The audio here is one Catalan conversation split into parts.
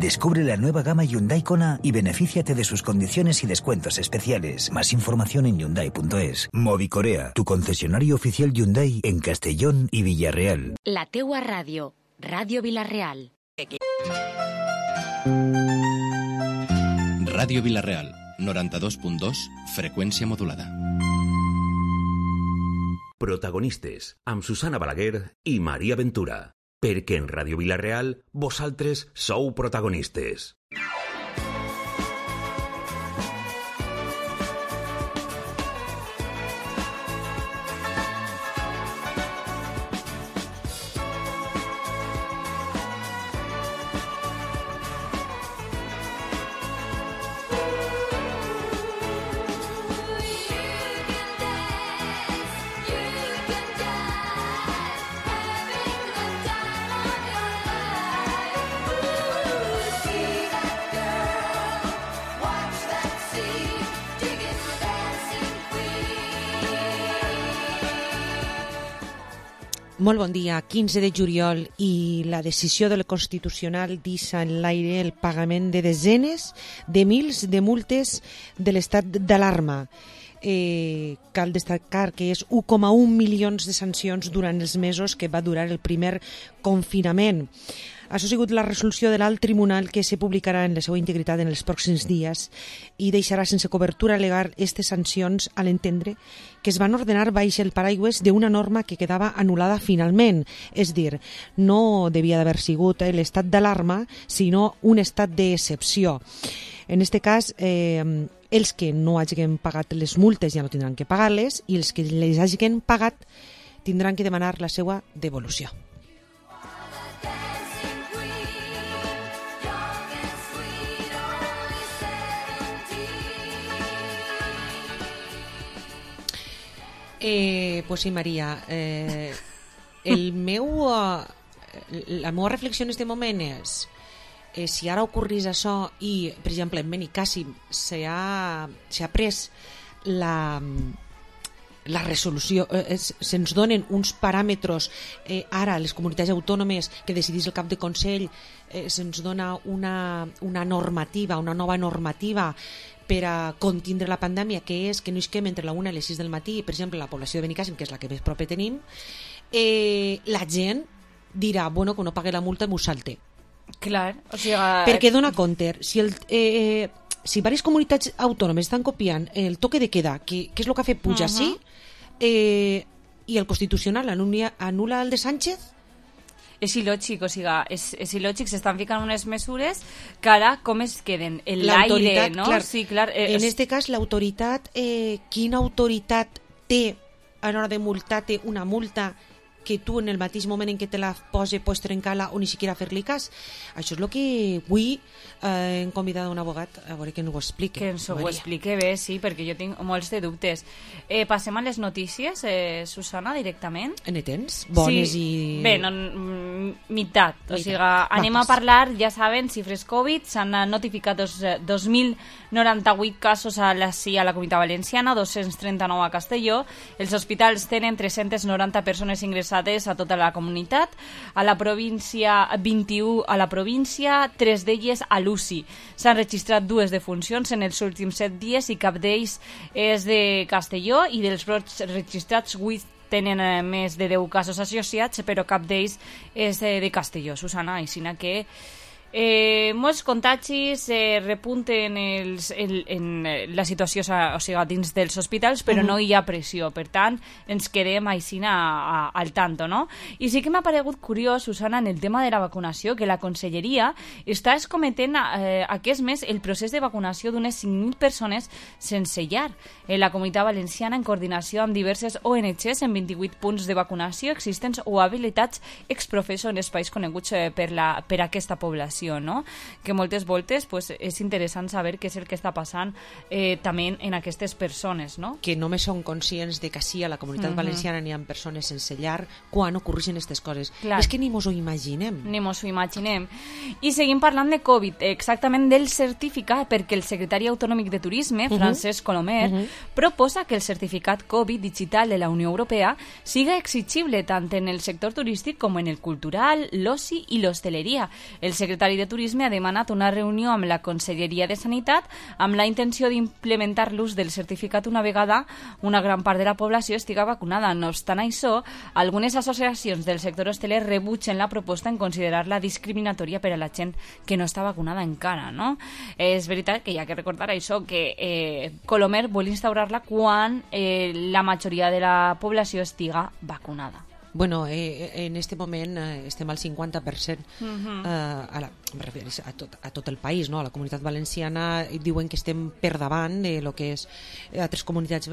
Descubre la nueva gama Hyundai Kona y benefíciate de sus condiciones y descuentos especiales. Más información en Hyundai.es. Movicorea, tu concesionario oficial Hyundai en Castellón y Villarreal. La teua ràdio, Ràdio Vila-real. Ràdio Vila-real, 92.2, freqüència modulada. Protagonistes, amb Susana Balaguer i Maria Ventura. Perquè en Ràdio Vila-real vosaltres sou protagonistes. Molt bon dia. 15 de juliol i la decisió del Constitucional deixa en l'aire el pagament de desenes de mils de multes de l'estat d'alarma. Cal destacar que és 1,1 milions de sancions durant els mesos que va durar el primer confinament. Això ha sigut la resolució de l'alt tribunal que se publicarà en la seva integritat en els pròxims dies i deixarà sense cobertura legal aquestes sancions a l'entendre que es van ordenar baix el paraigües d'una norma que quedava anul·lada finalment. És dir, no devia d'haver sigut l'estat d'alarma, sinó un estat d'excepció. En aquest cas, els que no hagin pagat les multes ja no tindran que pagar-les i els que les hagin pagat tindran que demanar la seva devolució. Pues sí, Maria, la meva reflexió en aquest moment és si ara ocorrís això i, per exemple, en Benicàssim s'ha pres la resolució, se'ns donen uns paràmetres ara a les comunitats autònomes que decidís el cap de Consell, se'ns dona una normativa, una nova normativa per a contindre la pandèmia, que és que no isquem entre la 1 i les 6 del matí, per exemple, la població de Benicàssim, que és la que més proper tenim, la gent dirà, bueno, que no pague la multa m'ho salte. Clar, o sigui... Perquè dona compte, si diverses comunitats autònomes estan copiant el toque de queda, que és el que ha fet Puig així, i el Constitucional anul·la el de Sánchez, és il·lògic, o sigui, és il·lògic, s'estan ficant unes mesures que ara com es queden? En l'aire, no? Clar, sí, clar, en aquest cas l'autoritat, quina autoritat té a l'hora de multar-te una multa que tu en el mateix moment en què te la pots trencar-la o ni siquiera fer-li cas? Això és el que avui hem convidat un abogat a veure que ens ho expliqui. Que ens ho expliqui bé, sí, perquè jo tinc molts de dubtes. Passem a les notícies, Susana, directament. Ne tens? Bones sí. I... Bé, no, meitat. O sigui, anem a parlar, ja saben, xifres Covid, s'han notificat 2.098 casos a la Comunitat Valenciana, 239 a Castelló. Els hospitals tenen 390 persones ingressades a tota la comunitat, a la província 21 a la província, 3 d'elles a l'UCI. S'han registrat 2 defuncions en els últims 7 dies i cap d'ells és de Castelló i dels brots registrats 8 tenen més de 10 casos associats, però cap d'ells és de Castelló, Susana, així que molts contagis repunten en la situació, o sigui, dins dels hospitals, però no hi ha pressió, per tant ens quedem així al tanto, no? I sí que m'ha paregut curiós, Susana, en el tema de la vacunació, que la Conselleria està escometent aquest mes el procés de vacunació d'unes 5.000 persones sense llar en la Comunitat Valenciana, en coordinació amb diverses ONGs en 28 punts de vacunació existents o habilitats exprofesso en espais coneguts per aquesta població, no? Que moltes voltes pues, és interessant saber què és el que està passant també en aquestes persones, no? Que només són conscients de que sí, a la Comunitat Valenciana n'hi ha persones sense llar quan ocorreixen aquestes coses. Clar. És que ni mos ho imaginem. Ni mos ho imaginem. I seguim parlant de Covid, exactament del certificat, perquè el secretari autonòmic de Turisme, Francesc Colomer, proposa que el certificat Covid digital de la Unió Europea siga exigible tant en el sector turístic com en el cultural, l'oci i l'hostaleria. El secretari Secretari de Turisme ha demanat una reunió amb la Conselleria de Sanitat amb la intenció d'implementar l'ús del certificat una vegada una gran part de la població estiga vacunada. No obstant això, algunes associacions del sector hosteler rebutgen la proposta en considerar-la discriminatòria per a la gent que no està vacunada encara, no? És veritat que hi ha que recordar això, que Colomer vol instaurar-la quan la majoria de la població estiga vacunada. Bueno, en este moment estem al 50%, me refereixo a tot el país, no? A la comunitat valenciana diuen que estem per davant de lo que és altres comunitats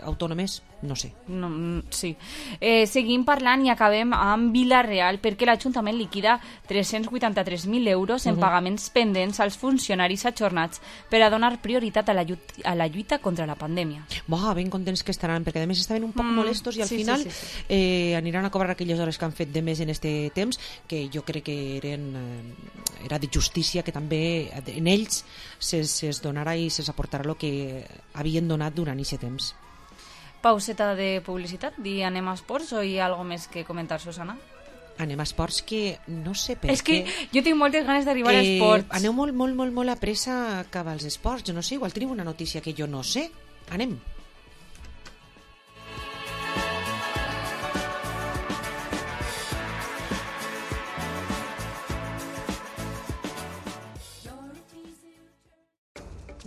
autònomes, no sé. No, sí. Seguim parlant i acabem amb Vila-real, perquè l'Ajuntament liquida 383.000 euros en pagaments pendents als funcionaris ajornats per a donar prioritat a la lluita contra la pandèmia. Ben contents que estaran, perquè a més estaven un poc molestos i al final aniran a cobrar aquelles hores que han fet de més en este temps, que jo crec que era de justícia que també en ells es donarà i es aportarà el que havien donat durant aquest temps. Pauseta de publicitat, anem a esports o hi ha alguna més que comentar, Susana? Anem a esports, que no sé per què... És que jo tinc moltes ganes d'arribar a esports. Aneu molt a pressa cap als esports, jo no sé, igual tenim una notícia que jo no sé. Anem.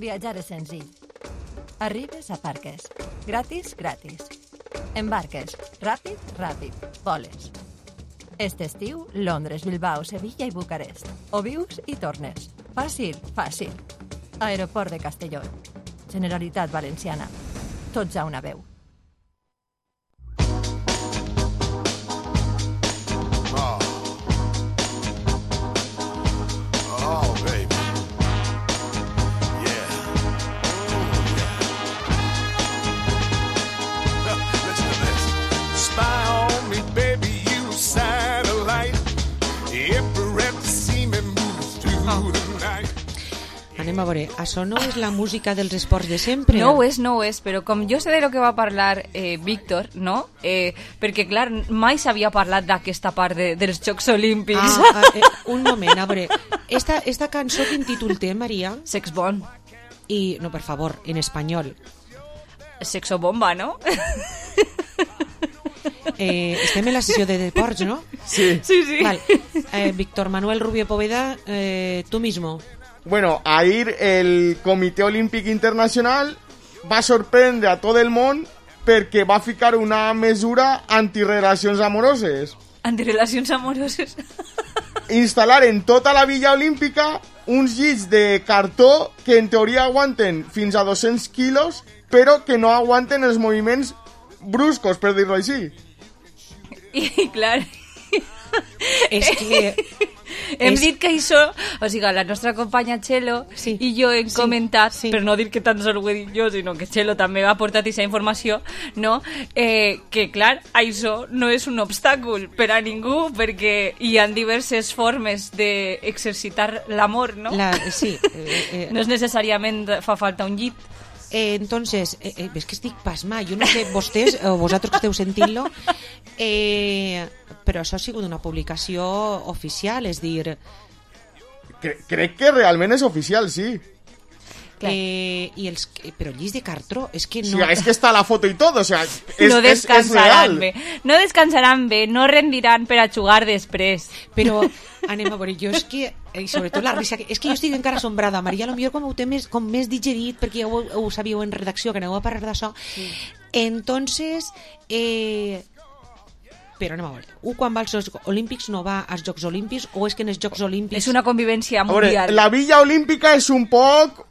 Viatjar és senzill. Arribes a Parques. Gratis. Embarques. Ràpid. Voles. Este estiu, Londres, Bilbao, Sevilla i Bucarest. O vius i tornes. Fàcil. Aeroport de Castelló. Generalitat Valenciana. Tots a una veu. Anem a veure, això no és la música dels esports de sempre? No ho és, però com jo sé de lo que va parlar Víctor, no? Perquè, clar, mai s'havia parlat d'aquesta part dels Jocs Olímpics. Un moment, a veure, esta cançó quin títol té, Maria? Sex Bomb. I, no, per favor, en espanyol. Sexo bomba, no? Estem en la sessió de deports, ¿no? Sí. Vale. Víctor Manuel Rubio Poveda, tú mismo. Bueno, ahir el Comitè Olímpic Internacional va sorprendre a tot el món perquè va ficar una mesura antirelacions amoroses. Antirelacions amoroses? Instal·lar en tota la Villa Olímpica uns llits de cartó que en teoria aguanten fins a 200 quilos, però que no aguanten els moviments bruscos, per dir-ho així. I clar... És que... Hem dit que això, o sigui, la nostra companya Txelo i jo hem comentat, per no dir que tan sols ho he dit jo, sinó que Txelo també ha portat aquesta informació, no? Que clar, això no és un obstàcul per a ningú, perquè hi ha diverses formes d'exercitar l'amor, no? Sí. No és necessàriament fa falta un llit. Entonces, ves que estic pasmada, jo no sé vostès o vosaltres que esteu sentint-lo, però això ha sigut una publicació oficial, és dir... Crec que realment és oficial, sí. Però llits de cartró, és que no... Sí, és que està la foto i tot, o sea, no descansaran bé, no rendiran per a jugar després. Però anem a veure, jo és que, i sobretot la risa, és que jo estic encara assombrada, Maria, potser com ho té més digerit, perquè ja ho sabíeu en redacció, que aneu a parlar d'això. Entonces, però anem a veure, quan va als Jocs Olímpics no va als Jocs Olímpics, o és que en els Jocs Olímpics... És una convivència mundial. La Villa Olímpica és un poc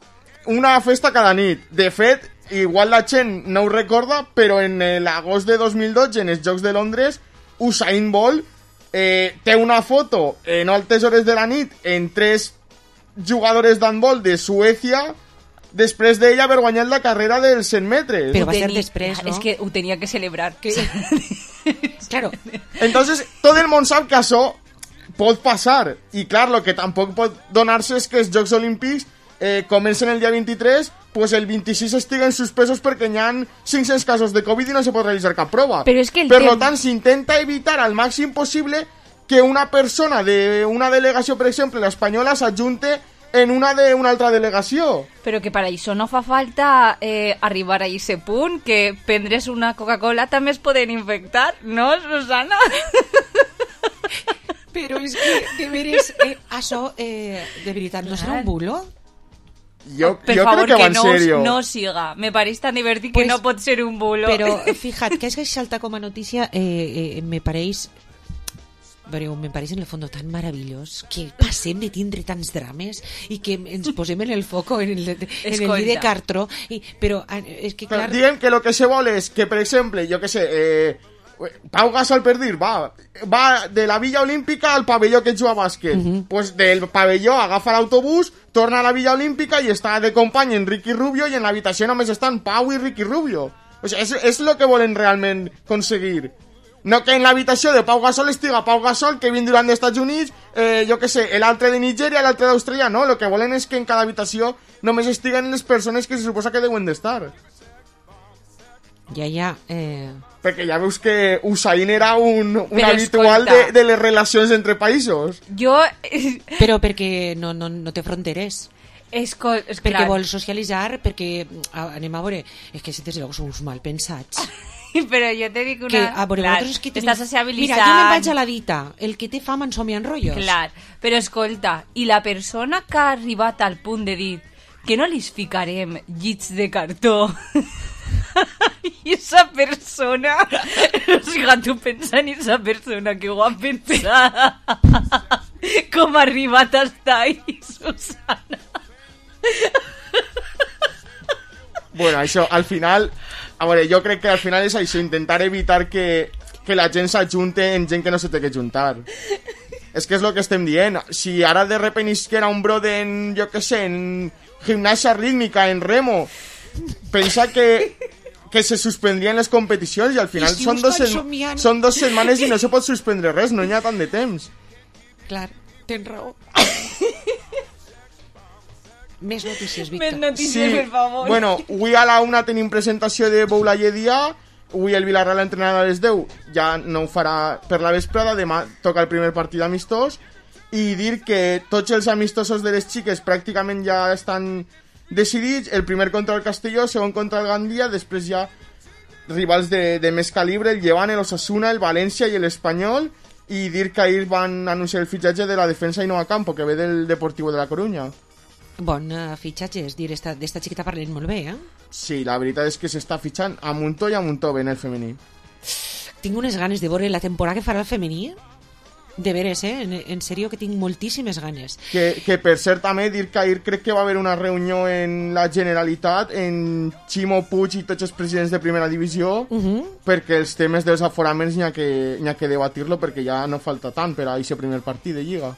una festa cada nit. De fet, igual la gent no ho recorda, però en l'agost de 2012, en els Jocs de Londres, Usain Bolt té una foto en altes hores de la nit en 3 jugadores d'handbol de Suècia després d'ella haver guanyat la carrera dels 100 metres. Però va ser després, ¿no? És que ho tenia que celebrar. Claro. Entonces, tot el món sap que això pot passar. I clar, lo que tampoc pot donar-se és que els Jocs Olímpics comencen el dia 23, pues el 26 estiguen suspesos perquè hi ha 500 casos de Covid i no se pot realitzar cap prova. Però és que per tant, s'intenta evitar al màxim possible que una persona d'una delegació, per exemple, l'espanyola, s'ajunte en una d'una altra delegació. Però que per això no fa falta arribar a aquest punt, que prendre's una Coca-Cola també es poden infectar, no, Susana? Però és que, de veres, això, de veritat, no serà un bulo? Jo per crec favor, que va en no, serio. No siga. Me pareix tan divertit Pues, que no pot ser un bulo. Però, fíjate, que és que salta com a notícia, me pareix... Però me pareix en el fons tan meravellós que passem de tindre tants drames i que ens posem en el foco en el llit de cartró. Però és que, clar... Diguem que el que se vol és que, per exemple, jo que sé, Pau Gasol, per dir, va de la Villa Olímpica al pavelló que juga a bàsquet. Pues del pavelló agafa l'autobús, torna a la Villa Olímpica i està de company en Ricky Rubio, i en l'habitació només estan Pau i Ricky Rubio. O sea, és lo que volen realment aconseguir. No que en l'habitació de Pau Gasol estiga Pau Gasol, Kevin Durant d'Estats Units, jo que sé, l'altre de Nigèria, l'altre d'Austràlia, no. Lo que volen és que en cada habitació només estiguen les persones que se suposa que deuen d'estar. Ja. Perquè ja veus que Usain era un Però habitual escolta, de les relacions entre països. Jo... Però perquè no té fronteres. Perquè clar. vol socialitzar, perquè anem a veure, és que si som uns mal pensats. Però jo te dic una... Que, a veure, clar, vosaltres que t'estàs sociabilitzant. Mira, jo me'n vaig a la dita, el que té fam en som i enrotllos. Clar, però escolta, i la persona que ha arribat al punt de dir que no li ficarem llits de cartó i esa persona, o sigui, tu pensa en esa persona que ho ha pensat, com ha arribat hasta ahí, Susana. Bueno, això, al final... A veure, jo crec que al final és això, intentar evitar que la gent s'ajunte en gent que no se té que juntar. És que és el que estem dient. Si ara de repent isquera un brode en, jo què sé, en gimnàsia rítmica, en remo, pensa que se suspendrien les competicions i al final si són són 2 setmanes i no se pot suspendre res, no hi ha tant de temps. Clar, tens raó. Més notícies, Víctor. Més notícies, per favor. Bueno, avui a la 1 tenim presentació de Boulaye Dia. Avui el Villarreal entrenarà a les 10. Ja no ho farà per la vesprada. Demà toca el primer partit amistós. I dir que tots els amistosos de les xiques pràcticament ja estan decidits. El primer contra el Castelló, segon contra el Gandia. Després ja rivals de més calibre, el Llevant, el Osasuna, el València i l'Espanyol. I dir que ahir van anunciar el fitxatge de la defensa Ainhoa Campo, que ve del Deportivo de la Coruña. Bon fitxatge, és dir, d'esta xiqueta parlem molt bé, eh? Sí, la veritat és que s'està fitxant a muntó i a muntó ben el femení. Tinc unes ganes de veure la temporada que farà el femení. De veres, en sèrio que tinc moltíssimes ganes. Que per cert també dir que ahir crec que va haver una reunió en la Generalitat en Ximo Puig i tots els presidents de primera divisió, perquè els temes dels aforaments n'hi ha que debatir-lo, perquè ja no falta tant per a aquest primer partit de Lliga.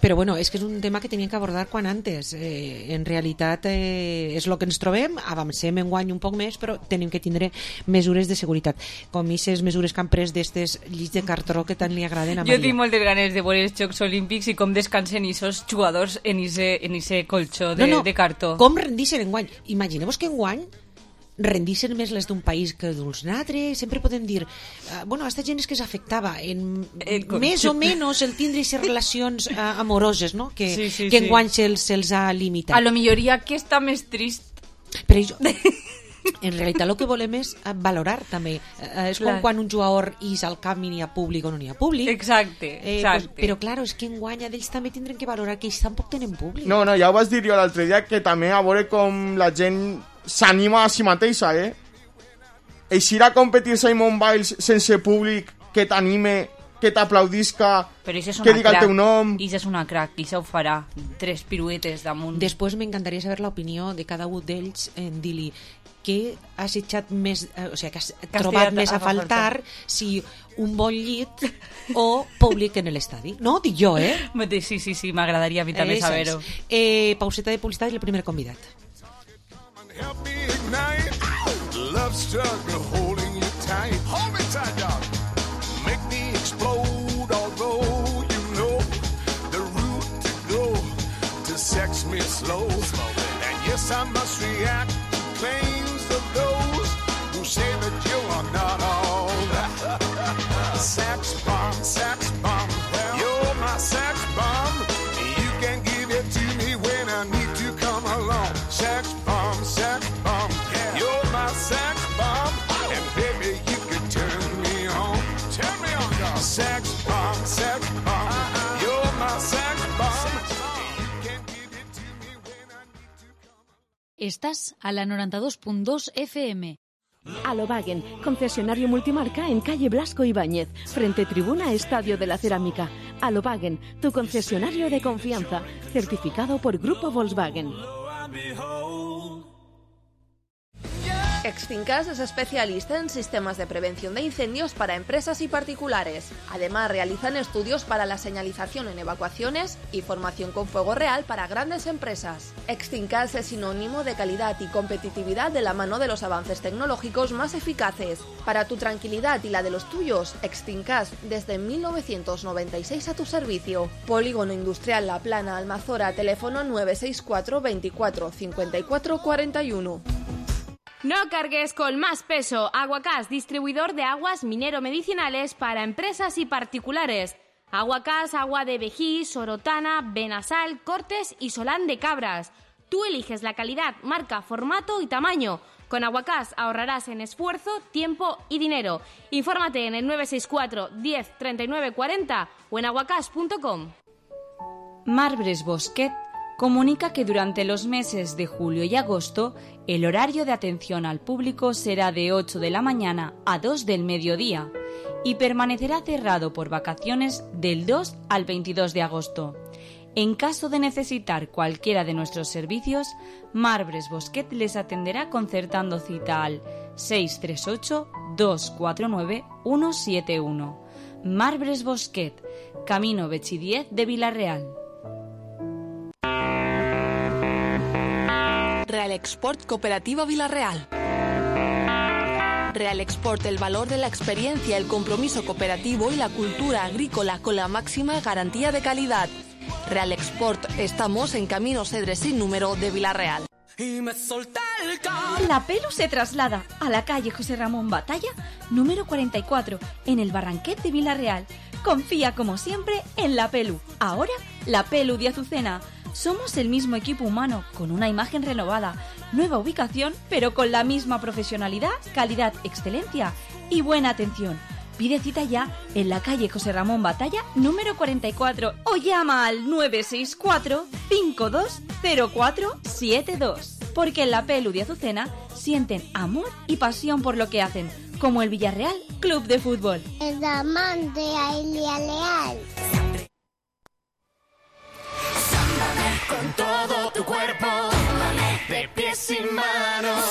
Però bueno, és que és un tema que teníem que abordar quan antes. En realitat és el que ens trobem, avancem enguany un poc més, però tenim que tindre mesures de seguretat. Com aquestes mesures que han pres d'estes llits de cartró que tant li agraden a Maria. Jo tinc moltes ganes de veure els Jocs Olímpics i com descansen aquests jugadors en ese colxó de cartó. Com rendixen enguany? Imagineu-vos que enguany rendixen més les d'un país que dels altres. Sempre podem dir bueno, aquesta gent és que s'afectava en més o menys el tindre aquestes relacions amoroses, no? Que enguany se'ls ha limitat. A lo millor hi ha qui està més trist. Però jo, en realitat el que volem és valorar també. És com quan un jugador és al camp i n'hi ha públic o no n'hi ha públic. Exacte. Pues, però clar, és que enguany ells també tindran que valorar que ells tampoc tenen públic. No, ja ho vas dir jo l'altre dia, que també a veure com la gent s'anima a si mateixa, Eixir a competir Simon Biles sense públic que t'anime, que t'aplaudisca, que diga el teu nom. Ixa és una crack, Ixa ho farà. 3 piruetes damunt. Després m'encantaria saber l'opinió de cada un d'ells en dir-li què has echat més, o sigui, que has trobat més a faltar, si un bon llit o públic en l'estadi. No, dic jo, Sí, m'agradaria a mi també saber-ho. Pauseta de publicitat i el primer convidat. Help me ignite love struggle holding you tight. Hold me tight, dog. Make me explode, although you know the route to go to sex me slow. And yes, I must react to claims of those who say that you are not all that. Sex bomb, Estás a la 92.2 FM. Alobagen, concesionario multimarca en calle Blasco Ibáñez, frente tribuna Estadio de la Cerámica. Alobagen, tu concesionario de confianza, certificado por Grupo Volkswagen. Extincas es especialista en sistemas de prevención de incendios para empresas y particulares. Además, realizan estudios para la señalización en evacuaciones y formación con fuego real para grandes empresas. Extincas es sinónimo de calidad y competitividad de la mano de los avances tecnológicos más eficaces. Para tu tranquilidad y la de los tuyos, Extincas desde 1996 a tu servicio. Polígono Industrial La Plana, Almazora, teléfono 964 24 54 41. No cargues con más peso. Aguacás, distribuidor de aguas minero-medicinales para empresas y particulares. Aguacás, agua de Vejí, Sorotana, Benasal, Cortes y Solán de Cabras. Tú eliges la calidad, marca, formato y tamaño. Con Aguacás ahorrarás en esfuerzo, tiempo y dinero. Infórmate en el 964 10 39 40 o en aguacás.com. Marbres Bosquet comunica que durante los meses de julio y agosto el horario de atención al público será de 8 de la mañana a 2 del mediodía y permanecerá cerrado por vacaciones del 2 al 22 de agosto. En caso de necesitar cualquiera de nuestros servicios, Marbres Bosquet les atenderá concertando cita al 638-249-171. Marbres Bosquet, Camino Bechi 10 de Vilarreal. Real Export Cooperativa Vilarreal. Real Export, el valor de la experiencia, el compromiso cooperativo y la cultura agrícola con la máxima garantía de calidad. Real Export, estamos en Camino Cedres sin número de Vilarreal. La Pelu se traslada a la calle José Ramón Batalla, número 44, en el Barranquet de Vilarreal. Confía como siempre en La Pelu. Ahora, La Pelu de Azucena. Somos el mismo equipo humano, con una imagen renovada, nueva ubicación, pero con la misma profesionalidad, calidad, excelencia y buena atención. Pide cita ya en la calle José Ramón Batalla, número 44, o llama al 964 520472. Porque en La Pelu de Azucena sienten amor y pasión por lo que hacen, como el Villarreal Club de Fútbol. El diamante a Villarreal. Con todo tu cuerpo, de pies y manos,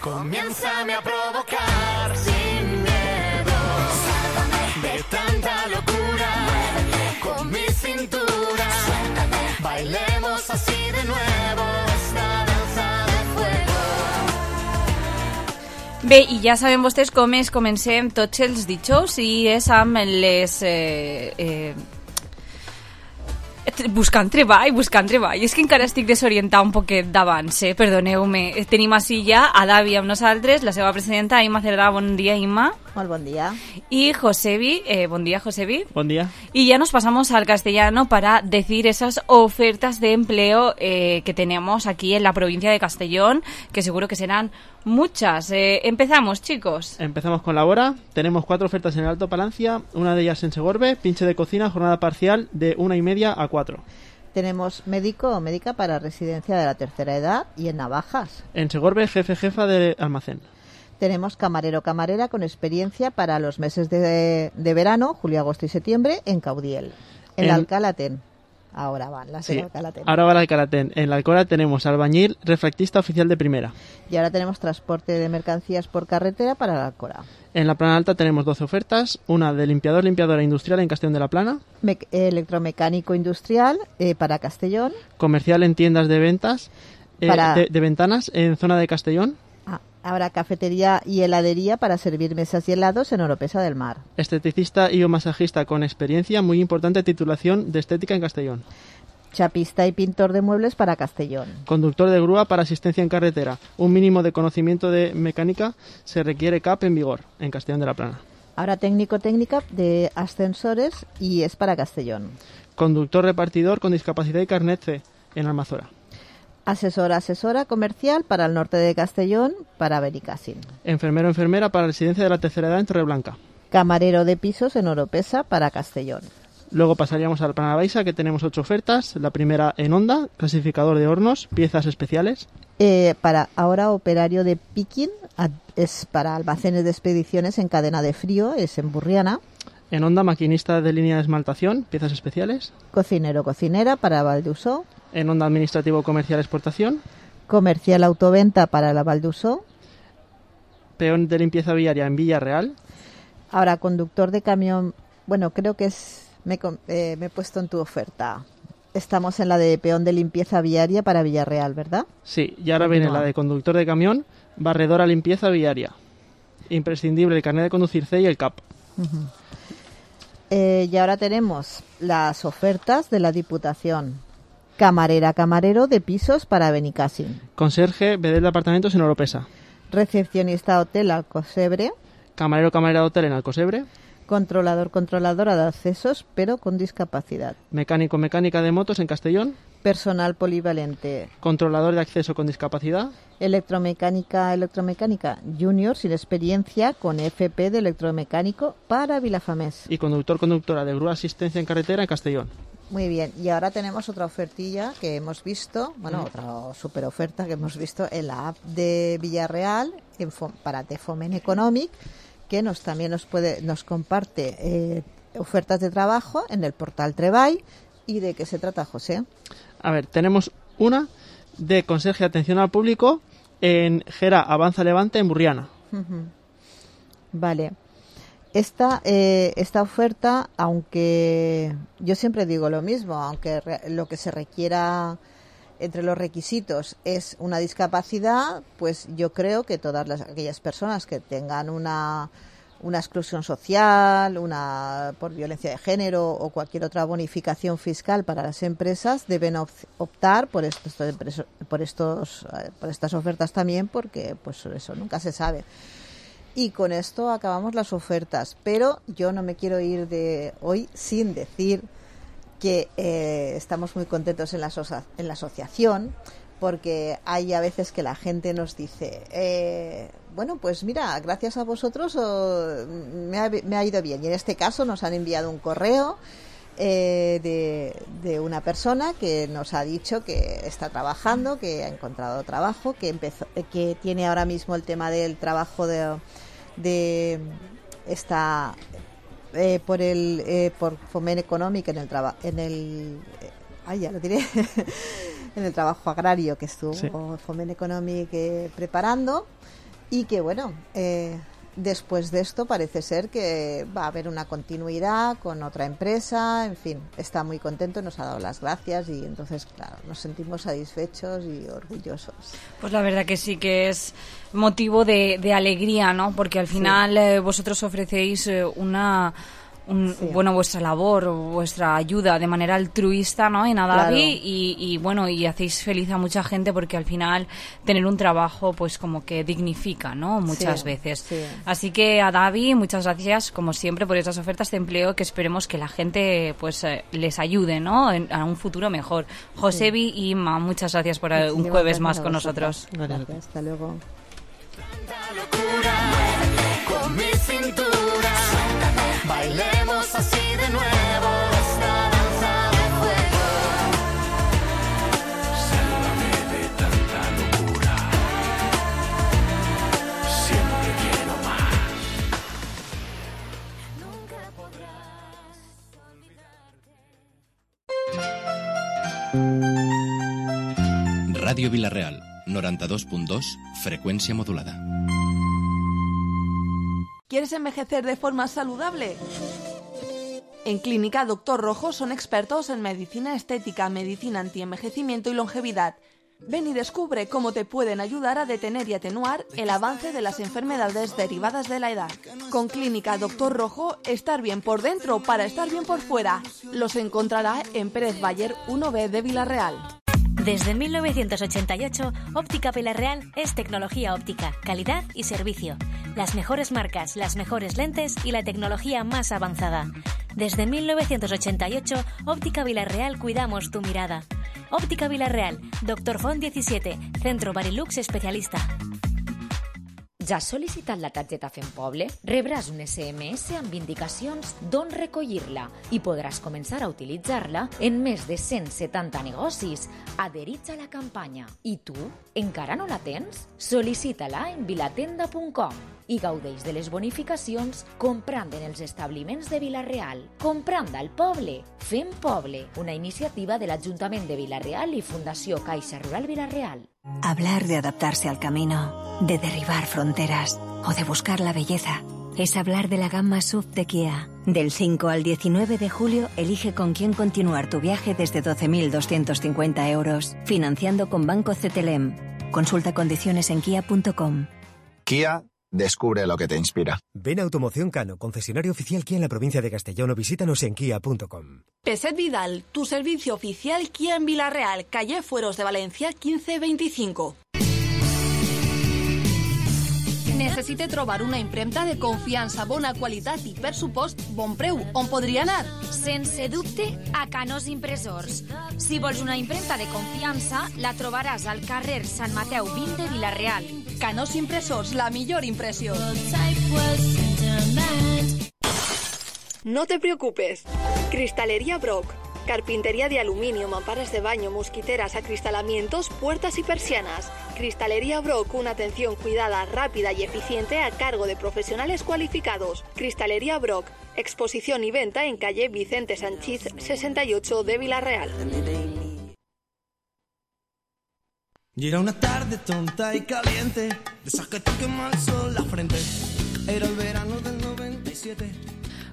comiénzame a provocar sin miedo. De tanta locura, con mi cintura, bailemos así de nuevo esta danza de fuego. Bé, i ja sabem vostès com es comencem tots els dijous i és amb les... buscant treball. És que encara estic desorientada un poquet d'abans, perdoneu-me. Tenim així ja a Davi amb nosaltres, la seva presidenta, Imma Cerdà. Bon dia, Imma. Molt bon dia. Y Josebi, buen día, Josebi. Buen día. Y ya nos pasamos al castellano para decir esas ofertas de empleo que tenemos aquí en la provincia de Castellón, que seguro que serán muchas. Empezamos, chicos. Empezamos con la hora. Tenemos 4 ofertas en el Alto Palancia, una de ellas en Segorbe, pinche de cocina, jornada parcial de 1:30 a 4. Tenemos médico o médica para residencia de la tercera edad y en Navajas. En Segorbe, jefa de almacén. Tenemos camarero o camarera con experiencia para los meses de verano, julio, agosto y septiembre, en Caudiel. En la Alcalatén. Ahora van las de Alcalatén. Ahora va la Alcalatén. En la Alcora tenemos albañil, refractista oficial de primera. Y ahora tenemos transporte de mercancías por carretera para la Alcora. En la Plana Alta tenemos 12 ofertas, una de limpiadora industrial en Castellón de la Plana. Electromecánico industrial para Castellón. Comercial en tiendas de ventas de ventanas en zona de Castellón. Habrá cafetería y heladería para servir mesas y helados en Oropesa del Mar. Esteticista y o masajista con experiencia, muy importante titulación de estética en Castellón. Chapista y pintor de muebles para Castellón. Conductor de grúa para asistencia en carretera. Un mínimo de conocimiento de mecánica se requiere CAP en vigor en Castellón de la Plana. Ahora técnica de ascensores y es para Castellón. Conductor repartidor con discapacidad y carnet C en Almazora. Asesora comercial para el norte de Castellón, para Benicàssim. Enfermera para residencia de la tercera edad en Torreblanca. Camarero de pisos en Oropesa para Castellón. Luego pasaríamos al Plana Baixa, que tenemos 8 ofertas. La primera en Honda, clasificador de hornos, piezas especiales. Para ahora operario de picking, es para almacenes de expediciones en cadena de frío, es en Burriana. En Onda, maquinista de línea de esmaltación, piezas especiales. Cocinero, cocinera para Valdusó. En Onda, administrativo comercial exportación. Comercial autoventa para la Valdusó. Peón de limpieza viaria en Villarreal. Ahora conductor de camión, bueno, creo que me he puesto en tu oferta. Estamos en la de peón de limpieza viaria para Villarreal, ¿verdad? Sí, y ahora viene la de conductor de camión, barredora limpieza viaria. Imprescindible el carnet de conducir C y el CAP. Y ahora tenemos las ofertas de la Diputación. Camarera, camarero de pisos para Benicàssim. Conserje, bedel de apartamentos en Oropesa. Recepcionista hotel Alcocebre. Camarero, camarera de hotel en Alcocebre. Controlador, controladora de accesos, pero con discapacidad. Mecánico, mecánica de motos en Castellón. Personal polivalente. Controlador de acceso con discapacidad. Electromecánica, electromecánica junior sin experiencia con FP de electromecánico para Vilafamés. Y conductor, conductora de grúa asistencia en carretera en Castellón. Muy bien, y ahora tenemos otra ofertilla que hemos visto, bueno, otra super oferta que hemos visto en la app de Villarreal para Tefomen Economic, que también nos comparte ofertas de trabajo en el portal Treball. ¿Y de qué se trata, José? A ver, tenemos una de conserje de atención al público en Gera Avanza Levante en Burriana. Vale. Esta oferta, aunque yo siempre digo lo mismo, aunque lo que se requiera entre los requisitos es una discapacidad, pues yo creo que todas aquellas personas que tengan una exclusión social, por violencia de género o cualquier otra bonificación fiscal para las empresas deben optar por estas ofertas también, porque pues eso nunca se sabe. Y con esto acabamos las ofertas, pero yo no me quiero ir de hoy sin decir que estamos muy contentos en la asociación, porque hay a veces que la gente nos dice, bueno, pues mira, gracias a vosotros me ha ido bien. Y en este caso nos han enviado un correo de una persona que nos ha dicho que está trabajando, que ha encontrado trabajo, que tiene ahora mismo el tema del trabajo por Foment Econòmic en el trabajo agrario que estuvo Foment Econòmic preparando, y que bueno, después de esto parece ser que va a haber una continuidad con otra empresa, en fin, está muy contento, nos ha dado las gracias y entonces, claro, nos sentimos satisfechos y orgullosos. Pues la verdad que sí que es motivo de alegría, ¿no? Porque al final vosotros ofrecéis bueno, vuestra labor, vuestra ayuda de manera altruista, ¿no? En Adavi, claro. y bueno, y hacéis feliz a mucha gente, porque al final tener un trabajo pues como que dignifica, ¿no? Muchas veces. Sí. Así que Adavi, muchas gracias como siempre por estas ofertas de empleo, que esperemos que la gente pues les ayude, ¿no? A un futuro mejor. Josebi y Inma, muchas gracias por un jueves más con nosotros. Gracias, hasta luego. Con mi cintura, bailemos así de nuevo esta danza de fuego. Sálvame de tanta locura, siempre quiero más. Nunca podrás olvidarte. Radio Villarreal, 92.2, frecuencia modulada. ¿Quieres envejecer de forma saludable? En Clínica Doctor Rojo son expertos en medicina estética, medicina antienvejecimiento y longevidad. Ven y descubre cómo te pueden ayudar a detener y atenuar el avance de las enfermedades derivadas de la edad. Con Clínica Doctor Rojo, estar bien por dentro para estar bien por fuera. Los encontrará en Pérez Bayer 1B de Villarreal. Desde 1988, Óptica Villarreal es tecnología óptica, calidad y servicio. Las mejores marcas, las mejores lentes y la tecnología más avanzada. Desde 1988, Óptica Villarreal cuidamos tu mirada. Óptica Villarreal, Dr. Font 17, Centro Barilux Especialista. Ja has sol·licitat la targeta Fem Poble? Rebràs un SMS amb indicacions d'on recollir-la i podràs començar a utilitzar-la en més de 170 negocis adherits a la campanya. I tu, encara no la tens? Sol·licita-la en vilatenda.com i gaudeix de les bonificacions comprant en els establiments de Vila-real. Comprant al poble. Fem Poble, una iniciativa de l'Ajuntament de Vila-real y Fundació Caixa Rural Vila-real. Hablar de adaptarse al camino, de derribar fronteras o de buscar la belleza es hablar de la gama SUV de Kia. Del 5 al 19 de julio, elige con quién continuar tu viaje desde 12.250 euros, financiando con Banco CTLM. Consulta condiciones en kia.com. Kia, descubre lo que te inspira. Ven a Automoción Cano, concesionario oficial Kia en la provincia de Castellón, o visítanos en kia.com. Peset Vidal, tu servicio oficial Kia en Vila-real, calle Fueros de Valencia 1525. Necessite trobar una impremta de confiança, bona qualitat i, per supost, bon preu. On podria anar? Sense dubte, a Canós Impressors. Si vols una impremta de confiança, la trobaràs al carrer Sant Mateu 20 de Vila-real. Canós Impressors, la millor impressió. No te preocupes. Cristalería Brock. Carpintería de aluminio, mamparas de baño, mosquiteras, acristalamientos, puertas y persianas. Cristalería Brock, una atención cuidada, rápida y eficiente a cargo de profesionales cualificados. Cristalería Brock, exposición y venta en calle Vicente Sanchís 68 de Vila-real. Y era una tarde tonta y caliente, de esas que te quema el sol la frente. Era el verano del 97.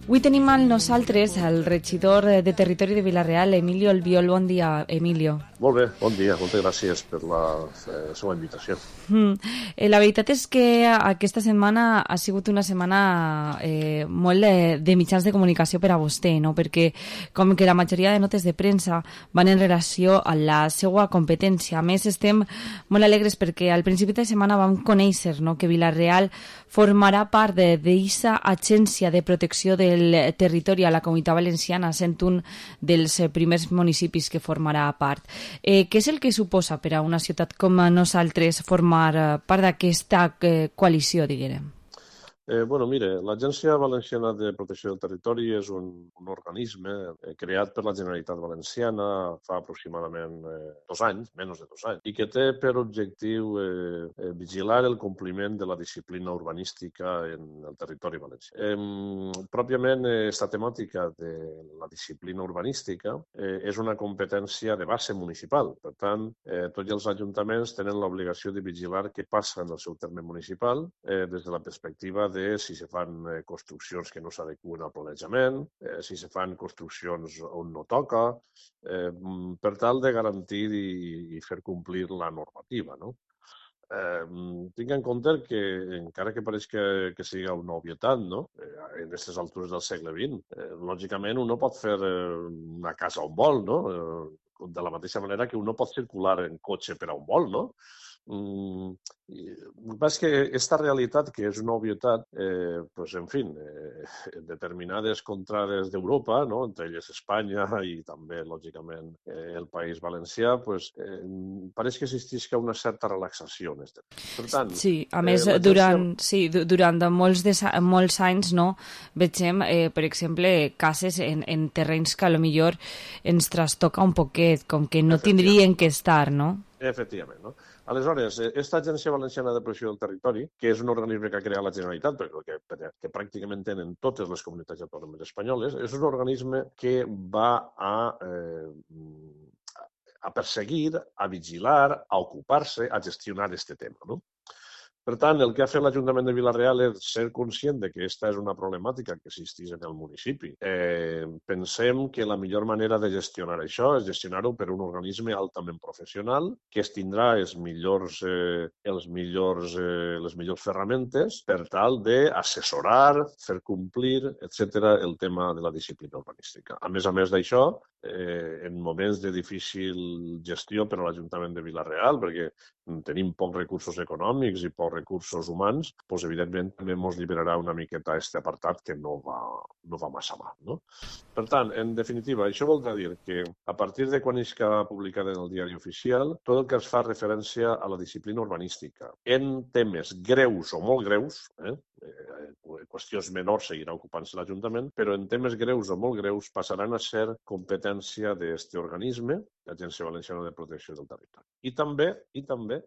Avui tenim amb nosaltres el regidor de Territori de Vila-real, Emilio Albiol. Bon dia, Emilio. Molt bé, bon dia, moltes gràcies per la seva invitació. La veritat és que aquesta setmana ha sigut una setmana molt de mitjans de comunicació per a vostè, no? Perquè com que la majoria de notes de premsa van en relació a la seva competència. A més, estem molt alegres perquè al principi de setmana vam conèixer, no?, que Vila-real formarà part d'aquesta agència de protecció del territori a la Comunitat Valenciana, sent un dels primers municipis que formarà part. Què és el que suposa per a una ciutat com nosaltres formar part d'aquesta coalició, diguem? Bueno, mire, l'Agència Valenciana de Protecció del Territori és un organisme creat per la Generalitat Valenciana fa aproximadament 2 anys, menys de 2 anys, i que té per objectiu vigilar el compliment de la disciplina urbanística en el territori valencià. Pròpiament, aquesta temàtica de la disciplina urbanística és una competència de base municipal. Per tant, tots els ajuntaments tenen l'obligació de vigilar què passa en el seu terme municipal des de la perspectiva de si se fan construccions que no s'adeqüen al planejament, si se fan construccions on no toca, per tal de garantir i fer complir la normativa, no? Tinc en compte que, encara que pareix que sigui una obvietat, no?, en aquestes altures del segle XX, lògicament un no pot fer una casa on vol, no?, de la mateixa manera que un no pot circular en cotxe per on vol, no? El que passa és que aquesta realitat, que és una obvietat, pues, en fi, determinades contrades d'Europa, no?, entre elles Espanya i també, lògicament, el País Valencià, pues, pareix que existeix una certa relaxació en aquest. Per tant, sí, a més, durant molts anys, no, vegem, per exemple, cases en terrenys que potser ens trastoca un poquet, com que no tindrien que estar, no? Efectivament, no? Aleshores, aquesta Agència Valenciana de Protecció del Territori, que és un organisme que ha creat la Generalitat, però que pràcticament tenen totes les comunitats autònomes espanyoles, és un organisme que va a perseguir, a vigilar, a ocupar-se, a gestionar aquest tema, no? Per tant, el que ha fet l'Ajuntament de Vila-real és ser conscient de que aquesta és una problemàtica que existeix en el municipi. Pensem que la millor manera de gestionar això és gestionar-ho per un organisme altament professional que es tindrà les millors ferramentes per tal d'assessorar, fer complir, etc., el tema de la disciplina urbanística. A més d'això, en moments de difícil gestió per a l'Ajuntament de Vila-real, perquè tenim pocs recursos econòmics i pocs recursos humans, doncs evidentment també ens liberarà una miqueta aquest apartat que no va massa mal, no? Per tant, en definitiva, això voldrà dir que a partir de quan isca publicada en el diari oficial, tot el que es fa referència a la disciplina urbanística en temes greus o molt greus, qüestions menors seguirà ocupant-se l'Ajuntament, però en temes greus o molt greus passaran a ser competència d'aquest organisme, l'Agència Valenciana de Protecció del Territori. I també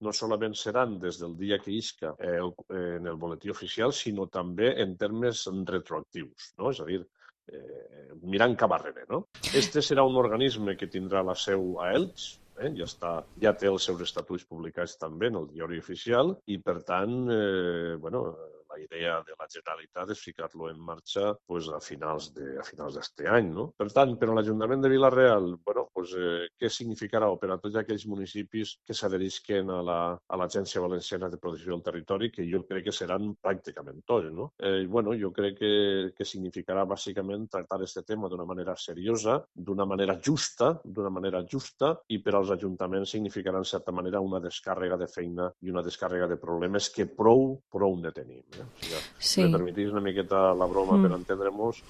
no solament seran des del dia que isca en el boletí oficial, sinó també en termes retroactius, no? És a dir, mirant cap arrere, no? Este serà un organisme que tindrà la seu a Elx, ja té els seus estatuts publicats també en el diari oficial i, per tant, la idea de la Generalitat és ficar-lo en marxa a finals d'este any, no? Per tant, per a l'Ajuntament de Vila-real, què significarà per a tots aquells municipis que s'adherisquen a l'Agència Valenciana de Protecció del Territori, que jo crec que seran pràcticament tots, no? Jo crec que significarà bàsicament tractar aquest tema d'una manera seriosa, d'una manera justa, i per als ajuntaments significarà, en certa manera, una descàrrega de feina i una descàrrega de problemes que prou ne tenim. Si me permetís una miqueta la broma per entendre-nos,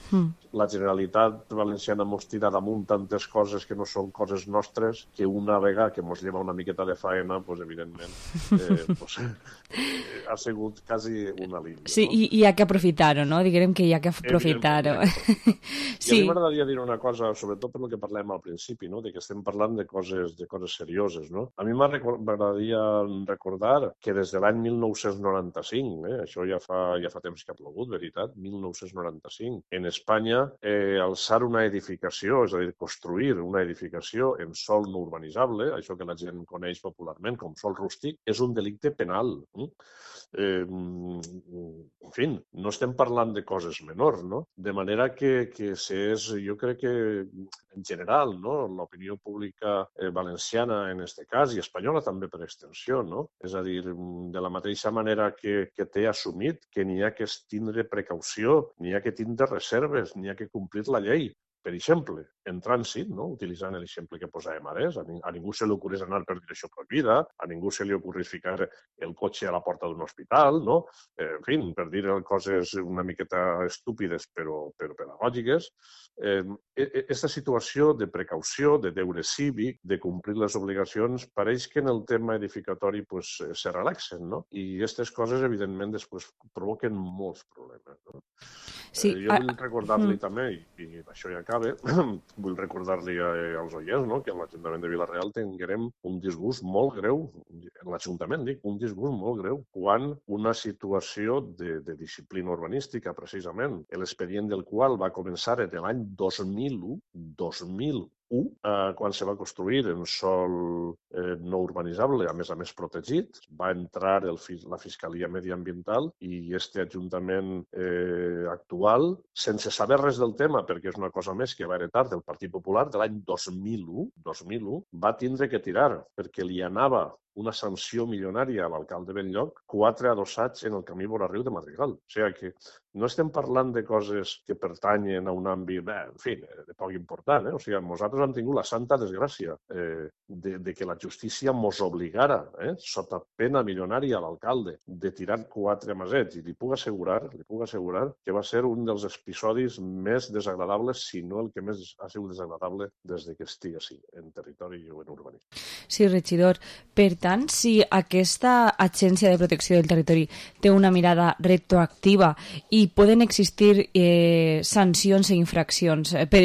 la Generalitat Valenciana mos tira damunt tantes coses que no són coses nostres que una vegada que mos lleva una miqueta de faena, evidentment, ha sigut quasi un alivio. Sí, i hi ha que aprofitar-ho, no? Diguem que hi ha que aprofitar-ho. I a mi m'agradaria dir una cosa, sobretot per el que parlem al principi, no? De que estem parlant de coses serioses, no? A mi m'agradaria recordar que des de l'any 1995, això ja fa temps que ha plogut, veritat, 1995. En Espanya, alçar una edificació, és a dir, construir una edificació en sòl no urbanitzable, això que la gent coneix popularment com sòl rústic, és un delicte penal. En fi, no estem parlant de coses menors, no? De manera que jo crec que en general, no, l'opinió pública valenciana en aquest cas i espanyola també per extensió, no? És a dir, de la mateixa manera que té assumit que n'hi ha que tindre precaució, n'hi ha que tindre reserves, n'hi ha que complir la llei. Per exemple, en trànsit, no? Utilitzant l'exemple que posàvem ara, a ningú se li ocorrés anar per direcció prohibida, a ningú se li ocorrés ficar el cotxe a la porta d'un hospital, no? En fi, per dir coses una miqueta estúpides però pedagògiques. Aquesta situació de precaució, de deure cívic, de complir les obligacions, pareix que en el tema edificatori se relaxen, no? I aquestes coses, evidentment, després provoquen molts problemes, no? Jo vull recordar-li també, i això ja acaba, vull recordar-li als oients, no, que a l'Ajuntament de Vila-real tinguem un disgust molt greu, en l'Ajuntament dic, un disgust molt greu, quan una situació de disciplina urbanística, precisament, l'expedient del qual va començar en l'any 2001, quan se va construir en sòl no urbanitzable, a més protegit, va entrar la Fiscalia Mediambiental i aquest Ajuntament actual, sense saber res del tema, perquè és una cosa més que va heretar del Partit Popular de l'any 2001, va tindre que tirar, perquè li anava una sanció milionària a l'alcalde Benlloc, 4 adossats en el camí vora riu de Madrigal. O sigui que no estem parlant de coses que pertanyen a un àmbit, en fi, de poc important. O sigui, nosaltres hem tingut la santa desgràcia de que la justícia mos obligara, sota pena milionària a l'alcalde, de tirar 4 masets. I li puc assegurar que va ser un dels episodis més desagradables, si no el que més ha sigut desagradable des que estigui així, en territori o en urbanisme. Sí, regidor. Per tant, si aquesta Agència de Protecció del Territori té una mirada retroactiva i poden existir sancions i infraccions per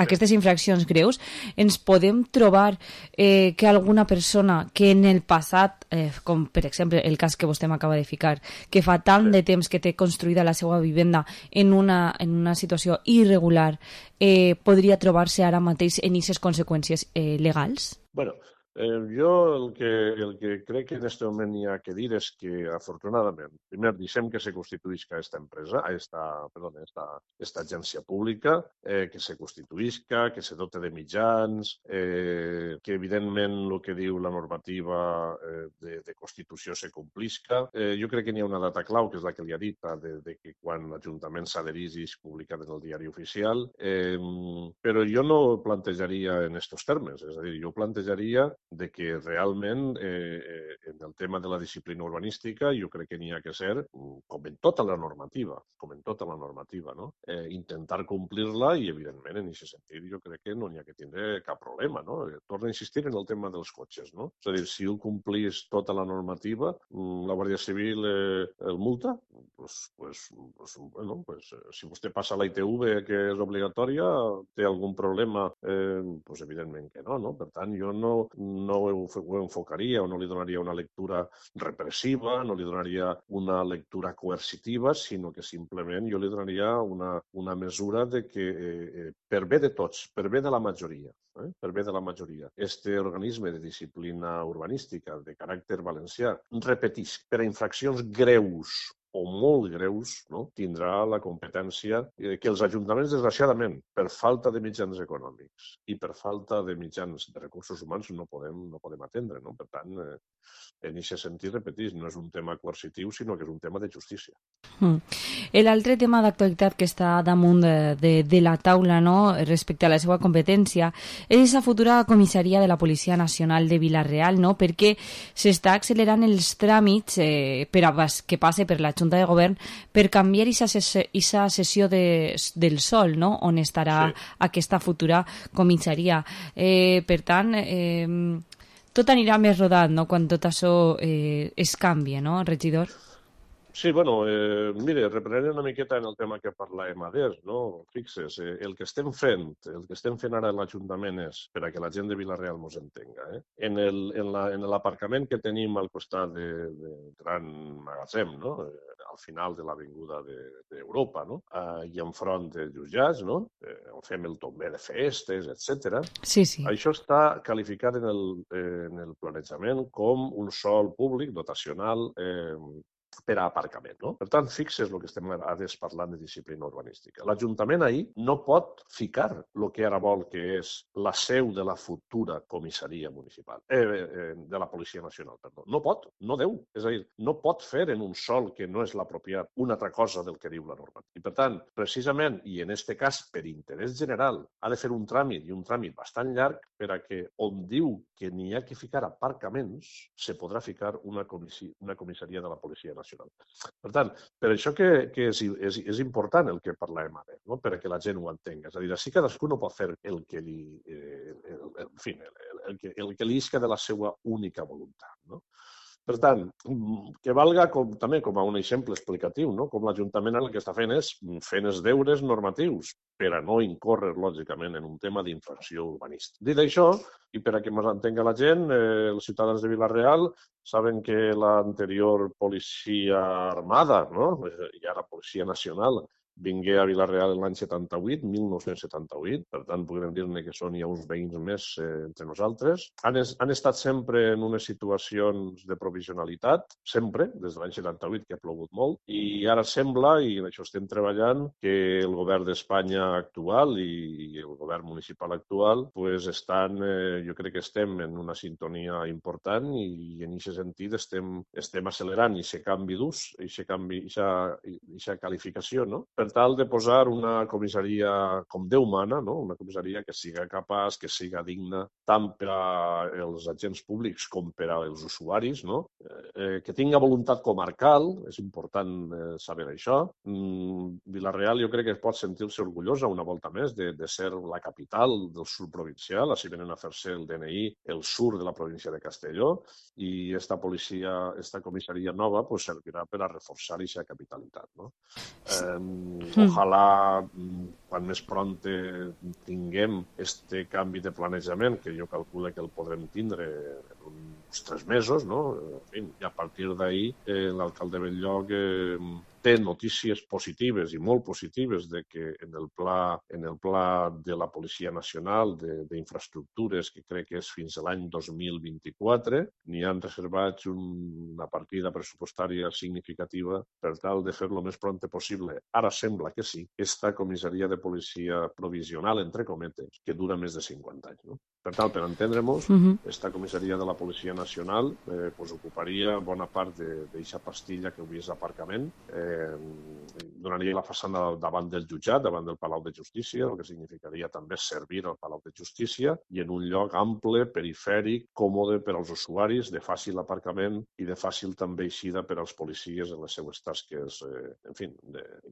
aquestes infraccions greus, ens podem trobar que alguna persona que en el passat, com per exemple el cas que vostè m'acaba de ficar, que fa tant de temps que té construïda la seva vivenda en una situació irregular, podria trobar-se ara mateix en aquestes conseqüències legals? Bueno, Jo el que crec que en aquest moment hi ha que dir és que, afortunadament, primer deixem que se constituïsca esta agència pública, que se constituïsca, que se dote de mitjans, que evidentment el que diu la normativa de Constitució se complisca. Jo crec que n'hi ha una data clau, que és la que li ha dit, de que quan l'Ajuntament s'adherís i és publicat en el diari oficial, però jo no ho plantejaria en aquests termes, és a dir, jo plantejaria de que realment en el tema de la disciplina urbanística jo crec que n'hi ha que ser, com en tota la normativa, no? Intentar complir-la i, evidentment, en aquest sentit jo crec que no n'hi ha que tindre cap problema, no? Torno a insistir en el tema dels cotxes, no? És a dir, si ho complís tota la normativa, la Guàrdia Civil el multa, si vostè passa a la ITV, que és obligatòria, té algun problema, evidentment que no? Per tant, jo no ho enfocaria o no li donaria una lectura repressiva, no li donaria una lectura coercitiva, sinó que simplement jo li donaria una mesura de que, per bé de tots, per bé de la majoria, este organisme de disciplina urbanística de caràcter valencià, repetisc, per a infraccions greus o molt greus, no? Tindrà la competència que els ajuntaments, desgraciadament, per falta de mitjans econòmics i per falta de mitjans de recursos humans no podem atendre, no? Per tant, en aquest sentit, repetís, no és un tema coercitiu, sinó que és un tema de justícia. L'altre tema d'actualitat que està damunt de la taula, no?, respecte a la seva competència, és la futura comissaria de la Policia Nacional de Vila-real, no?, perquè s'està accelerant els tràmits que passe per la Junta de Govern per canviar aquesta sessió del Sol, no?, on estarà aquesta futura comissaria. Per tant, tot anirà més rodat, no?, quan tot això es canvia, no, regidor? Sí, mire, reprenent una miqueta en el tema que parlàvem adés, no? Fixes, el que estem fent ara a l'Ajuntament és, per a que la gent de Vila-real mos entenga, en l'aparcament que tenim al costat del gran magatzem, no?, al final de l'avinguda d'Europa, no?, i enfront de jutjats, no?, on fem el tomber de festes, etc. Sí. Això està qualificat en el planejament com un sòl públic dotacional per a aparcament, no? Per tant, fixes el que estem parlant de disciplina urbanística. L'Ajuntament ahir no pot ficar el que ara vol, que és la seu de la futura comissaria municipal, de la Policia Nacional, perdó. No pot, no deu. És a dir, no pot fer en un sòl que no és l'apropiat una altra cosa del que diu la normativa. I per tant, precisament, i en aquest cas per interès general, ha de fer un tràmit, i un tràmit bastant llarg, per a que on diu que n'hi ha que ficar aparcaments, se podrà ficar una comissaria de la Policia Nacional. Per tant, per això que és important el que parlàvem ara, no?, per a que la gent ho entenga. És a dir, així cadascú no pot fer el que li isca de la seva única voluntat, no? Per tant, que valga també com a un exemple explicatiu, no?, com l'Ajuntament el que està fent és fent els deures normatius per a no incórrer, lògicament, en un tema d'infracció urbanística. Dit això, i per a que ens entenga la gent, els ciutadans de Vila-real saben que l'anterior policia armada, no?, i ara Policia Nacional, vingué a Vila-real l'any 1978, per tant, podem dir-ne que són ja uns veïns més entre nosaltres. Han estat sempre en unes situacions de provisionalitat, sempre, des de l'any 78, que ha plogut molt, i ara sembla, i en això estem treballant, que el govern d'Espanya actual i el govern municipal actual estan, jo crec que estem en una sintonia important i en aquest sentit estem accelerant aquest canvi d'ús, aquesta qualificació, no?, per tal de posar una comissaria com Déu mana, no?, una comissaria que siga capaç, que siga digna, tant per als agents públics com per als usuaris, no?, que tinga voluntat comarcal, és important saber això. Vila-real jo crec que pot sentir-se orgullosa una volta més de ser la capital del sud provincial, així venen a fer-se el DNI el sur de la província de Castelló, i esta comissaria nova servirà per a reforçar aquesta capitalitat, no? Ojalà quan més pront tinguem este canvi de planejament, que jo calculo que el podrem tindre en uns 3 mesos, no? En fi, i a partir d'ahir l'alcalde Belllloc té notícies positives i molt positives de que en el pla de la Policia Nacional d'infraestructures, que crec que és fins a l'any 2024, n'hi han reservats una partida pressupostària significativa per tal de fer-lo més pront possible. Ara sembla que sí, esta comissaria de policia provisional, entre cometes, que dura més de 50 anys. No? Per tant, per entendre-nos, esta comissaria de la Policia Nacional ocuparia bona part d'aquesta pastilla que avui és l'aparcament, donaria la façana davant del jutjat, davant del Palau de Justícia, el que significaria també servir al Palau de Justícia, i en un lloc ample, perifèric, còmode per als usuaris, de fàcil aparcament i de fàcil també eixida per als policies en les seues tasques, en fi,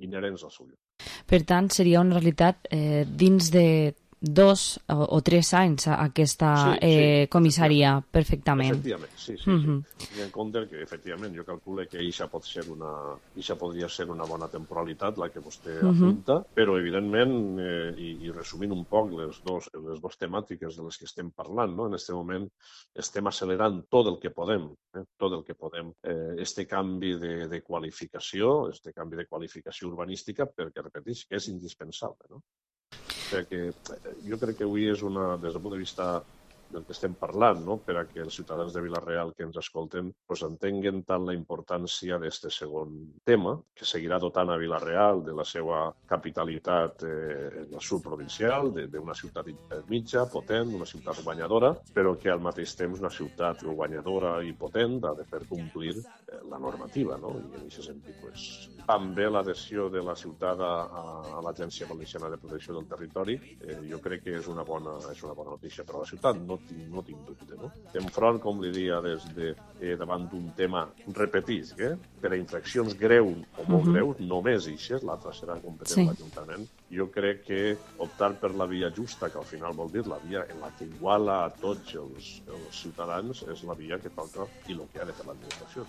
inherents al seu lloc. Per tant, seria una realitat dins de 2 o 3 anys aquesta comissaria, perfectament. Efectivament, sí. Tinc en compte que, efectivament, jo calculo que això podria ser una bona temporalitat, la que vostè apunta, però, evidentment, i resumint un poc les dues temàtiques de les que estem parlant, no? En aquest moment estem accelerant tot el que podem, este canvi de qualificació, urbanística, perquè, repeteix, que és indispensable, no? Jo crec que avui és des del punt de vista del que estem parlant, no? Per a que els ciutadans de Vila-real que ens escolten entenguen tant la importància d'aquest segon tema, que seguirà dotant a Vila-real de la seva capitalitat en el sud provincial, d'una ciutat mitja, potent, una ciutat guanyadora, però que al mateix temps una ciutat guanyadora i potent ha de fer complir la normativa, no? I en aquest sentit, també l'adhesió de la ciutat a l'Agència Valenciana de Protecció del Territori, jo crec que és una bona notícia per a la ciutat, no tinc dubte, no? Enfront, com li dia, davant d'un tema, repetís, per a infraccions greus o molt greus, només ixes, l'altra serà competent l'Ajuntament. Jo crec que optar per la via justa, que al final vol dir la via en la que iguala a tots els ciutadans, és la via que toca i el que ha de fer l'administració,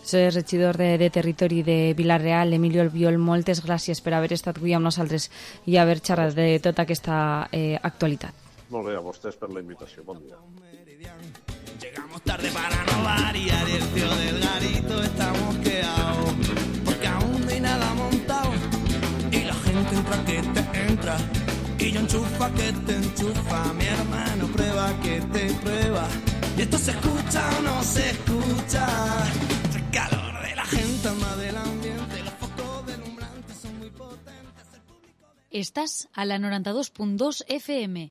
Soy regidor de Territori de Vila-real, Emilio Albiol, moltes gràcies per haver estat avui amb nosaltres i haver xerrat de tota aquesta actualitat. Molt bé, a vostès per la invitació. Bon dia. Llegamos tarde para no variar y el tío del garito está mosqueado porque aún no hay nada montado y la gente entra que te entra y yo enchufa que te enchufa, mi hermano prueba que te prueba y esto se escucha o no se escucha, el calor de la gente anda del ambiente, los focos deslumbrantes son muy potentes. Estás a la 92.2 FM.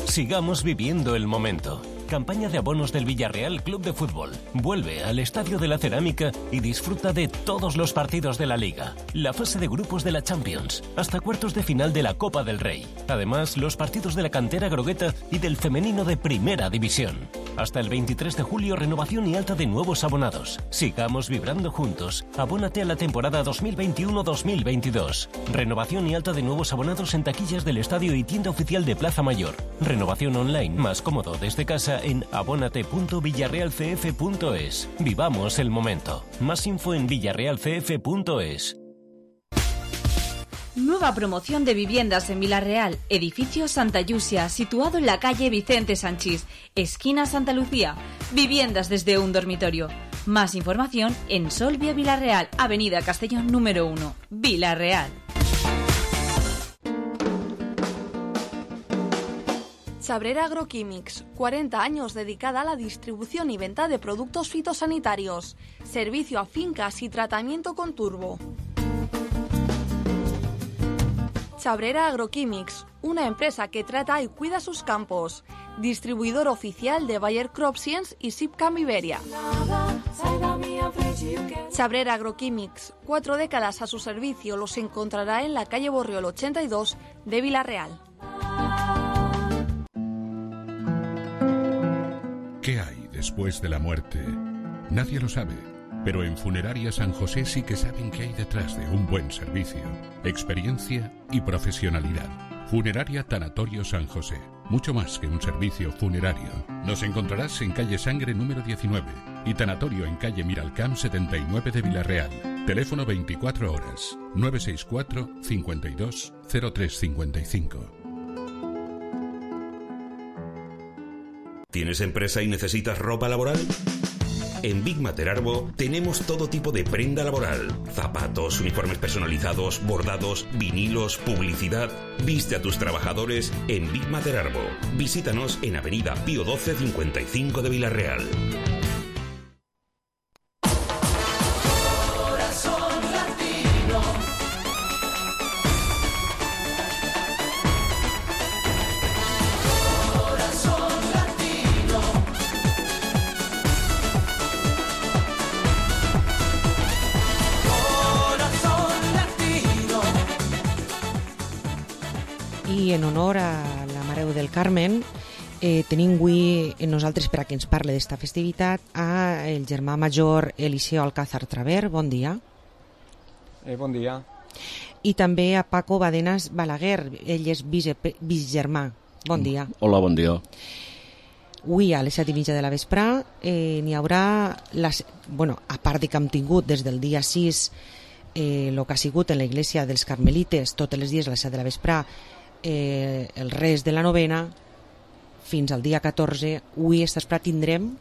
Sigamos viviendo el momento. Campaña de abonos del Villarreal Club de Fútbol. Vuelve al Estadio de la Cerámica y disfruta de todos los partidos de la Liga, la fase de grupos de la Champions, hasta cuartos de final de la Copa del Rey. Además, los partidos de la cantera grogueta y del femenino de Primera División. Hasta el 23 de julio, renovación y alta de nuevos abonados. Sigamos vibrando juntos. Abónate a la temporada 2021-2022. Renovación y alta de nuevos abonados en taquillas del estadio y tienda oficial de Plaza Mayor. Renovación online más cómodo desde casa en abonate.villarrealcf.es. Vivamos el momento. Más info en villarrealcf.es. Nueva promoción de viviendas en Vila-real, edificio Santa Yusia, situado en la calle Vicente Sanchís, esquina Santa Lucía. Viviendas desde un dormitorio. Más información en Solvia Vila-real, avenida Castellón número 1, Vila-real. Chabrera Agroquímics, 40 años dedicada a la distribución y venta de productos fitosanitarios. Servicio a fincas y tratamiento con turbo. Chabrera Agroquímics, una empresa que trata y cuida sus campos. Distribuidor oficial de Bayer CropScience y Sipcam Iberia. Chabrera Agroquímics, 4 décadas a su servicio, los encontrará en la calle Borriol 82 de Vila-real. ¿Qué hay después de la muerte? Nadie lo sabe, pero en Funeraria San José sí que saben qué hay detrás de un buen servicio, experiencia y profesionalidad. Funeraria Tanatorio San José, mucho más que un servicio funerario. Nos encontrarás en calle Sangre número 19 y Tanatorio en calle Miralcamp 79 de Vila-real. Teléfono 24 horas, 964 52 0355. ¿Tienes empresa y necesitas ropa laboral? En Big Mater Arbo tenemos todo tipo de prenda laboral: zapatos, uniformes personalizados, bordados, vinilos, publicidad. Viste a tus trabajadores en Big Mater Arbo. Visítanos en Avenida Pío XII 55 de Villarreal. I en honor a la Mare del Carmen tenim avui en nosaltres, per a que ens parli d'esta festivitat, a el germà major Eliseo Alcázar Traver. Bon dia. Bon dia. I també a Paco Badenas Balaguer, ell és bisgermà. Bon dia. Hola, bon dia. Avui a les 7:30 de la vesprà n'hi haurà, a part de que hem tingut des del dia 6 el que ha sigut en la Iglesia dels Carmelites, tots els dies a les 7 de la vesprà, el res de la novena, fins al dia 14. Avui esta vesprà tindrem...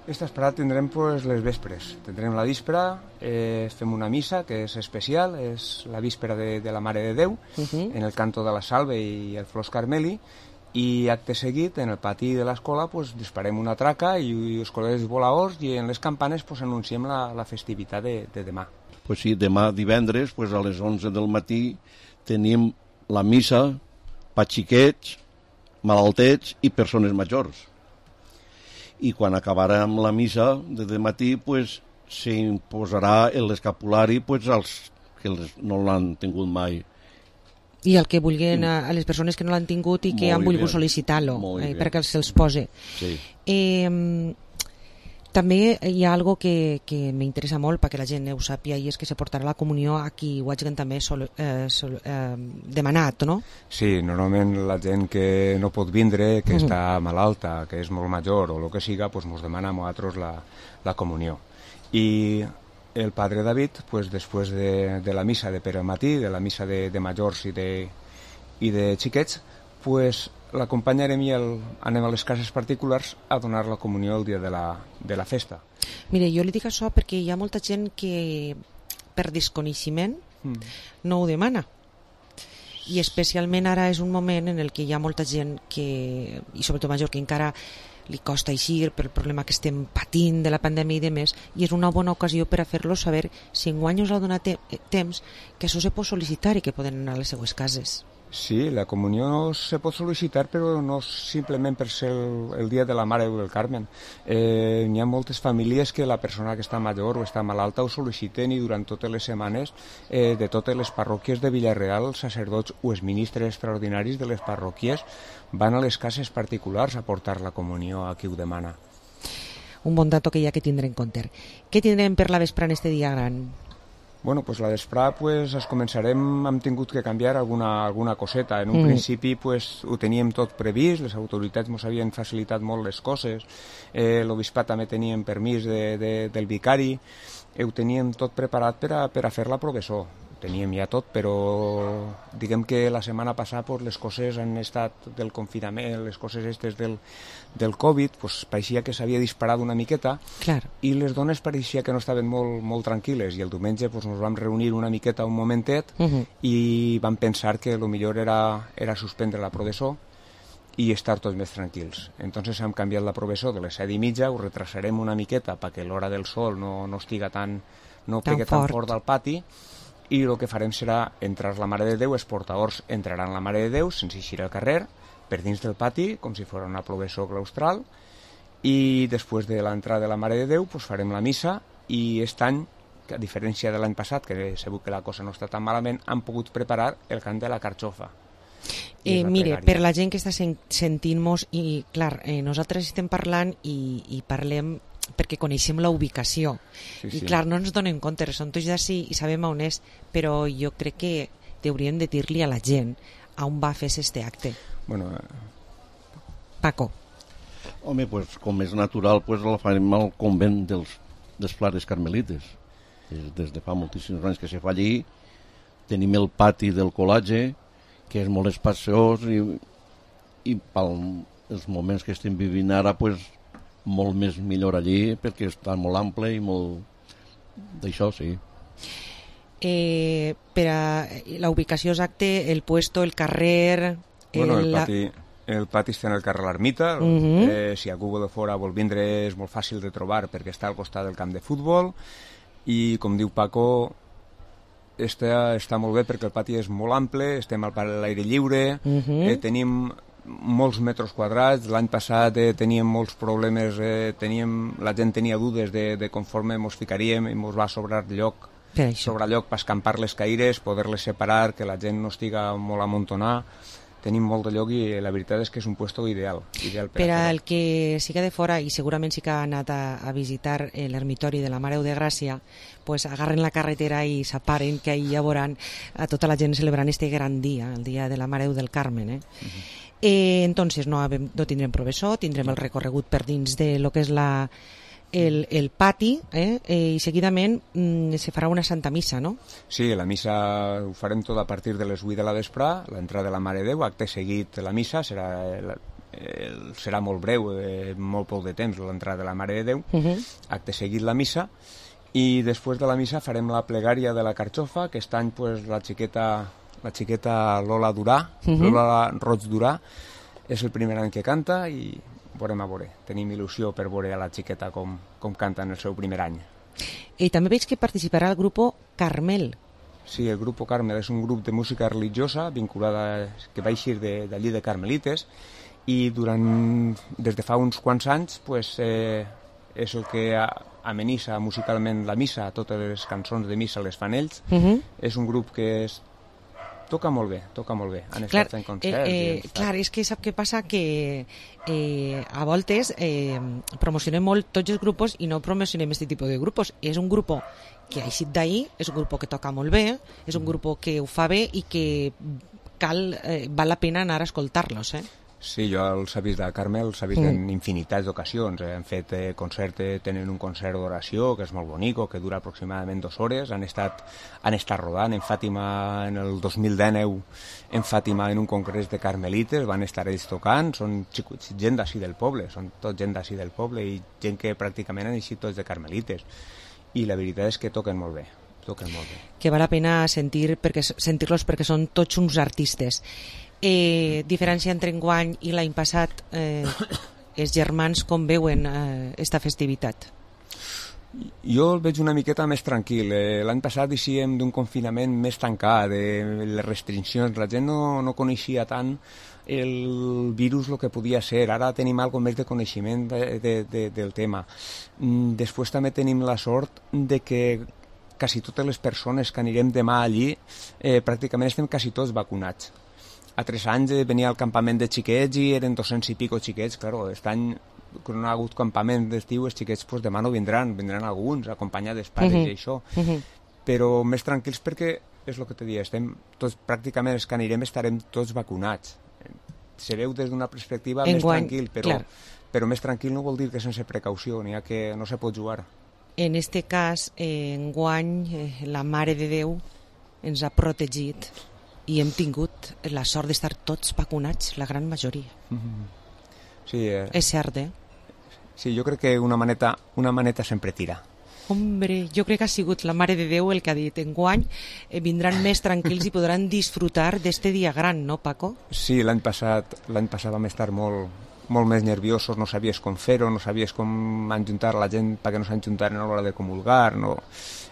Esta vesprà tindrem les vespres. Tindrem la víspera, fem una missa que és especial, és la víspera de la Mare de Déu, en el canto de la Salve i el Flors Carmeli, i acte seguit, en el pati de l'escola, disparem una traca i els col·legis volaors, i en les campanes anunciem la festivitat de demà. Pues sí, demà divendres, a les 11 del matí, tenim la missa per xiquets, malaltets i persones majors. I quan acabarem la missa de matí, s'imposarà l'escapulari als que no l'han tingut mai. I el que vulguin, a les persones que no l'han tingut i que han volgut sol·licitar-lo, perquè se'ls posi. Sí. També hi ha algo que m'interessa molt perquè la gent ho sàpia, i és que se portarà la comunió a qui ho hagin també demanat, no? Sí, normalment la gent que no pot vindre, que està malalta, que és molt major o el que siga, ens demana a nosaltres la comunió. I el padre David, després de la missa de per al matí, de la missa de majors i de xiquets, l'acompanyarem i anem a les cases particulars a donar la comunió el dia de la festa. Mire, jo li dic això perquè hi ha molta gent que per desconeixement no ho demana, i especialment ara és un moment en el que hi ha molta gent que, i sobretot major, que encara li costa eixir pel problema que estem patint de la pandèmia i demés, i és una bona ocasió per a fer-los saber si enguany us ha donat temps que això se pot sol·licitar i que poden anar a les seues cases. Sí, la comunió se pot sol·licitar, però no simplement per ser el dia de la Mare del Carmen. Hi ha moltes famílies que la persona que està major o està malalta ho sol·liciten, i durant totes les setmanes de totes les parròquies de Villarreal, els sacerdots o els ministres extraordinaris de les parròquies van a les cases particulars a portar la comunió a qui ho demana. Un bon dato que hi ha que tindre en compte. Què tindrem per la vesprà en este dia gran? Bueno, la vesprà es començarem, hem tingut que canviar alguna coseta. En un principi ho teníem tot previst, les autoritats ens havien facilitat molt les coses, l'obispat també teníem permís del vicari, ho teníem tot preparat per a fer la professó. Teníem ja tot, però diguem que la setmana passada les coses han estat del confinament, les coses estes del Covid, pareixia que s'havia disparat una miqueta. Clar. I les dones pareixia que no estaven molt tranquil·les, i el diumenge ens vam reunir una miqueta un momentet i vam pensar que el millor era suspendre la professó i estar tots més tranquils. Entonces hem canviat la professó de les 7:30, ho retrasarem una miqueta perquè l'hora del sol no estiga tan fort al pati, i el que farem serà entrar la Mare de Déu, els portadors entraran la Mare de Déu sense eixir al carrer, per dins del pati, com si fos una professó claustral, i després de l'entrada de la Mare de Déu farem la missa, i aquest any, a diferència de l'any passat, que segur que la cosa no està tan malament, han pogut preparar el cant de la carxofa. Mire, per la gent que està sentint-nos, i clar, nosaltres estem parlant i parlem perquè coneixem la ubicació, i clar, no ens donem compte, som tots d'ací i sabem on és, però jo crec que hauríem de dir-li a la gent a on va fer este acte. Paco. Home, com és natural, la farem al convent dels Frares Carmelites. Des de fa moltíssims anys que se fa allí. Tenim el pati del col·legi, que és molt espaciós, i pels moments que estem vivint ara, molt més millor allí, perquè està molt ample i molt... D'això, sí. Per a la ubicació exacta, el puesto, el carrer... Bueno, el pati està en el carrer L'Ermita. Si algú de fora vol vindre és molt fàcil de trobar perquè està al costat del camp de futbol i, com diu Paco, està molt bé perquè el pati és molt ample, estem a l'aire lliure, tenim molts metres quadrats. L'any passat teníem molts problemes, la gent tenia dudes de conforme ens ficaríem i ens va sobrar lloc per escampar les caires, poder-les separar, que la gent no estiga molt amuntonada. Tenim molt de lloc i la veritat és que és un puesto ideal per al que siga de fora i segurament sí que ha anat a visitar l'ermitori de la Mare de Gràcia, pues agarren la carretera i s'aparen, que ahir ja veuran a tota la gent celebrant este gran dia, el dia de la Mare del Carmen. Entonces no tindrem professor, tindrem el recorregut per dins de lo que és el pati, i seguidament se farà una Santa Missa, no? Sí, la missa ho farem tot a partir de les 8 de la vesprà, l'entrada de la Mare de Déu, acte seguit la missa, serà molt breu, molt poc de temps l'entrada de la Mare de Déu, acte seguit la missa, i després de la missa farem la plegària de la carxofa, que aquest any la xiqueta Lola Durà, Lola Roig Durà, és el primer any que canta i veurem a veure. Tenim il·lusió per veure a la xiqueta com canta en el seu primer any. I també veig que participarà el grup Carmel. Sí, el grup Carmel és un grup de música religiosa vinculada, que va eixir d'allí de Carmelites, i des de fa uns quants anys és el que amenissa musicalment la missa, totes les cançons de missa les fan ells. És un grup que toca molt bé. Han estat fent concerts. Clar, és que sap què passa? Que a voltes promocionem molt tots els grups i no promocionem aquest tipus de grups. És un grup que ha eixit d'ahir, és un grup que toca molt bé, és un grup que ho fa bé i que val la pena anar a escoltar-los. Sí, jo els he vist de Carmel, els he vist en infinitats d'ocasions. Han fet concert, tenen un concert d'oració que és molt bonic, que dura aproximadament 2 hores. Han estat rodant en Fàtima en el 2019, en Fàtima en un congrés de carmelites, van estar ells tocant, són gent d'ací del poble, són tot gent d'ací del poble i gent que pràcticament han eixit tots de carmelites. I la veritat és que toquen molt bé. Que val la pena sentir-los perquè són tots uns artistes. Diferència entre enguany i l'any passat, els germans com veuen esta festivitat? Jo el veig una miqueta més tranquil. L'any passat eixíem d'un confinament més tancat, de les restriccions, la gent no coneixia tant el virus el que podia ser. Ara tenim algo més de coneixement del tema. Després també tenim la sort de que quasi totes les persones que anirem demà allí pràcticament estem quasi tots vacunats. A 3 anys venia al campament de xiquets i eren 200 i pico xiquets. Claro, aquest any, quan no ha hagut campament d'estiu, els xiquets demà no vindran alguns, acompanyats dels pares i això. Però més tranquils perquè, és el que te dic, estem tots, pràcticament els que anirem estarem tots vacunats. Se veu des d'una perspectiva més tranquil, però més tranquil no vol dir que sense precaució, n'hi ha que no se pot jugar. En este cas, enguany, la Mare de Déu ens ha protegit i hem tingut la sort d'estar tots vacunats, la gran majoria. Sí, és cert, Sí, jo crec que una maneta sempre tira. Hombre, jo crec que ha sigut la Mare de Déu el que ha dit enguany vindran més tranquils i podran disfrutar d'este dia gran, no, Paco? Sí, l'any passat vam estar molt més nerviosos, no sabies com fer-ho, no sabies com enjuntar la gent perquè no s'enjuntaren a l'hora de comulgar.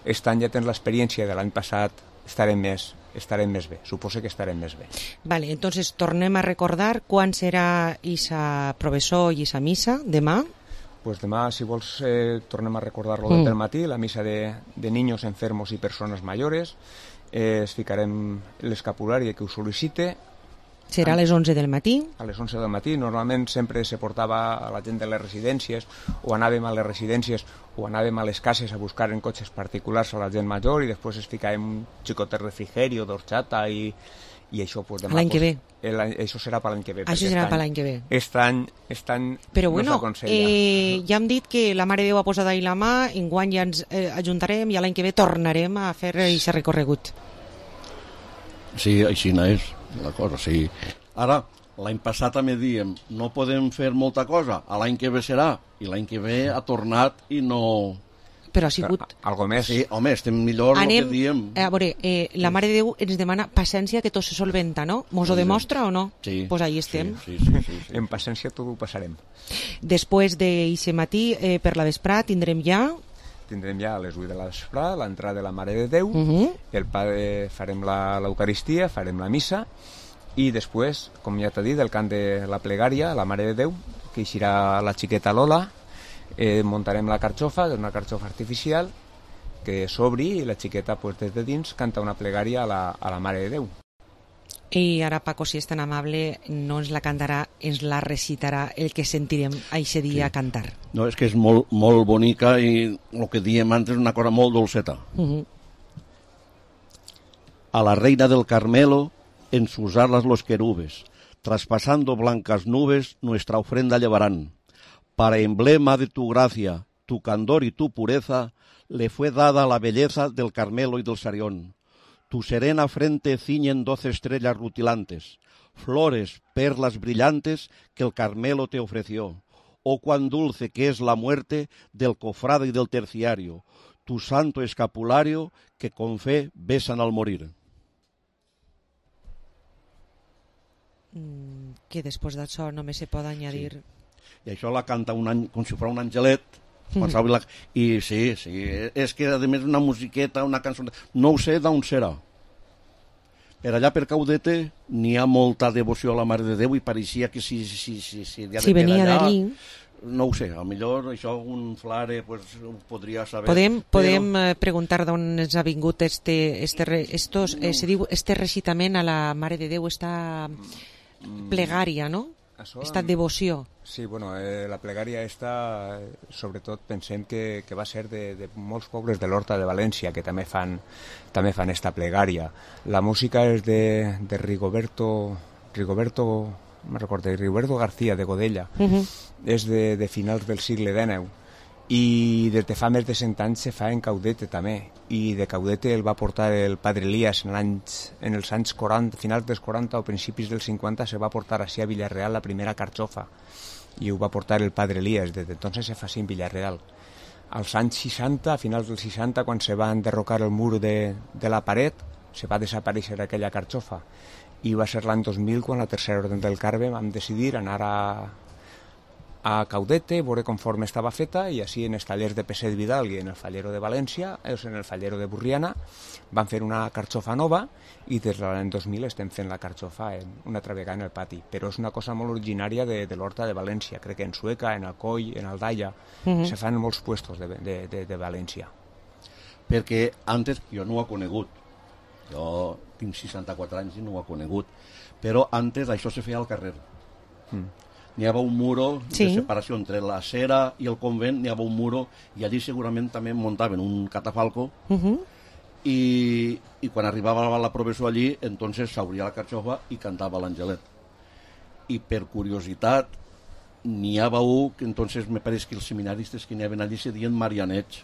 Aquest any ja tens l'experiència de l'any passat, estarem més bé, suposo que estarem més bé. Vale, entonces tornem a recordar quan serà isa professor i isa missa, demà? Pues demà, si vols, tornem a recordar-lo del matí, la missa de niños enfermos i persones mayores, es ficarem l'escapulari que ho sol·licite. Serà a les 11 del matí? A les 11 del matí. Normalment sempre se portava a la gent de les residències, o anàvem a les residències o anàvem a les cases a buscar en cotxes particulars a la gent major i després es ficàvem un xicot de refrigeri o d'orxata i això demà... L'any que ve? Això serà per l'any que ve. Això serà per l'any que ve. Aquest any però bueno, no s'aconsella. Ja hem dit que la Mare de Déu ha posat ahí la mà, enguany ja ens ajuntarem i l'any que ve tornarem a fer aquest recorregut. Sí, així no és la cosa, sí. Ara, l'any passat també diem, no podem fer molta cosa, l'any que ve serà, i l'any que ve ha tornat i no... Però ha sigut... Algo més. Sí, home, estem millor el que diem. A veure, la Mare de Déu ens demana paciència que tot se solventa, no? Mos ho demostra o no? Sí. Pues ahí estem. Sí. En paciència tot ho passarem. Després d'eixe matí, per la vesprà, tindrem ja a les 8 de la vesprà l'entrada de la Mare de Déu, el Padre farem l'Eucaristia, farem la missa, i després, com ja t'he dit, el cant de la plegària, la Mare de Déu, que eixirà la xiqueta Lola, muntarem la carxofa, que és una carxofa artificial, que s'obri i la xiqueta pues, des de dins canta una plegària a la Mare de Déu. I ara Paco, si és tan amable, no ens la cantarà, ens la recitarà el que sentirem eixe dia cantar. No, és que és molt, molt bonica i el que diem antes és una cosa molt dolceta. A la reina del Carmelo en sus alas los querubes, traspasando blancas nubes nuestra ofrenda llevarán. Para emblema de tu gracia, tu candor y tu pureza, le fue dada la belleza del Carmelo y del Sarión. Tu serena frente ciñen 12 estrellas rutilantes, flores, perlas brillantes que el Carmelo te ofreció. Oh, cuán dulce que es la muerte del cofrade y del terciario, tu santo escapulario que con fe besan al morir. Que després d'això només se pot añadir... Sí. I això la canta com si fos un angelet, i sí, és que a més una musiqueta, una cançó, no ho sé d'on serà. Per allà per Caudete n'hi ha molta devoció a la Mare de Déu i pareixia que si venia d'allí. No ho sé, a millor això un flare pues, ho podria saber. Podem preguntar d'on ens ha vingut se diu este recitament a la Mare de Déu, esta plegària, no? Esta devoció. Sí, bueno, la plegària esta, sobretot pensem que va ser de molts pobles de l'Horta de València que també fan esta plegària. La música és de Rigoberto García de Godella. És de finals del segle XIX i des de fa més de 100 anys se fa en Caudete també, i de Caudete el va portar el Padre Elías en els anys 40, finals dels 40 o principis dels 50 se va portar així a Villarreal la primera carxofa i ho va portar el Padre Elías, des d'entonces se fa així en Villarreal. Als anys 60, a finals dels 60, quan se va enderrocar el mur de la paret, se va desaparèixer aquella carxofa i va ser l'any 2000 quan la Tercera Orden del Carme vam decidir anar a Caudete, veure conforme estava feta, i així en els tallers de Peset Vidal i en el Fallero de València, en el Fallero de Burriana, van fer una carxofa nova i des de l'any 2000 estem fent la carxofa una altra vegada en el pati. Però és una cosa molt originària de l'Horta de València, crec que en Sueca, en Alcoi, en Aldaia, se fan molts puestos de València. Perquè antes, jo no ho he conegut, jo tinc 64 anys i no ho he conegut, però antes això se feia al carrer. N'hi havia un muro de separació entre la Cera i el convent, n'hi havia un muro i allí segurament també muntaven un catafalco i quan arribava la professor allí entonces s'obria la carxofa i cantava l'Angelet. I per curiositat n'hi havia un que entonces me pareix que els seminaristes que n'hi havia allí se diuen Marianets,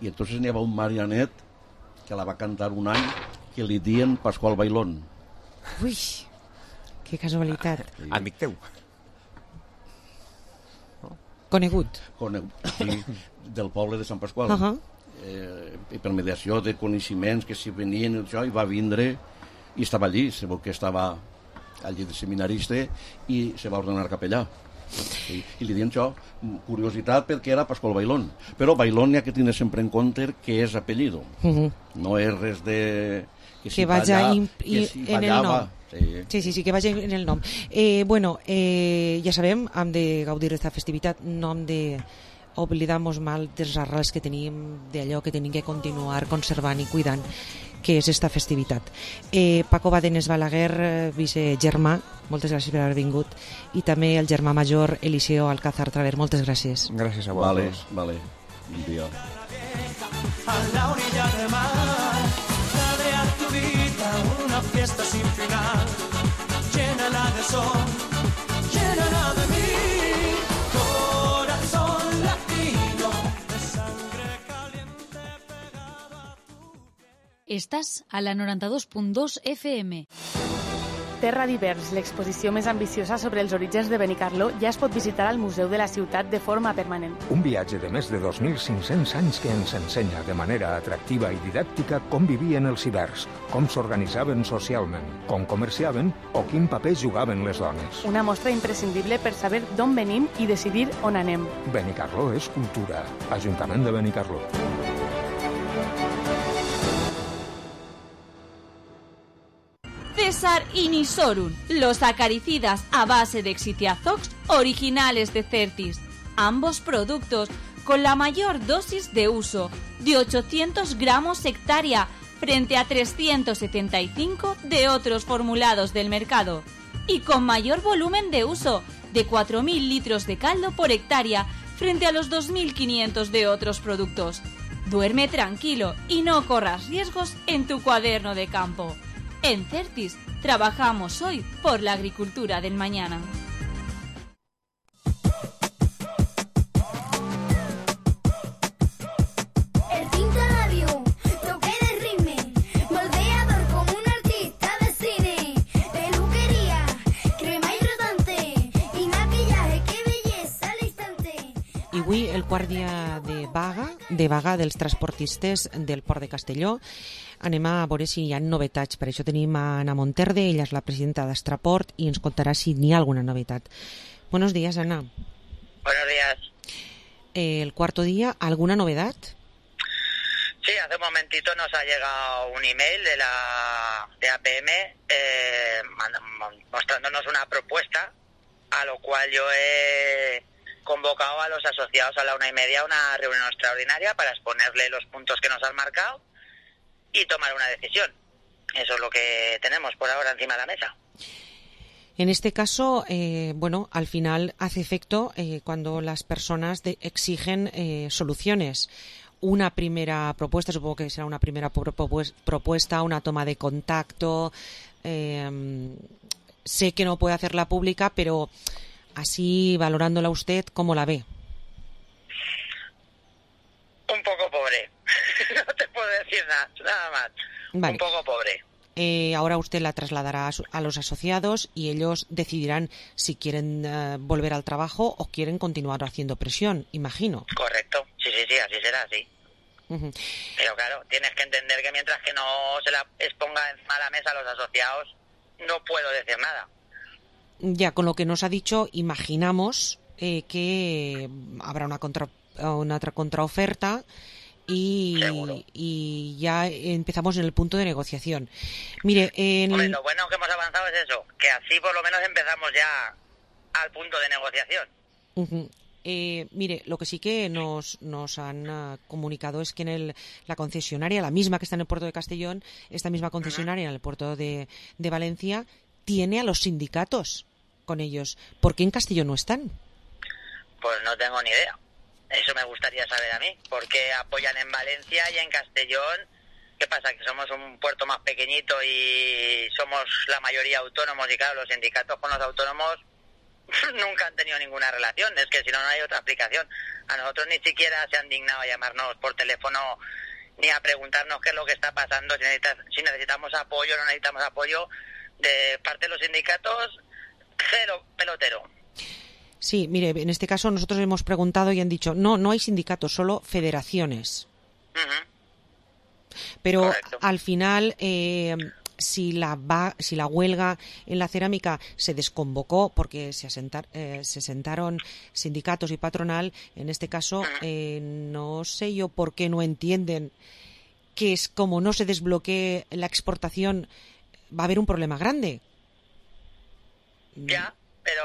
i entonces n'hi havia un Marianet que la va cantar un any que li diuen Pasqual Bailón. Ui, que casualitat. Amic teu. Conegut. Sí, del poble de Sant Pasqual. I per mediació de coneixements que s'hi venien això, i va vindre i estava allí, se veu que estava allí de seminarista i se va ordenar capellà. I li diuen això, curiositat, perquè era Pasqual Bailón. Però Bailón hi ha que tenir sempre en compte que és apellido. No és res de... que vaja en el nom. Sí, que vagi en el nom. Ja sabem, hem de gaudir d'esta festivitat, no hem de oblidar-nos mal dels arrels que tenim, d'allò que tenim que continuar conservant i cuidant, que és esta festivitat. Paco Badenes Balaguer, vicegermà, moltes gràcies per haver vingut, i també el germà major Eliseo Alcázar Traver, moltes gràcies. Gràcies a vosaltres. Vale. Bon dia. A la orilla del mar, dale a tu vida una fiesta sin final, llénala de sol, llénala de mí, corazón latino, de sangre caliente pegada a tu piel. Estás a la 92.2 FM. Terra d'Hivers, l'exposició més ambiciosa sobre els orígens de Benicarló, ja es pot visitar al Museu de la Ciutat de forma permanent. Un viatge de més de 2.500 anys que ens ensenya de manera atractiva i didàctica com vivien els ibers, com s'organitzaven socialment, com comerciaven o quin paper jugaven les dones. Una mostra imprescindible per saber d'on venim i decidir on anem. Benicarló és cultura. Ajuntament de Benicarló. César y Nisorun, los acaricidas a base de Xitiazox originales de Certis. Ambos productos con la mayor dosis de uso, de 800 gramos hectárea, frente a 375 de otros formulados del mercado. Y con mayor volumen de uso, de 4.000 litros de caldo por hectárea, frente a los 2.500 de otros productos. Duerme tranquilo y no corras riesgos en tu cuaderno de campo. En Certis, trabajamos hoy por la agricultura del mañana. El Cinta Radio, toque de ritme, moldeador como un artista de cine, peluquería, crema hidratante y maquillaje, qué belleza al instante. I avui el quart dia de vaga dels transportistes del Port de Castelló. Anem a veure si hi ha novetats. Per això tenim a Ana Monterde, ella és la presidenta d'Astraport i ens contarà si n'hi ha alguna novetat. Buenos días, Ana. Buenos días. El cuarto día, ¿alguna novedad? Sí, hace un momentito nos ha llegado un email de APM mostrándonos una propuesta, a lo cual yo he convocado a los asociados a la 1:30 a una reunión extraordinaria para exponerle los puntos que nos han marcado y tomar una decisión. Eso es lo que tenemos por ahora encima de la mesa. En este caso, bueno, al final hace efecto cuando las personas exigen soluciones. Una primera propuesta, supongo que será una primera propuesta, una toma de contacto. Sé que no puede hacerla pública, pero así, valorándola usted, ¿cómo la ve? Un poco pobre. No te puedo decir nada más. Vale. Un poco pobre. Ahora usted la trasladará a los asociados y ellos decidirán si quieren volver al trabajo o quieren continuar haciendo presión, imagino. Correcto. Sí, así será, sí. Uh-huh. Pero claro, tienes que entender que mientras que no se la exponga encima de la mesa a los asociados, no puedo decir nada. Ya, con lo que nos ha dicho, imaginamos que habrá una otra contraoferta y ya empezamos en el punto de negociación. Mire, Hombre, lo bueno que hemos avanzado es eso, que así por lo menos empezamos ya al punto de negociación. Uh-huh. Mire, lo que sí que nos han comunicado es que en la concesionaria, la misma que está en el puerto de Castellón, esta misma concesionaria en el puerto de Valencia, tiene a los sindicatos con ellos. ¿Por qué en Castellón no están? Pues no tengo ni idea. Eso me gustaría saber a mí. ¿Por qué apoyan en Valencia y en Castellón? ¿Qué pasa? ¿Que somos un puerto más pequeñito y somos la mayoría autónomos? Y claro, los sindicatos con los autónomos nunca han tenido ninguna relación. Es que si no, no hay otra explicación. A nosotros ni siquiera se han dignado a llamarnos por teléfono ni a preguntarnos qué es lo que está pasando, si necesitamos apoyo o no necesitamos apoyo. De parte de los sindicatos, cero pelotero. Sí, mire, en este caso nosotros hemos preguntado y han dicho no hay sindicatos, solo federaciones. Uh-huh. Pero correcto. Al final, si la huelga en la cerámica se desconvocó porque se sentaron sindicatos y patronal, en este caso no sé yo por qué no entienden que es como no se desbloquee la exportación, va a haber un problema grande. Ya, pero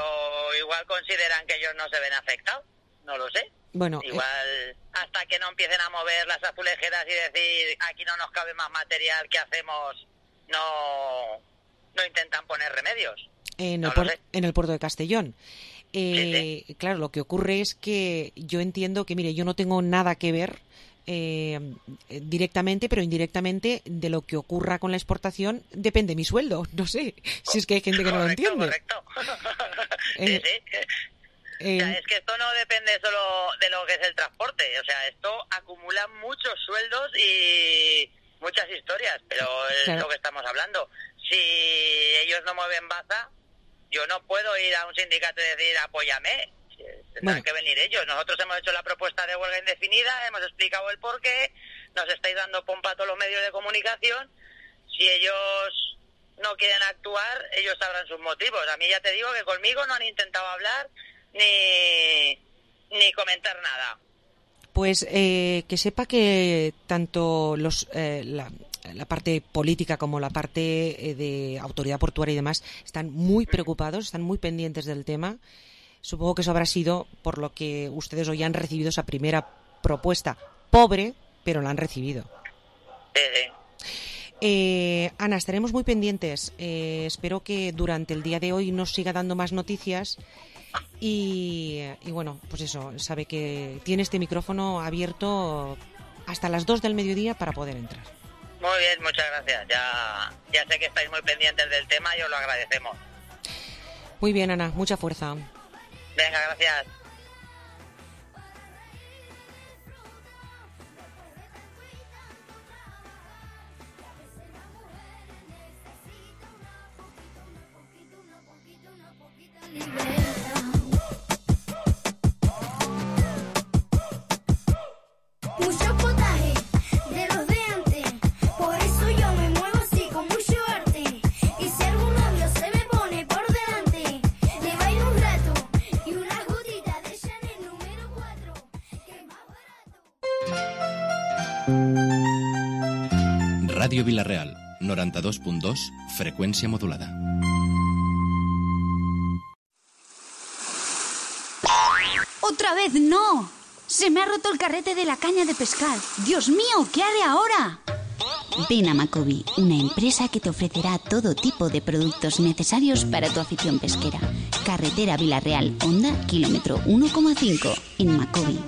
igual consideran que ellos no se ven afectados, no lo sé. Bueno, igual hasta que no empiecen a mover las azulejeras y decir aquí no nos cabe más material, ¿qué hacemos? No intentan poner remedios. En el puerto de Castellón. Sí. Claro, lo que ocurre es que yo entiendo que, mire, yo no tengo nada que ver directamente, pero indirectamente de lo que ocurra con la exportación depende mi sueldo. No sé, si es que hay gente que no lo entiende. Correcto. Sí. O sea, es que esto no depende solo de lo que es el transporte. O sea, esto acumula muchos sueldos y muchas historias, pero es claro. Lo que estamos hablando. si ellos no mueven baza, yo no puedo ir a un sindicato y decir apóyame. Tendrán que venir ellos. Nosotros hemos hecho la propuesta de huelga indefinida, hemos explicado el porqué, nos estáis dando pompa a todos los medios de comunicación. Si ellos no quieren actuar, ellos sabrán sus motivos. A mí ya te digo que conmigo no han intentado hablar ni comentar nada. Pues que sepa que tanto la parte política como la parte de autoridad portuaria y demás están muy preocupados, están muy pendientes del tema. Supongo que eso habrá sido por lo que ustedes hoy han recibido esa primera propuesta. Pobre, pero la han recibido. Ana, estaremos muy pendientes. Espero que durante el día de hoy nos siga dando más noticias. Y bueno, pues eso, sabe que tiene este micrófono abierto hasta las 2 del mediodía para poder entrar. Muy bien, muchas gracias. Ya sé que estáis muy pendientes del tema y os lo agradecemos. Muy bien, Ana, mucha fuerza. Venga, gracias. Mucho potaje de los de antes, por eso yo me muevo así con mucho arte. Y si algún novio se me pone por delante, le bailo un rato y una gotita de Chanel número 4, que es más barato. Ràdio Vila-real, 92.2, freqüència modulada. ¡Otra vez no! ¡Se me ha roto el carrete de la caña de pescar! ¡Dios mío! ¿Qué haré ahora? Ven a Macobi, una empresa que te ofrecerá todo tipo de productos necesarios para tu afición pesquera. Carretera Vila-real, Honda, kilómetro 1,5. En Macobi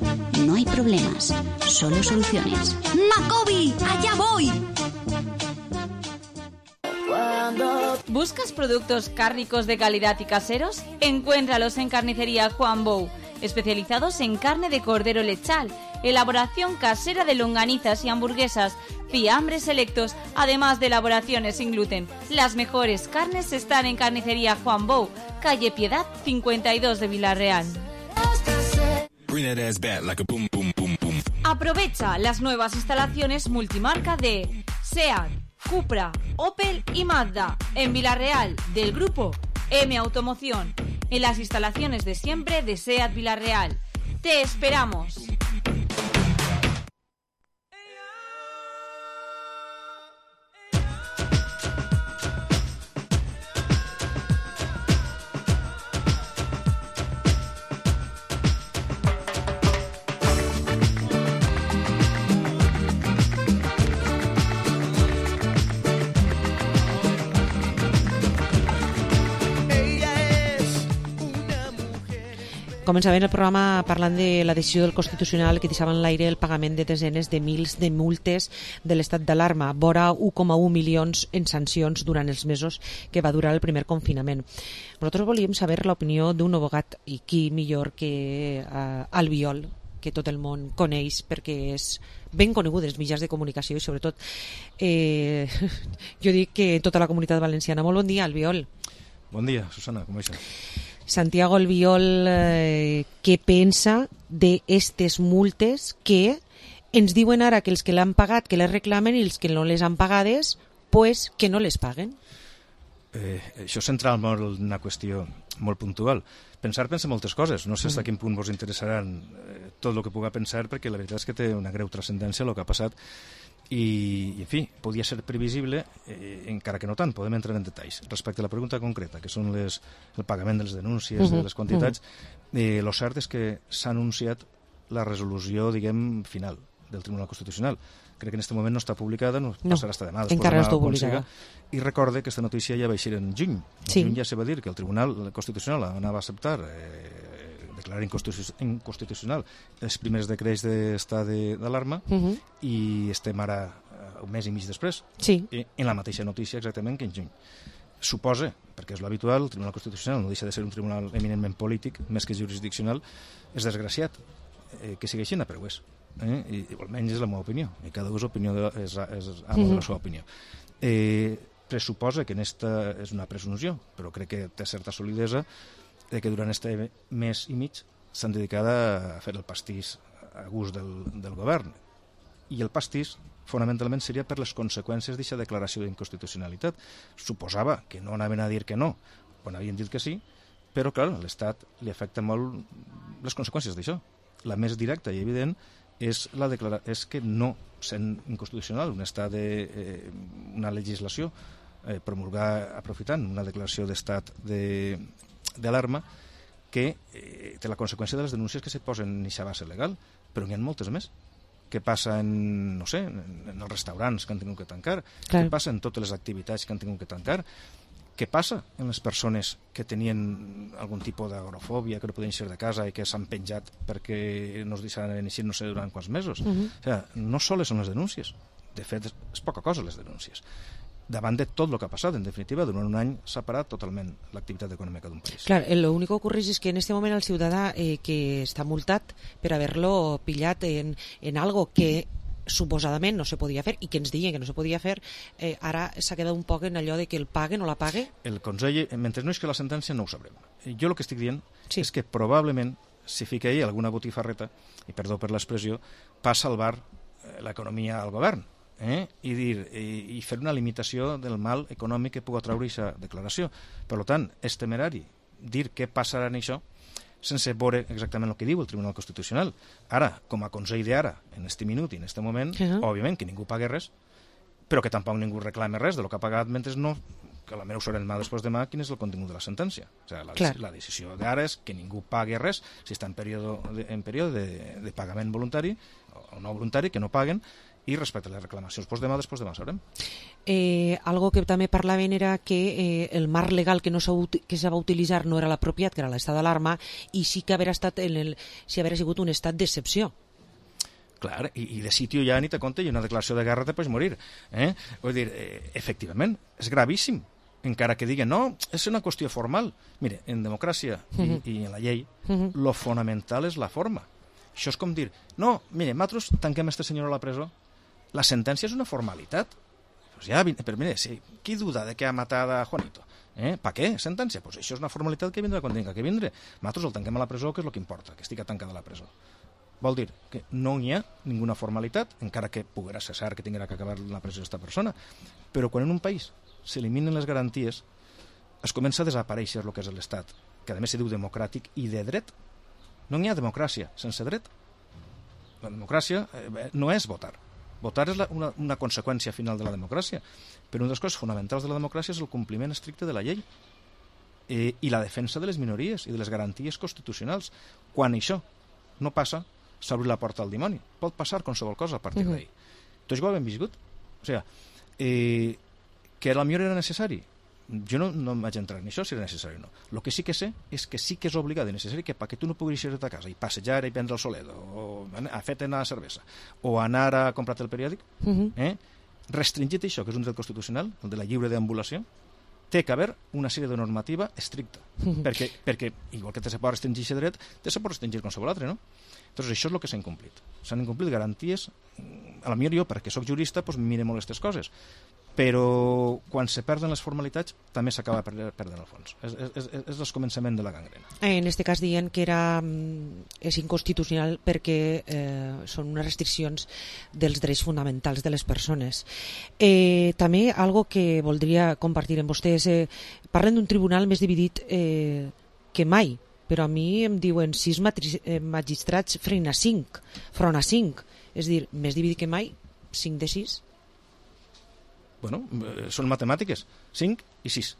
no hay problemas, solo soluciones. ¡Macobi! ¡Allá voy! ¿Buscas productos cárnicos de calidad y caseros? Encuéntralos en Carnicería Juan Bou, especializados en carne de cordero lechal, elaboración casera de longanizas y hamburguesas, fiambres selectos, además de elaboraciones sin gluten. Las mejores carnes están en Carnicería Juan Bou, calle Piedad 52 de Vila-real. Aprovecha las nuevas instalaciones multimarca de SEAT, Cupra, Opel y Mazda en Vila-real del grupo M Automoción, en las instalaciones de siempre de SEAT Vila-real. ¡Te esperamos! Començàvem el programa parlant de la decisió del Constitucional que deixava en l'aire el pagament de desenes de mils de multes de l'estat d'alarma, vora 1,1 milions en sancions durant els mesos que va durar el primer confinament. Nosaltres volíem saber l'opinió d'un abogat, i qui millor que Albiol, que tot el món coneix perquè és ben conegut dels mitjans de comunicació i sobretot jo dic que tota la comunitat valenciana. Molt bon dia, Albiol. Bon dia, Susana, com estàs? Santiago Albiol, què pensa d'estes multes que ens diuen ara que els que l'han pagat que les reclamen i els que no les han pagades pues que no les paguen? Això és centrar molt una qüestió molt puntual. Pensa moltes coses, no sé fins a quin punt vos interessaran tot el que puga pensar, perquè la veritat és que té una greu transcendència el que ha passat i en fi, podia ser previsible, encara que no tant, podem entrar en detalls. Respecte a la pregunta concreta, que són el pagament de les denúncies, de les quantitats, el cert és que s'ha anunciat la resolució, diguem, final del Tribunal Constitucional. Crec que en aquest moment no està publicada, no passarà hasta demà. Encara no està publicada. I recorde que aquesta notícia ja va eixir en juny. En juny ja se va dir que el Tribunal Constitucional anava a acceptar declarar inconstitucional els primers decrets d'estat d'alarma i estem ara un mes i mig després en la mateixa notícia exactament que en juny. Suposa, perquè és l'habitual, el Tribunal Constitucional no deixa de ser un tribunal eminentment polític més que jurisdiccional, és desgraciat que sigui així, però ho és. I almenys és la meva opinió, i cada opinió és amo de la seva opinió. pressuposa que esta és una presunció, però crec que té certa solidesa, que durant este mes i mig s'han dedicat a fer el pastís a gust del govern. I el pastís, fonamentalment, seria per les conseqüències d'aquesta declaració d'inconstitucionalitat. Suposava que no anaven a dir que no, quan havien dit que sí, però, clar, a l'Estat li afecta molt les conseqüències d'això. La més directa i evident és que no, sent inconstitucional un estat una legislació promulgar aprofitant una declaració d'estat d'alarma que té la conseqüència de les denúncies que se posen en aquesta base legal, però n'hi ha moltes més. Què passa en els restaurants que han tingut que tancar? Què passa en totes les activitats que han tingut que tancar? Què passa en les persones que tenien algun tipus d'agorafòbia, que no podien ser de casa i que s'han penjat perquè no es deixaran eixir no sé durant quants mesos? O sigui, no soles són les denúncies. De fet, és poca cosa les denúncies. Davant de tot el que ha passat, en definitiva, durant un any s'ha parat totalment l'activitat econòmica d'un país. Clar, el únic que ocorre és que en este moment el ciutadà que està multat per haver-lo pillat en algo que suposadament no se podia fer i que ens deien que no se podia fer, ara s'ha quedat un poc en allò de que el pague o no la pague. El Consell, mentre no és que la sentència, no ho sabrem. Jo el que estic dient és que probablement si fica ahí alguna botifarreta, i perdó per l'expressió, passa al bar l'economia al govern i fer una limitació del mal econòmic que pugui treure aquesta declaració. Per tant, és temerari dir què passarà en això sense veure exactament el que diu el Tribunal Constitucional. Ara, com a Consell d'ara, en este minut i en este moment, òbviament que ningú pagui res, però que tampoc ningú reclame res de lo que ha pagat mentre no, que la meva ho sabrem després demà quin és el contingut de la sentència. O sigui, la decisió d'ara és que ningú pagui res, si està en període de pagament voluntari o no voluntari, que no paguen, i respecte a les reclamacions després demà sabrem. Algo que també parlaven era que el marc legal que se va utilitzar no era l'apropiat, que era l'estat d'alarma, i sí que haver sigut un estat d'excepció. Clar, i de sitio ja ni te compte, i una declaració de guerra te pots morir. Vull dir, efectivament, és gravíssim, encara que diguen, no, és una qüestió formal. Mire, en democràcia i en la llei, lo fonamental és la forma. Això és com dir, no, mire, nosaltres tanquem este senyor a la presó. La sentència és una formalitat. Pues ja, però mire, qui duda de que ha matat a Juanito? Per què? Sentència? Pues això és una formalitat que vindrà quan tinga que vindre. Nosaltres el tanquem a la presó, que és el que importa, que estigui tancada a la presó. Vol dir que no hi ha ninguna formalitat, encara que poguera ser cert que tinguera que acabar la presó d'esta persona. Però quan en un país s'eliminen les garanties, es comença a desaparèixer el que és l'Estat, que a més se diu democràtic i de dret. No hi ha democràcia sense dret. La democràcia no és votar. Votar és una conseqüència final de la democràcia, però una de les coses fonamentals de la democràcia és el compliment estricte de la llei i la defensa de les minories i de les garanties constitucionals. Quan això no passa, s'obre la porta al dimoni. Pot passar qualsevol cosa a partir d'ahir. Tots ho hem viscut. O sigui, que potser era necessari. Jo no em vaig entrar en això, si era necessari o no. El que sí que sé és que sí que és obligat i necessari que perquè tu no puguis ir a casa i passejar i prendre el solet o a fer anar a cervesa o anar a comprar-te el periòdic, restringit això, que és un dret constitucional, el de la lliure deambulació, té que haver una sèrie de normativa estricta. Perquè, igual que te se pot restringir aquest dret, te se pot restringir qualsevol altre, no? Doncs això és el que s'ha incomplit. S'han incomplit garanties. A la millor jo, perquè sóc jurista, mire molt aquestes coses. Però quan se perden les formalitats també s'acaba perdent el fons. És el començament de la gangrena. En aquest cas diuen que és inconstitucional perquè són unes restriccions dels drets fonamentals de les persones. També algo que voldria compartir amb vostès, parlen d'un tribunal més dividit que mai, però a mi em diuen 6 magistrats front a 5, és a dir, més dividit que mai, 5 de 6. Bueno, són matemàtiques, 5 i 6.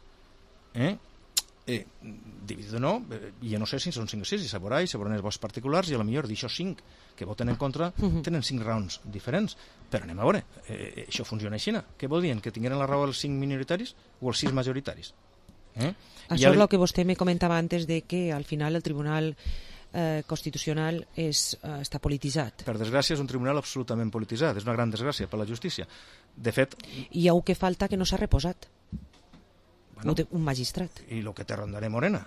Dividit o no, jo no sé si són 5 o 6, i se veurà els vots particulars, i a lo millor d'això 5 que voten en contra tenen 5 raons diferents. Però anem a veure, això funciona així. Què vol dir? Que tingueren la raó els 5 minoritaris o els 6 majoritaris? Això és el que vostè me comentava antes, de que al final el Tribunal Constitucional està polititzat. Per desgràcia és un tribunal absolutament polititzat, és una gran desgràcia per la justícia. De fet... Hi ha un que falta que no s'ha reposat. un magistrat. I el que té Rondaré Morena.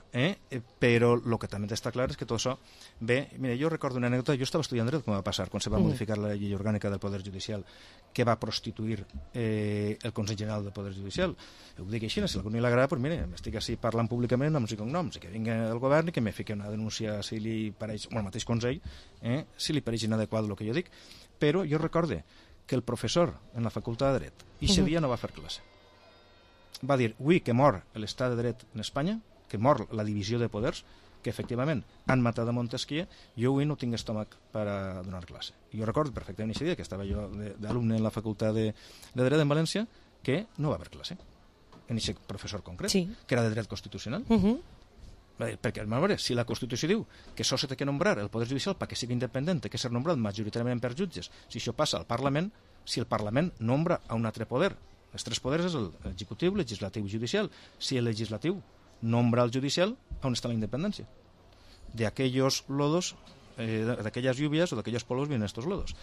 Però el que també està clar és que tot això ve... Mira, jo recordo una anècdota, jo estava estudiant dret com va passar quan se va modificar la llei orgànica del Poder Judicial, que va prostituir el Consell General del Poder Judicial. Ho dic així, si a algú no li agrada, doncs mira, m'estic així parlant públicament amb noms i cognoms, i que vingui del govern i que me fiqui una denúncia si li pareix, el mateix Consell, si li pareix inadequat el que jo dic. Però jo recorde que el professor en la facultat de dret, i ese dia no va fer classe, va dir, avui que mor l'estat de dret en Espanya, que mor la divisió de poders, que efectivament han matat a Montesquieu, jo avui no tinc estómac per a donar classe. I jo recordo perfectament aquest dia, que estava jo d'alumne en la facultat de dret en València, que no va haver classe en aquest professor concret, que era de dret constitucional. Perquè, a veure, si la Constitució diu que això s'ha de nombrar el Poder Judicial perquè sigui independent, que ser nombrat majoritàriament per jutges, si això passa al Parlament, si el Parlament nombra a un altre poder, els tres poders és l'executiu, legislatiu i judicial. Si el legislatiu nombra el judicial, on està la independència? D'aquells lodos, d'aquelles lluvias o d'aquells polos vienen estos lodos.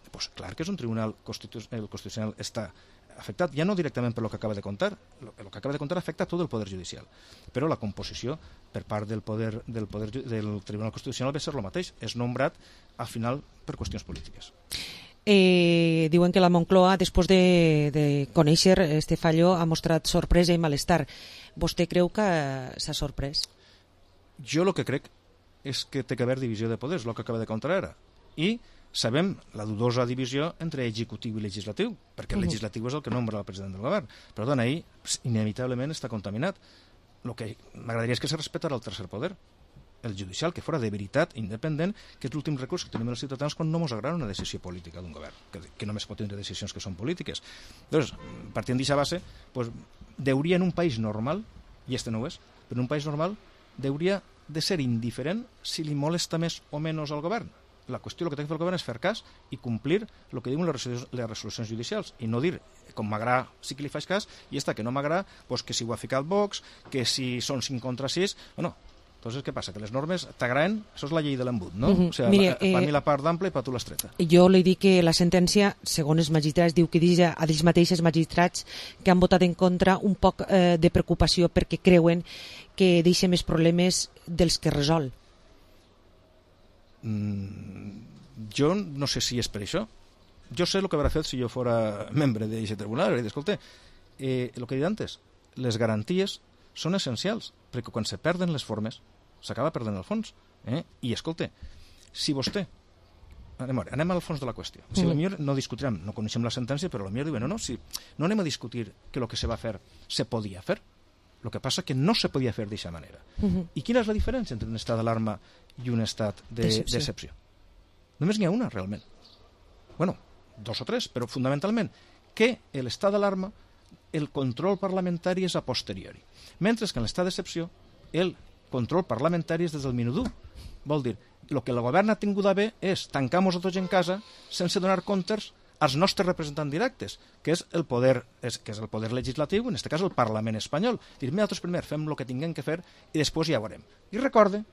Pues clar que és un tribunal constitucional està afectat, ja no directament per lo que acaba de contar, el que acaba de contar afecta tot el Poder Judicial, però la composició per part del Tribunal Constitucional va ser el mateix, és nombrat al final per qüestions polítiques. Diuen que la Moncloa, després de conèixer este fallo, ha mostrat sorpresa i malestar. Vostè creu que s'ha sorprès? Jo el que crec és que té que haver divisió de poders, el que acaba de contar ara. I sabem la dudosa divisió entre executiu i legislatiu, perquè el legislatiu és el que nombra el president del govern. Per tant, ahir, inevitablement, està contaminat. El que m'agradaria és que se respetara el tercer poder, el judicial, que fora de veritat independent, que és l'últim recurs que tenim els ciutadans quan no ens agrada una decisió política d'un govern, que només pot tenir decisions que són polítiques. Llavors, partint d'aquesta base, deuria en un país normal, i este no ho és, però en un país normal deuria de ser indiferent si li molesta més o menys al govern. La qüestió, el que té que fer el govern és fer cas i complir el que diuen les resolucions judicials i no dir, com m'agrada sí que li faig cas, i està que no m'agrada, que si ho ha ficat Vox, que si són 5 contra 6, o no. Entonces, què passa? Que les normes t'agraden? Això és la llei de l'embut, no? O sigui, Mire, per mi la part d'ample i per tu l'estreta. Jo li dic que la sentència, segons els magistrats, diu que diu a ells mateixos magistrats que han votat en contra un poc de preocupació perquè creuen que deixa més problemes dels que resol. Jo no sé si és per això. Jo sé el que haurà fet si jo fora membre d'aquest tribunal. Escolta, el que he dit antes, les garanties són essencials, perquè quan se perden les formes s'acaba perdent el fons. I escolta, si vostè anem al fons de la qüestió, si potser no discutirem, no coneixem la sentència, però potser diuen no anem a discutir que el que se va fer se podia fer, el que passa que no se podia fer d'aquesta manera. I quina és la diferència entre un estat d'alarma i un estat d'excepció? Només n'hi ha una, realment. Bueno, 2 o 3, però fundamentalment que l'estat d'alarma, el control parlamentari és a posteriori, mentre que en l'estat d'excepció el control parlamentari és des del minut 1. Vol dir, el que el govern ha tingut a bé és tancar-nos a tots en casa sense donar comptes als nostres representants directes, que és el poder legislatiu, en aquest cas el Parlament espanyol. Dir, nosaltres primer fem el que tinguem que fer i després ja veurem. I recorde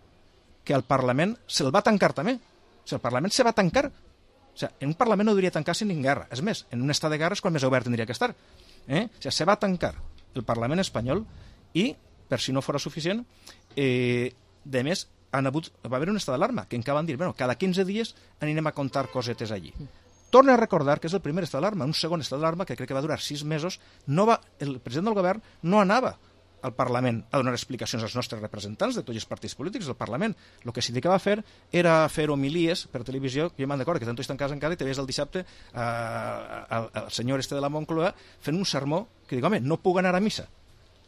que el Parlament se'l va tancar també. O sigui, el Parlament se va tancar. O sigui, en un Parlament no hauria tancar sin guerra. És més, en un estat de guerra és quan més obert tindria que estar. O sigui, se va tancar el Parlament espanyol i, per si no fos suficient, de més, va haver un estat d'alarma, que encara van dir, cada 15 dies anirem a contar cosetes allí. Torna a recordar que és el primer estat d'alarma, un segon estat d'alarma que crec que va durar 6 mesos, el president del govern no anava al Parlament a donar explicacions als nostres representants de tots els partits polítics del Parlament. El que sí que va fer era fer homilies per televisió, que jo me'n recordo que tant estan en casa encara i te veies el dissabte al senyor de la Moncloa fent un sermó que dic, home, no puc anar a missa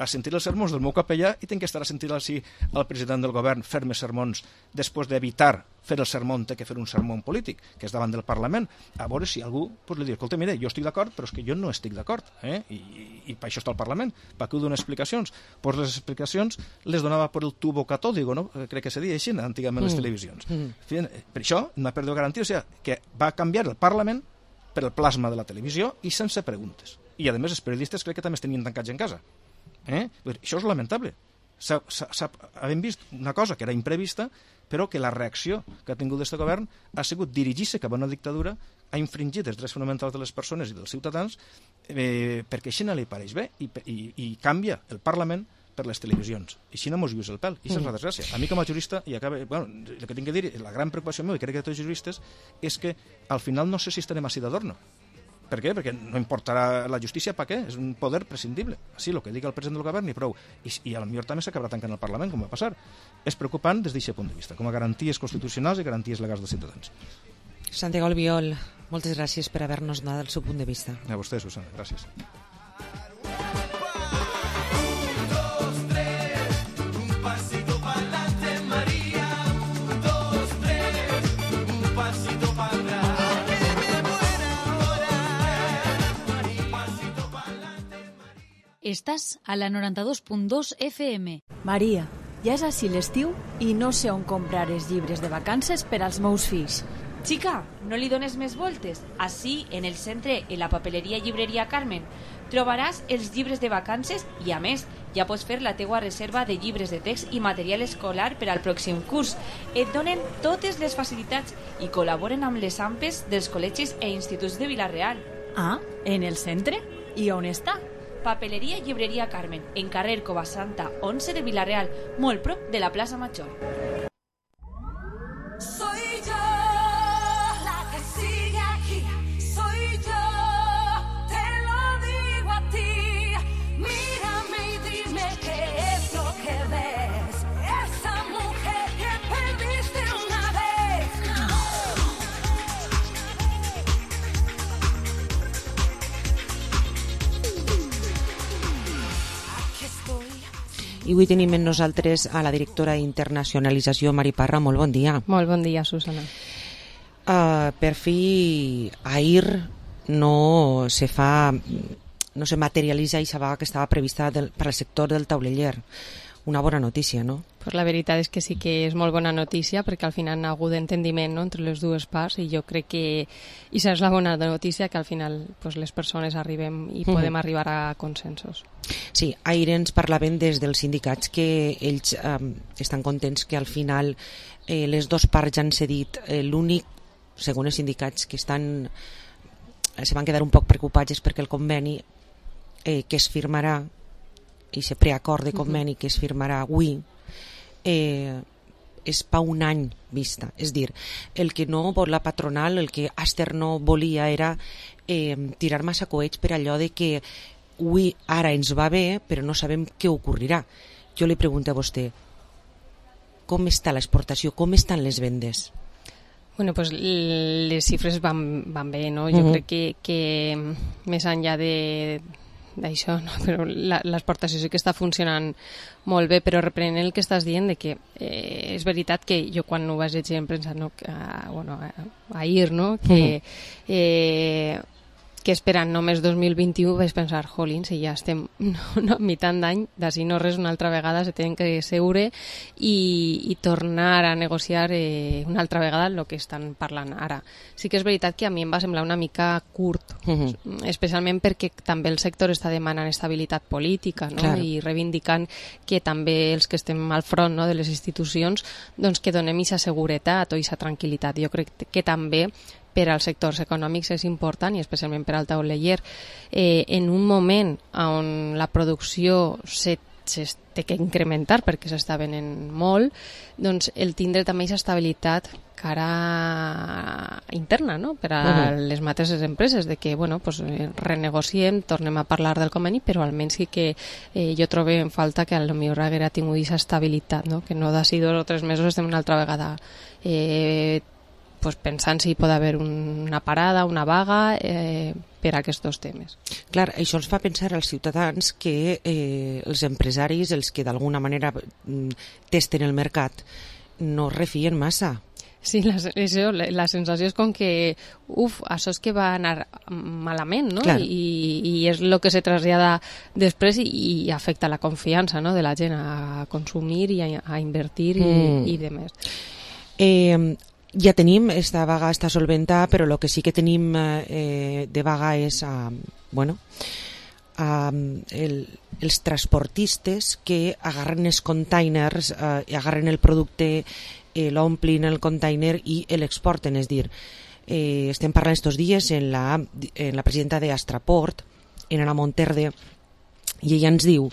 a sentir els sermons del meu capellà i tinc que estar a sentir al president del govern fer-me sermons després d'evitar fer el sermó té que fer un sermó polític, que és davant del Parlament. A veure si algú li diu, escolta, mira, jo estic d'acord, però és que jo no estic d'acord, i per això està el Parlament, per què ho dono explicacions? Pues les explicacions les donava per el tubo catòdico, no? Crec que se deia així antigament les televisions. Per això, una pèrdua de garantia, o sigui, que va canviar el Parlament per el plasma de la televisió i sense preguntes. I, a més, els periodistes crec que també es tenien tancats en casa. Això és lamentable. Hem vist una cosa que era imprevista, però que la reacció que ha tingut aquest govern ha sigut dirigir-se cap a una dictadura, ha infringit els drets fonamentals de les persones i dels ciutadans, perquè així no li pareix bé, i canvia el Parlament per les televisions. I així no mos lluís el pèl. I això és la desgràcia. A mi com a jurista, i acaba, el que tinc que dir, la gran preocupació meva, i crec que tots els juristes, és que al final no sé si estarem així d'adorno. Per què? Perquè no importarà la justícia, per què? És un poder prescindible. Així, el que diga el president del govern i prou. I a lo millor també s'acabarà tancant el Parlament, com va passar. És preocupant des d'aquest punt de vista, com a garanties constitucionals i garanties legals dels ciutadans. Santiago Albiol, moltes gràcies per haver-nos donat el seu punt de vista. A vostè, Susana, gràcies. Estàs a la 92.2 FM. Maria, ja és així l'estiu i no sé on comprar els llibres de vacances per als meus fills. Xica, no li dones més voltes. Així, en el centre, en la papeleria Llibreria Carmen, trobaràs els llibres de vacances i, a més, ja pots fer la teua reserva de llibres de text i material escolar per al pròxim curs. Et donen totes les facilitats i col·laboren amb les AMPes dels col·legis i instituts de Vila-real. Ah, en el centre? I on està? Papeleria Llibreria Carmen, en carrer Covasanta 11 de Vila-real, molt prop de la plaça Major. Soy yo la que sigue aquí, soy yo, te lo digo a ti. Mírame y dime qué es lo que ves, esa mujer que perdiste una vez. Aquí estoy. I avui tenim amb nosaltres a la directora d'Internacionalització, Mari Parra. Molt bon dia. Molt bon dia, Susana. Per fi, ahir no se materialitza aquesta vaga que estava prevista per al sector del tauleller. Una bona notícia, no? Pues la veritat és que sí que és molt bona notícia perquè al final hi ha hagut entendiment, no?, entre les dues parts i jo crec que això és la bona notícia, que al final pues, les persones arribem i podem arribar a consensos. Sí, ahir ens parlaven des dels sindicats que ells estan contents que al final les dues parts han cedit. L'únic, segons els sindicats, que se van quedar un poc preocupats és perquè el conveni que es firmarà, i aquest preacord de conveni que es firmarà avui, és per un any vista. És dir, el que no vol la patronal, el que Aster no volia era tirar massa coets per allò de que avui ara ens va bé però no sabem què ocorrirà. Jo li pregunto a vostè, com està l'exportació, com estan les vendes? Bueno, pues les xifres van bé, no? Jo crec que més enllà d'això, no? Però l'exportació sí que està funcionant molt bé, però reprenent el que estàs dient de que és veritat que jo quan ho vaig llegir en premsa, no? Ahir, no? Que esperant només 2021 vaig pensar, jolín, si ja estem a meitat d'any, d'ací no res, una altra vegada se tenen que seure i tornar a negociar una altra vegada el que estan parlant ara. Sí que és veritat que a mi em va semblar una mica curt, especialment perquè també el sector està demanant estabilitat política, no? Claro. I reivindicant que també els que estem al front, no?, de les institucions, doncs que donem aquesta seguretat o aquesta tranquil·litat. Jo crec que també per als sectors econòmics és important, i especialment per al tauleller, en un moment on la producció té que incrementar perquè s'està venent molt, doncs el tindre també aquesta estabilitat cara interna, no?, per a les mateixes empreses, de que bueno, pues, renegociem, tornem a parlar del conveni, però almenys sí que jo trobo en falta que potser haguera tingut aquesta estabilitat, no?, que no d'ací 2 o 3 mesos estem una altra vegada pues pensant si pot haver una parada, una vaga per a aquests temes. Clar, això ens fa pensar als ciutadans que els empresaris, els que d'alguna manera testen el mercat, no refien massa. Sí, la sensació és com que això és que va anar malament, no? I és el que se trasllada després i afecta la confiança, no?, de la gent a consumir i a invertir i demés. Ja tenim, esta vaga està solventada, però el que sí que tenim de vaga és els transportistes que agarren els containers i agarren el producte l'omplin el container i l'exporten. És dir, estem parlant estos dies en la presidenta d'Astraport, en Ana Monterde, i ella ens diu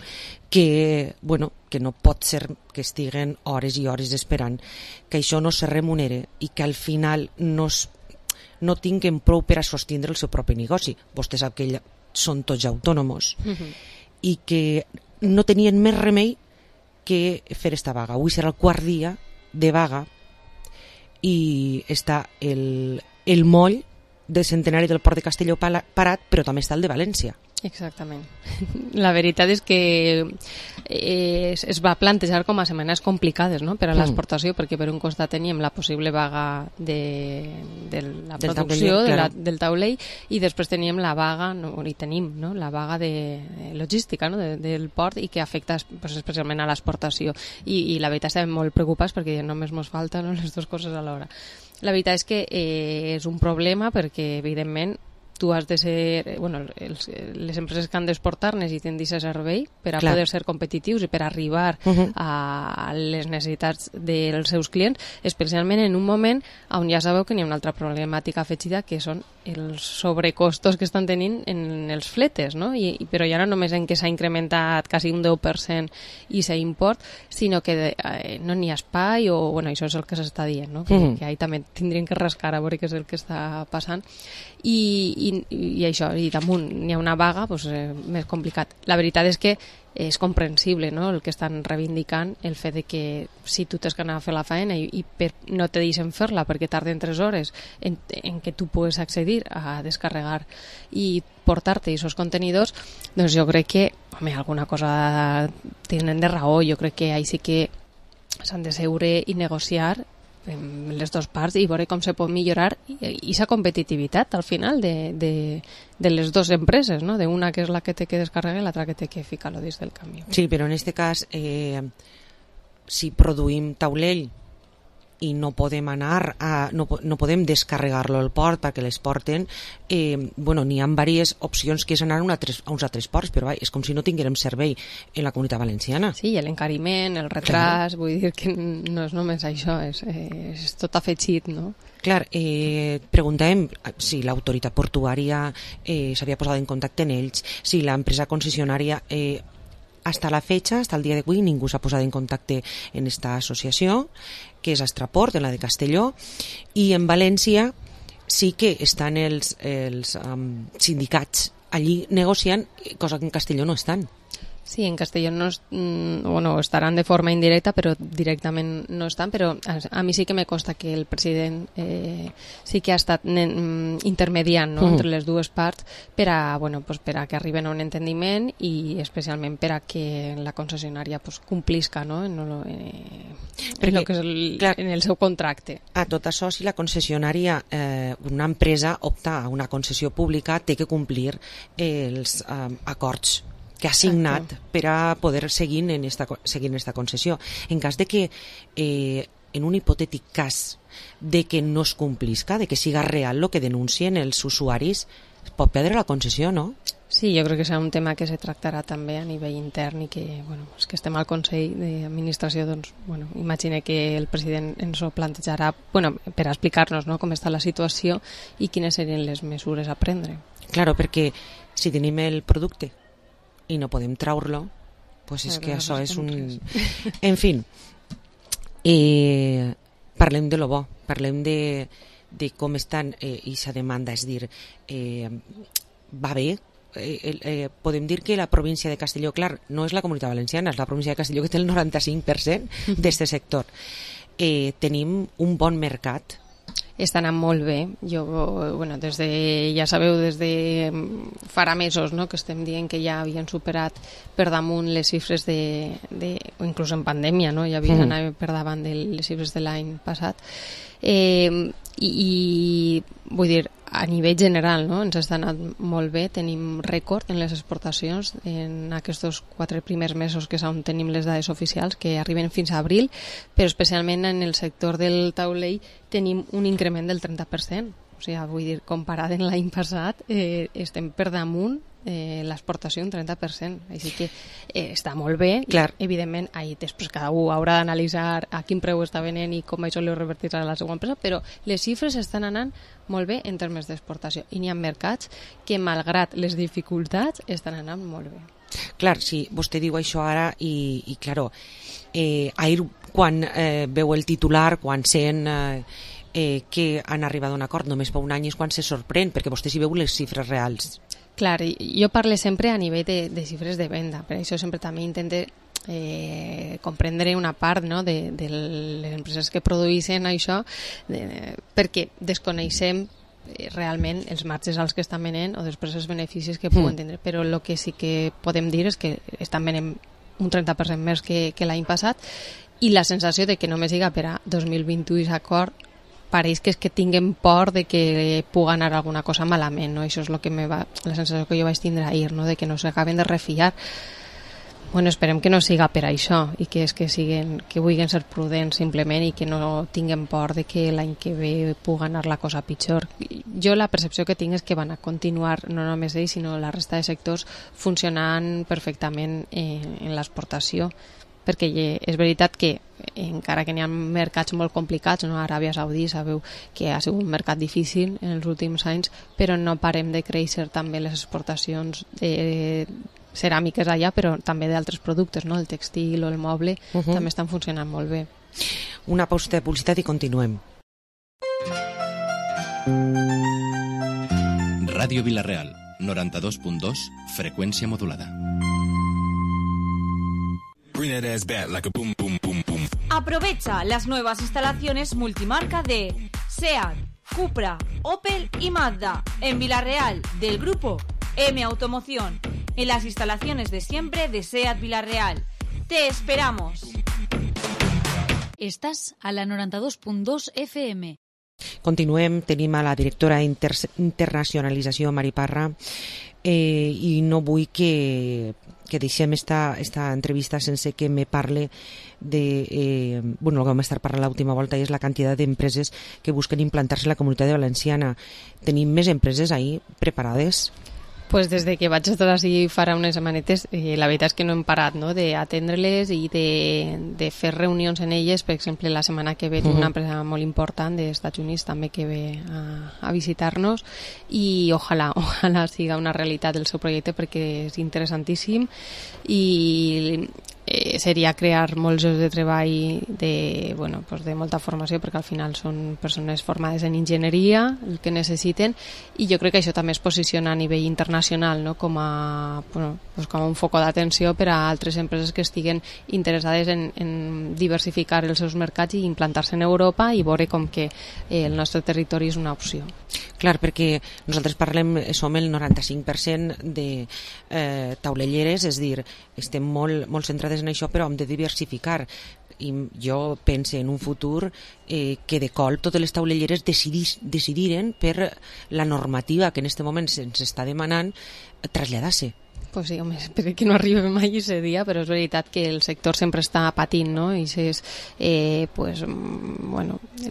que no pot ser que estiguen hores i hores esperant, que això no se remunere i que al final no tinguen prou per a sostindre el seu propi negoci. Vostè sap que són tots autònoms i que no tenien més remei que fer esta vaga. Avui serà el quart dia de vaga i està el moll de Centenari del Port de Castelló parat, però també està el de València. Exactament. La veritat és que es va plantejar com a setmanes complicades, no?, per a l'exportació, perquè per un costat teníem la possible vaga de la producció del taulell i després teníem la vaga, la vaga de logística, no?, del port, i que afecta especialment a l'exportació. I la veritat estem molt preocupats perquè només ens falten les dues coses alhora. La veritat és que és un problema perquè, evidentment, tu has de ser... les empreses que han d'exportar necessiten d'aquest servei per a poder ser competitius i per arribar a les necessitats dels seus clients, especialment en un moment on ja sabeu que hi ha una altra problemàtica afegida, que són els sobrecostos que estan tenint en els fletes, no? Però ja no només en què s'ha incrementat quasi un 10% i s'import, sinó que no n'hi ha espai, o això és el que s'està dient, no? Que ahí també tindrien que rascar a veure què és el que està passant. I això, i damunt n'hi ha una vaga, més complicat. La veritat és que és comprensible, no?, el que estan reivindicant, el fet de que si tu tens que anar a fer la feina i no te deixen fer-la perquè tarden 3 hores en què tu pugues accedir a descarregar i portar-te aquests contenidors, doncs jo crec que, alguna cosa tenen de raó. Jo crec que ahí sí que s'han de seure i negociar les dues parts i veure com se pot millorar aquesta competitivitat al final de les dues empreses, no? D'una que és la que té que descarregar i l'altra que té que ficar-lo dins del camió. Sí, però en aquest cas, si produïm taulell i no podem anar no podem descarregar-lo al port perquè l'exporten, n'hi ha diverses opcions que és anar a uns altres ports, però és com si no tinguérem servei en la Comunitat Valenciana. Sí, l'encariment, el retras, vull dir que no és només això, és tot afegit, no? Clar, preguntàvem si l'autoritat portuària s'havia posat en contacte amb ells, si l'empresa concessionària... Hasta la fecha, hasta el dia d'avui, ningú s'ha posat en contacte en esta associació, que és Astraport, en la de Castelló, i en València sí que estan els sindicats allí negociant, cosa que en Castelló no estan. Sí, en Castelló estaran de forma indirecta, però directament no estan, però a mi sí que me consta que el president sí que ha estat intermediant, no?, entre les dues parts per a que arriben a un entendiment i especialment per a que la concessionària complisca, no?, en el seu contracte. A tot això, si la concessionària, una empresa opta a una concessió pública, té que complir els acords que ha signat per a poder seguir en esta concessió. En cas de que, en un hipotètic cas de que no es complisca, de que siga real el que denuncien els usuaris, es pot perdre la concessió, no? Sí, jo crec que serà un tema que se tractarà també a nivell intern i que, és que estem al Consell d'Administració, doncs, imagine que el president ens ho plantejarà, per explicar-nos, no?, com està la situació i quines serien les mesures a prendre. Claro, perquè si tenim el producte i no podem traure-lo, doncs és que això és un... En fi, parlem de lo bo, parlem de com estan aquesta demanda, és dir, va bé. Podem dir que la província de Castelló, clar, no és la Comunitat Valenciana, és la província de Castelló que té el 95% d'aquest sector. Tenim un bon mercat. Està anant molt bé. Ja sabeu, des de farà mesos, no?, que estem dient que ja havien superat per damunt les xifres o inclús en pandèmia, no?, ja havien anat per davant de les xifres de l'any passat. I vull dir, a nivell general, no?, ens està anant molt bé. Tenim rècord en les exportacions en aquests 4 primers mesos, que és on tenim les dades oficials, que arriben fins a abril, però especialment en el sector del taulell tenim un increment del 30%. O sigui, vull dir, comparat amb l'any passat, estem per damunt l'exportació un 30%, així que està molt bé. Clar. I, evidentment, després cada un haurà d'analitzar a quin preu està venent i com això li revertirà a la seva empresa, però les xifres estan anant molt bé en termes d'exportació i n'hi ha mercats que, malgrat les dificultats, estan anant molt bé. Clar, sí, vostè diu això ara i claro, ahir quan veu el titular, quan sent que han arribat a un acord només fa un any, és quan se sorprèn, perquè vostè s'hi veu les xifres reals. Clar, jo parlo sempre a nivell de xifres de venda, per això sempre també intento comprendre una part, no, de les empreses que produeixen això, perquè desconeixem realment els marges als que estan venent o després els beneficis que puguen tindre, però el que sí que podem dir és que estan venent un 30% més que l'any passat i la sensació de que només siga per a 2021 i acord pareix que és que tinguem por de que pugui anar alguna cosa malament, no? Això és la sensació que jo vaig tindre ahir, no? De que no s'acaben de refiar. Bueno, esperem que no siga per això i que vulguin ser prudents simplement i que no tinguem por de que l'any que ve pugui anar la cosa pitjor. Jo la percepció que tinc és que van a continuar, no només ells, sinó la resta de sectors funcionant perfectament en l'exportació, perquè és veritat que encara que n'hi ha mercats molt complicats, no? Aràbia Saudí sabeu que ha sigut un mercat difícil en els últims anys, però no parem de créixer també les exportacions ceràmiques allà, però també d'altres productes, no? El textil o el moble també estan funcionant molt bé. Una pausa de publicitat i continuem. Ràdio Vila-real, 92.2, freqüència modulada. Aprovecha las nuevas instalaciones multimarca de SEAT, Cupra, Opel y Mazda en Vila-real del grupo M Automoción, en las instalaciones de siempre de SEAT Vila-real. ¡Te esperamos! Estàs a la 92.2 FM. Continuem, tenim a la directora d'internacionalització, Mari Parra, i no vull que deixem esta entrevista sense que me parle de... el que vam estar parlant l'última volta és la quantitat d'empreses que busquen implantar-se a la Comunitat Valenciana. Tenim més empreses ahí preparades? Pues des de que vaig estar així farà unes setmanetes, la veritat és que no hem parat, no?, d'atendre-les i de fer reunions en elles. Per exemple, la setmana que ve una empresa molt important dels Estats Units també que ve a visitar-nos i ojalà siga una realitat el seu projecte perquè és interessantíssim i seria crear molts llocs de treball de molta formació, perquè al final són persones formades en enginyeria el que necessiten, i jo crec que això també es posiciona a nivell internacional, no? com un foc d'atenció per a altres empreses que estiguen interessades en diversificar els seus mercats i implantar-se en Europa i veure com que el nostre territori és una opció. Clar, perquè nosaltres som el 95% de taulelleres, és dir, estem molt centrades en això, però hem de diversificar. I jo penso en un futur que de colp totes les taulelleres decidiren per la normativa que en aquest moment se'ns està demanant traslladar-se. Pues sí, home, espero que no arribi mai aquest dia, però és veritat que el sector sempre està patint, no? I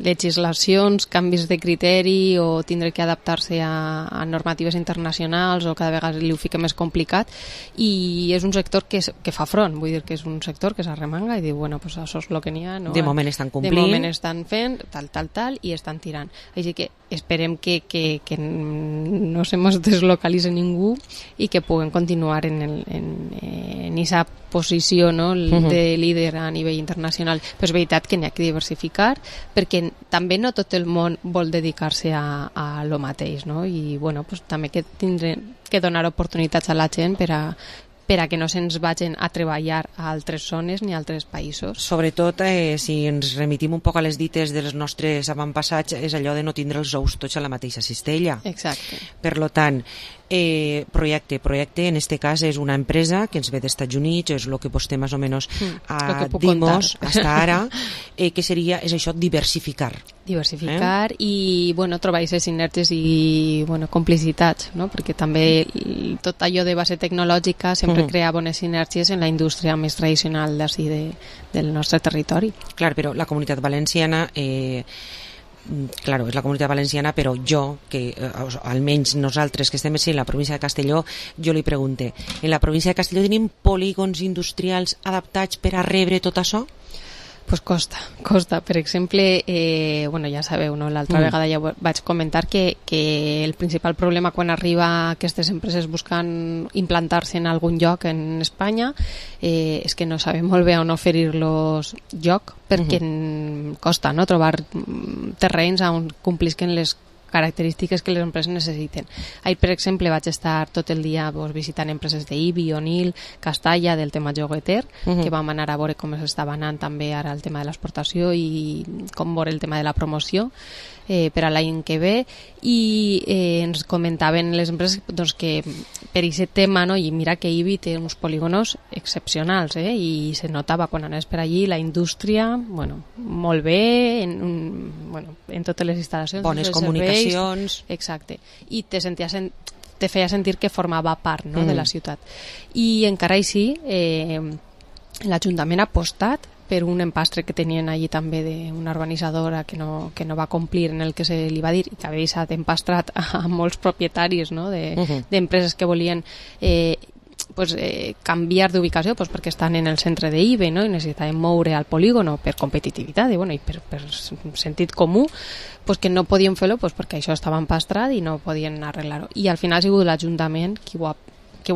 legislacions, canvis de criteri o tindre que adaptar-se a normatives internacionals o cada vegada li ho fica més complicat, i és un sector que fa front, vull dir que és un sector que s'arremanga i diu, pues això és el que n'hi ha, no? De moment estan complint. De moment estan fent tal i estan tirant. Així que esperem que no se mos deslocalitzi ningú i que puguem continuar en aquesta posició, no? De líder a nivell internacional. Però és veritat que n'hi ha que diversificar, perquè també no tot el món vol dedicar-se a lo mateix, no? I també que tindrem que donar oportunitats a la gent per a que no se'ns vagin a treballar a altres zones ni a altres països. Sobretot, si ens remitim un poc a les dites dels nostres avantpassats, és allò de no tindre els ous tots a la mateixa cistella. Exacte. Per tant, projecte, en este cas és una empresa que ens ve dels Estats Units, és el que vostè més o menys dimos hasta ara, que seria, és això, diversificar. I trobar aquestes sinergies i complicitats, no? Perquè també tot allò de base tecnològica sempre crea bones sinergies en la indústria més tradicional d'ací del nostre territori. Clar, però la Comunitat Valenciana claro, és la Comunitat Valenciana, però jo, que almenys nosaltres que estem en la província de Castelló, jo li pregunte, en la província de Castelló tenim polígons industrials adaptats per a rebre tot això? Pues costa. Per exemple, bueno, ja sabeu, no? L'altra vegada ja vaig comentar que el principal problema quan arriba aquestes empreses buscant implantar-se en algun lloc en Espanya és que no sabem molt bé on oferir-los lloc, perquè costa, no?, trobar terrenys on complisquen les característiques que les empreses necessiten. Ahir, per exemple, vaig estar tot el dia visitant empreses d'Ibi, Onil, Castalla, del tema Jogueter, que vam anar a veure com s'estava anant també ara el tema de l'exportació i com veure el tema de la promoció per a l'any que ve, i ens comentaven les empreses que per aquest tema, no, i mira que Ibi té uns polígonos excepcionals, i se notava quan anaves per allí la indústria, bueno, molt bé, en totes les instal·lacions, bones comunicacions, exacte, i te feia sentir que formava part, no, de la ciutat. I encara així l'Ajuntament ha apostat per un empastre que tenien allí també d'una urbanitzadora que no va complir en el que se li va dir, i que havia estat empastrat a molts propietaris, no, d'empreses que volien canviar d'ubicació perquè estan en el centre d'IBE, no, i necessitaven moure al polígono per competitivitat i per sentit comú, que no podien fer-lo perquè això estava empastrat i no podien arreglar-ho. I al final ha sigut l'Ajuntament qui ho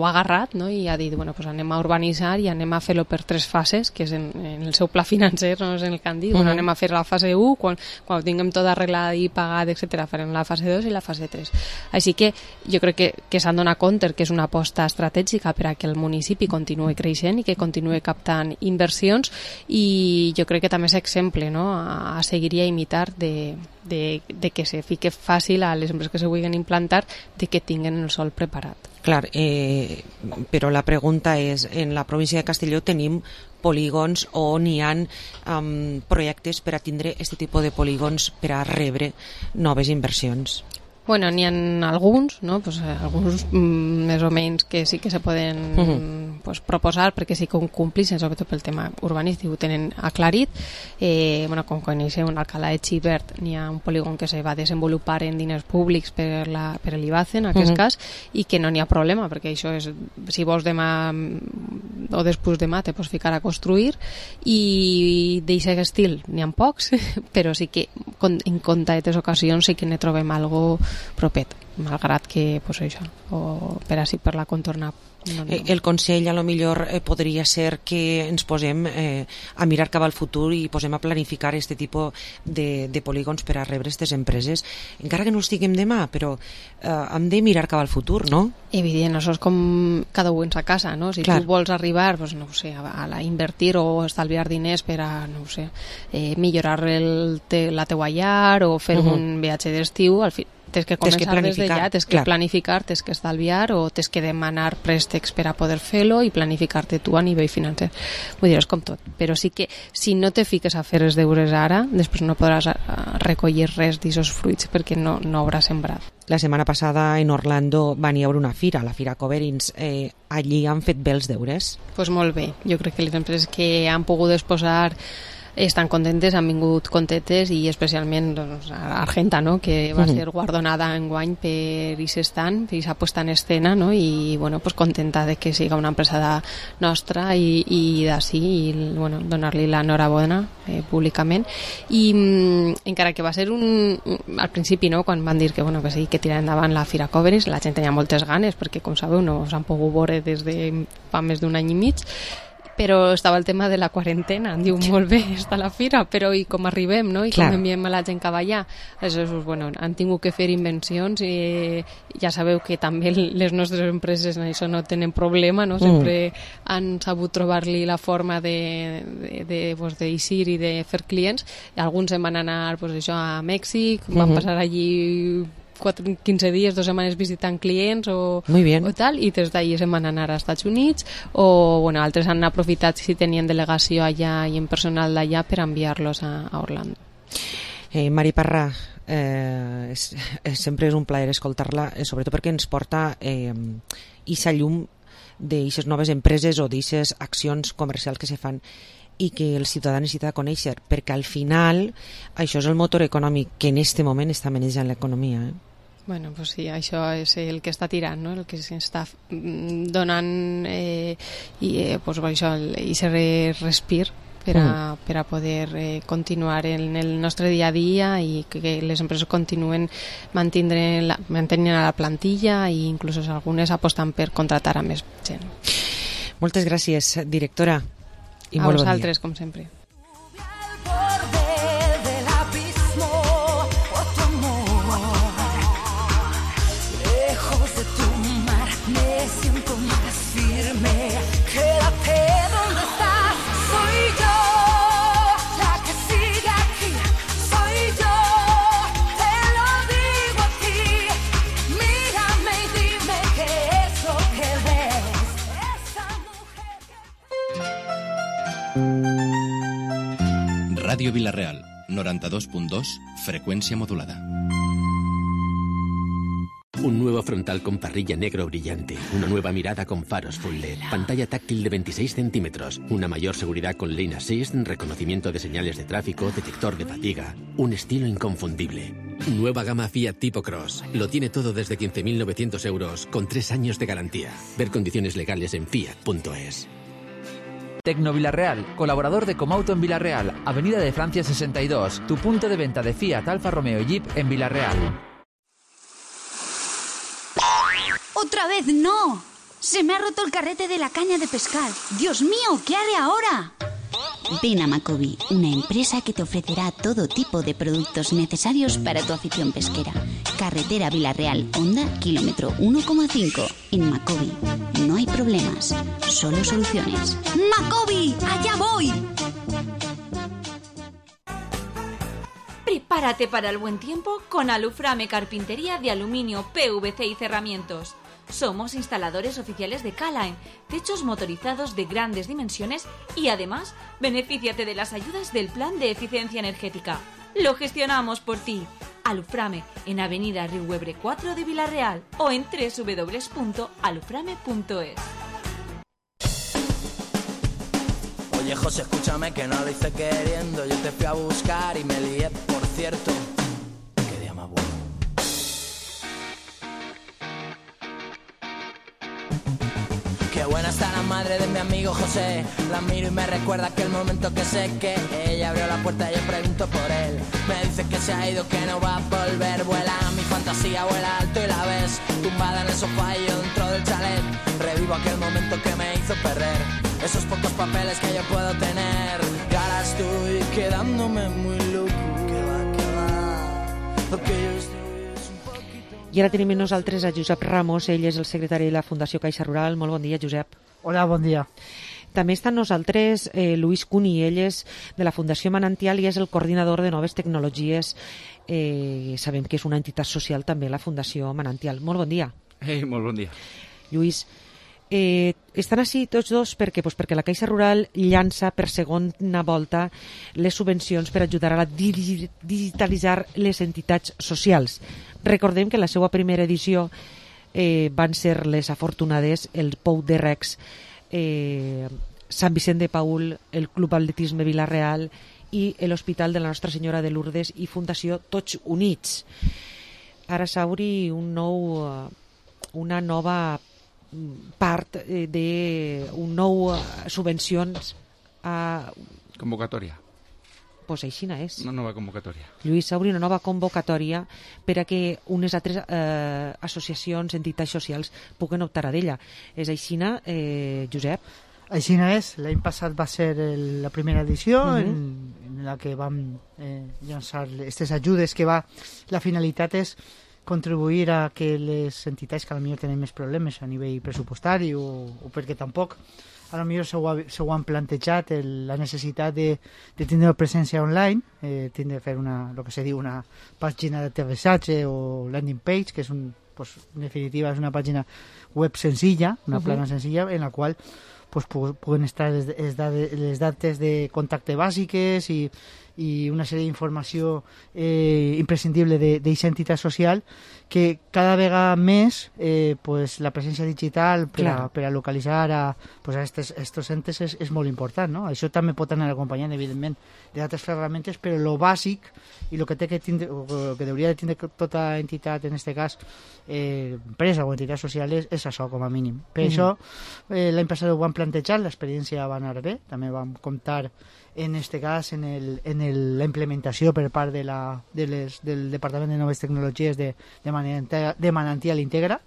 ha agarrat, no? I ha dit, anem a urbanitzar i anem a fer-lo per 3 fases, que és en el seu pla financer, no és en el que han dit, anem a fer la fase 1, quan ho tinguem tot arreglat i pagat, etc., farem la fase 2 i la fase 3. Així que jo crec que s'han donat compte que és una aposta estratègica per a que el municipi continuï creixent i que continuï captant inversions, i jo crec que també és exemple, no?, a seguir i a imitar de que se fique fàcil a les empreses que se vulguin implantar de que tinguen el sòl preparat. Clar, però la pregunta és, en la província de Castelló tenim polígons o n'hi ha projectes per a tindre aquest tipus de polígons per a rebre noves inversions? Bueno, n'hi ha alguns, no? Alguns més o menys que sí que se poden proposar perquè sí que ho complixen, sobretot pel tema urbanístic, ho tenen aclarit. Com coneixeu, en Alcalá de Xivert n'hi ha un polígon que se va desenvolupar en diners públics per l'IBACE, en aquest cas, i que no n'hi ha problema, perquè això és, si vols demà o després demà te pots ficar a construir, i d'aquest estil n'hi ha pocs, però sí que en comptates ocasions sí que ne trobem algo propet, malgrat que això, o per així per la contorna. El consell a lo millor podria ser que ens posem a mirar cap al futur i posem a planificar aquest tipus de polígons per a rebre aquestes empreses, encara que no els tinguem demà, però hem de mirar cap al futur, no? Evident, això és com cada un en sa casa, no? Si tu vols arribar, a invertir o estalviar diners per a, millorar la teua llar o fer un viatge d'estiu, al fi tens que començar des d'allà, tens que planificar, tens que estalviar o tens que demanar préstecs per a poder fer-lo i planificar-te tu a nivell financer. Vull dir, és com tot. Però sí que si no te fiques a fer els deures ara, després no podràs recollir res d'aquests fruits perquè no hauràs sembrat. La setmana passada en Orlando van hi haver una fira, la Fira Coverins. Allí han fet bé els deures? Doncs molt bé. Jo crec que les empreses que han pogut exposar estan contentes, han vingut contentes, i especialment Argenta, no?, que va ser guardonada enguany per aquest stand, per aquesta puesta en escena, no?, i contenta de que siga una empresa nostra i d'ací, i donar-li l'enhorabona públicament. I encara que va ser al principi, no?, quan van dir que sí, que tirar endavant la Fira Coverins, la gent tenia moltes ganes perquè, com sabeu, no s'han pogut veure des de fa més d'un any i mig, però estava el tema de la quarantena. Diu, molt bé, està la fira, però i com arribem, no? I com enviem a la gent cap allà? Aleshores, han tingut que fer invencions, i ja sabeu que també les nostres empreses en això no tenen problema, no? Sempre han sabut trobar-li la forma d'eixir i de fer clients. Alguns se'n van anar a Mèxic, van passar allí 15 dies, 2 setmanes visitant clients o tal, i des d'allí se'n van anar als Estats Units, o altres han aprofitat si tenien delegació allà i en personal d'allà per enviar-los a Orlando. Mari Parra, sempre és un plaer escoltar-la, sobretot perquè ens porta eixa llum d'eixes noves empreses o d'eixes accions comercials que se fan. i que el ciutadà necessita conèixer, perquè al final això és el motor econòmic que en aquest moment està manejant l'economia. Bueno, pues sí, això és el que està tirant, no? El que s'està donant pues, això, i respir per a poder continuar en el nostre dia a dia i que les empreses continuen mantenint la plantilla i inclús algunes aposten per contratar a més gent. Moltes gràcies, directora. I a vosaltres, com sempre. Radio Vilareal, 92.2, frecuencia modulada. Un nuevo frontal con parrilla negro brillante, una nueva mirada con faros full LED, pantalla táctil de 26 centímetros, una mayor seguridad con Lane Assist, reconocimiento de señales de tráfico, detector de fatiga, un estilo inconfundible. Nueva gama Fiat Tipo Cross. Lo tiene todo desde 15.900 euros, con 3 años de garantía. Ver condiciones legales en fiat.es. Tecno Vilarreal, colaborador de Comauto en Vilarreal, Avenida de Francia 62, tu punto de venta de Fiat, Alfa Romeo y Jeep en Vilarreal. ¡Otra vez no! Se me ha roto el carrete de la caña de pescar. ¡Dios mío! ¿Qué haré ahora? Ven a Macobi, una empresa que te ofrecerá todo tipo de productos necesarios para tu afición pesquera. Carretera Vilarreal, Honda, kilómetro 1,5. En Macobi no hay problemas, solo soluciones. ¡Macobi! ¡Allá voy! Prepárate para el buen tiempo con Aluframe Carpintería de aluminio, PVC y cerramientos. Somos instaladores oficiales de K-Line, techos motorizados de grandes dimensiones y además, benefíciate de las ayudas del Plan de Eficiencia Energética. Lo gestionamos por ti. Aluframe, en Avenida Riuebre 4 de Vilarreal o en www.aluframe.es. Oye, José, escúchame que no lo hice queriendo. Yo te fui a buscar y me lié, por cierto. Qué día más bueno. Qué buena está la madre de mi amigo José. La miro y me recuerda aquel momento que sé que ella abrió la puerta y yo pregunto por él. Me dice que se ha ido, que no va a volver. Vuela mi fantasía, vuela alto y la ves tumbada en el sofá y yo dentro del chalet. Revivo aquel momento que me hizo perder esos pocos papeles que yo puedo tener. Y ahora estoy quedándome muy loco. Que va, lo que yo estoy. I ara tenim amb nosaltres a Josep Ramos, ell és el secretari de la Fundació Caixa Rural. Molt bon dia, Josep. Hola, bon dia. També està amb nosaltres Luis Cuni, ell és de la Fundació Manantial i és el coordinador de noves tecnologies. Sabem que és una entitat social també, la Fundació Manantial. Molt bon dia. Molt bon dia. Lluís, estan així tots dos perquè la Caixa Rural llança per segona volta les subvencions per ajudar a digitalitzar les entitats socials. Recordem que la seva primera edició van ser les afortunades el Pou de Recs, Sant Vicent de Paül, el Club Atletisme Vilarreal i l'Hospital de la Nostra Senyora de Lourdes i Fundació Tots Units. Ara s'obri una nova part d'un nou subvencions a... Convocatòria. Pues així és. Una nova convocatòria. Lluís, s'obri una nova convocatòria per a que unes altres associacions, entitats socials puguen optar a d'ella. És així, Josep? Així és. L'any passat va ser la primera edició en la que vam llançar aquestes ajudes que la finalitat és contribuir a que les entitats que potser tenen més problemes a nivell pressupostari o perquè tampoc potser se ho han plantejat la necessitat de tindre presència online, tindre de fer el que se diu una pàgina d'aterrissatge o landing page, que és en definitiva és una pàgina web senzilla, una plana senzilla en la qual puguen estar les dates de contacte bàsiques i i una sèrie d'informació imprescindible d'aquesta entitat social, que cada vegada més pues, la presència digital per a localitzar a estos entes és molt important, no? Això també pot anar acompanyant, evidentment, d'altres ferramentes, però lo bàsic i el que té que tindre, o que hauria de tindre tota entitat, en aquest cas empresa o entitat social, és això com a mínim. Per això l'any passat ho vam plantejar, l'experiència va anar bé, també vam comptar en aquest cas en la implementació per part del Departament de Noves Tecnologies de Manantial Integra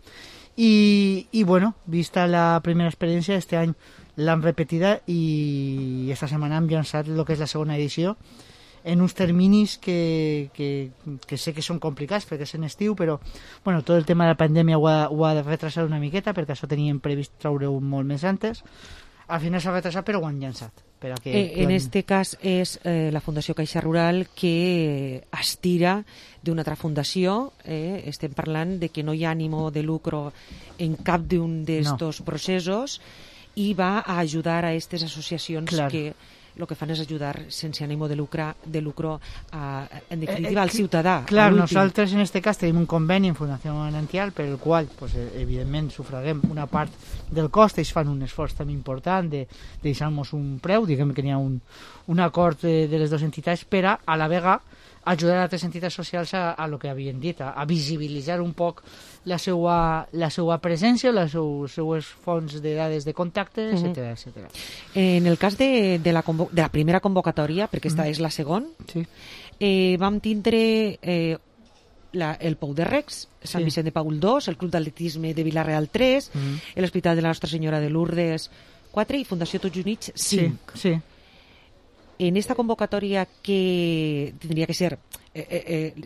i bueno, vista la primera experiència, este any l'hem repetida i esta setmana hem llançat el que és la segona edició en uns terminis que sé que són complicats perquè és en estiu, però bueno, tot el tema de la pandèmia ho ha de retrasar una miqueta perquè això teníem previst treure-ho molt més antes. Al final s'ha retrasat, però ho han llançat. En este cas és la Fundació Caixa Rural que estira d'una altra fundació. Estem parlant de que no hi ha ànimo de lucro en cap d'un d'estos processos i va a ajudar a aquestes associacions que el que fan és ajudar sense ànimo de lucro en definitiva al ciutadà. Clar, nosaltres en aquest cas tenim un conveni en Fundació Manantial per el qual pues, evidentment sufraguem una part del cost, ells fan un esforç també important de deixar-nos un preu, diguem que n'hi ha un acord de les dues entitats per a la vegada ajudar a altres entitats socials a lo que havien dit, a visibilitzar un poc la seva presència, les seues fonts de dades de contacte, etc. En el cas de la primera convocatòria, perquè aquesta és la segona, vam tindre el Pou de Recs, Sant Vicent de Paül 2, el Club d'Atletisme de Vila-real 3, l'Hospital de la Nostra Senyora de Lourdes 4 i Fundació Tots Units 5. Sí. En esta convocatòria que tindria que ser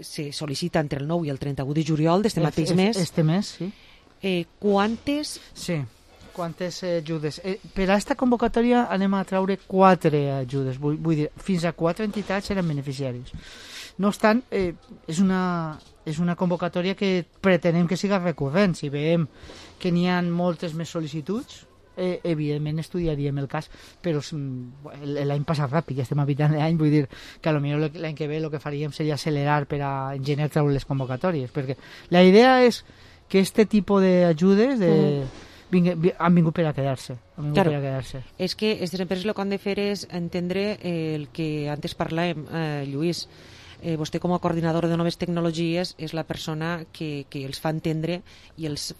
se sol·licita entre el 9 i el 31 de juliol d'este mateix mes. Este mes, sí. Quantes? Sí, quantes ajudes. Per a aquesta convocatòria anem a treure 4 ajudes, vull dir, fins a 4 entitats seran beneficiaris. No obstant, és una convocatòria que pretenem que siga recurrent. Si veiem que n'hi ha moltes més sol·licituds, evidentment estudiaríem el cas, però l'any passat ràpid, ja estem a mitjan d'any, vull dir que potser l'any que ve el que faríem seria accelerar per a engenyar treure les convocatòries, perquè la idea és que este tipus d'ajudes han vingut per a quedar-se. És que aquestes empreses el que han de fer és entendre el que antes parlàvem, Lluís. Vostè com a coordinador de noves tecnologies és la persona que els fa entendre i els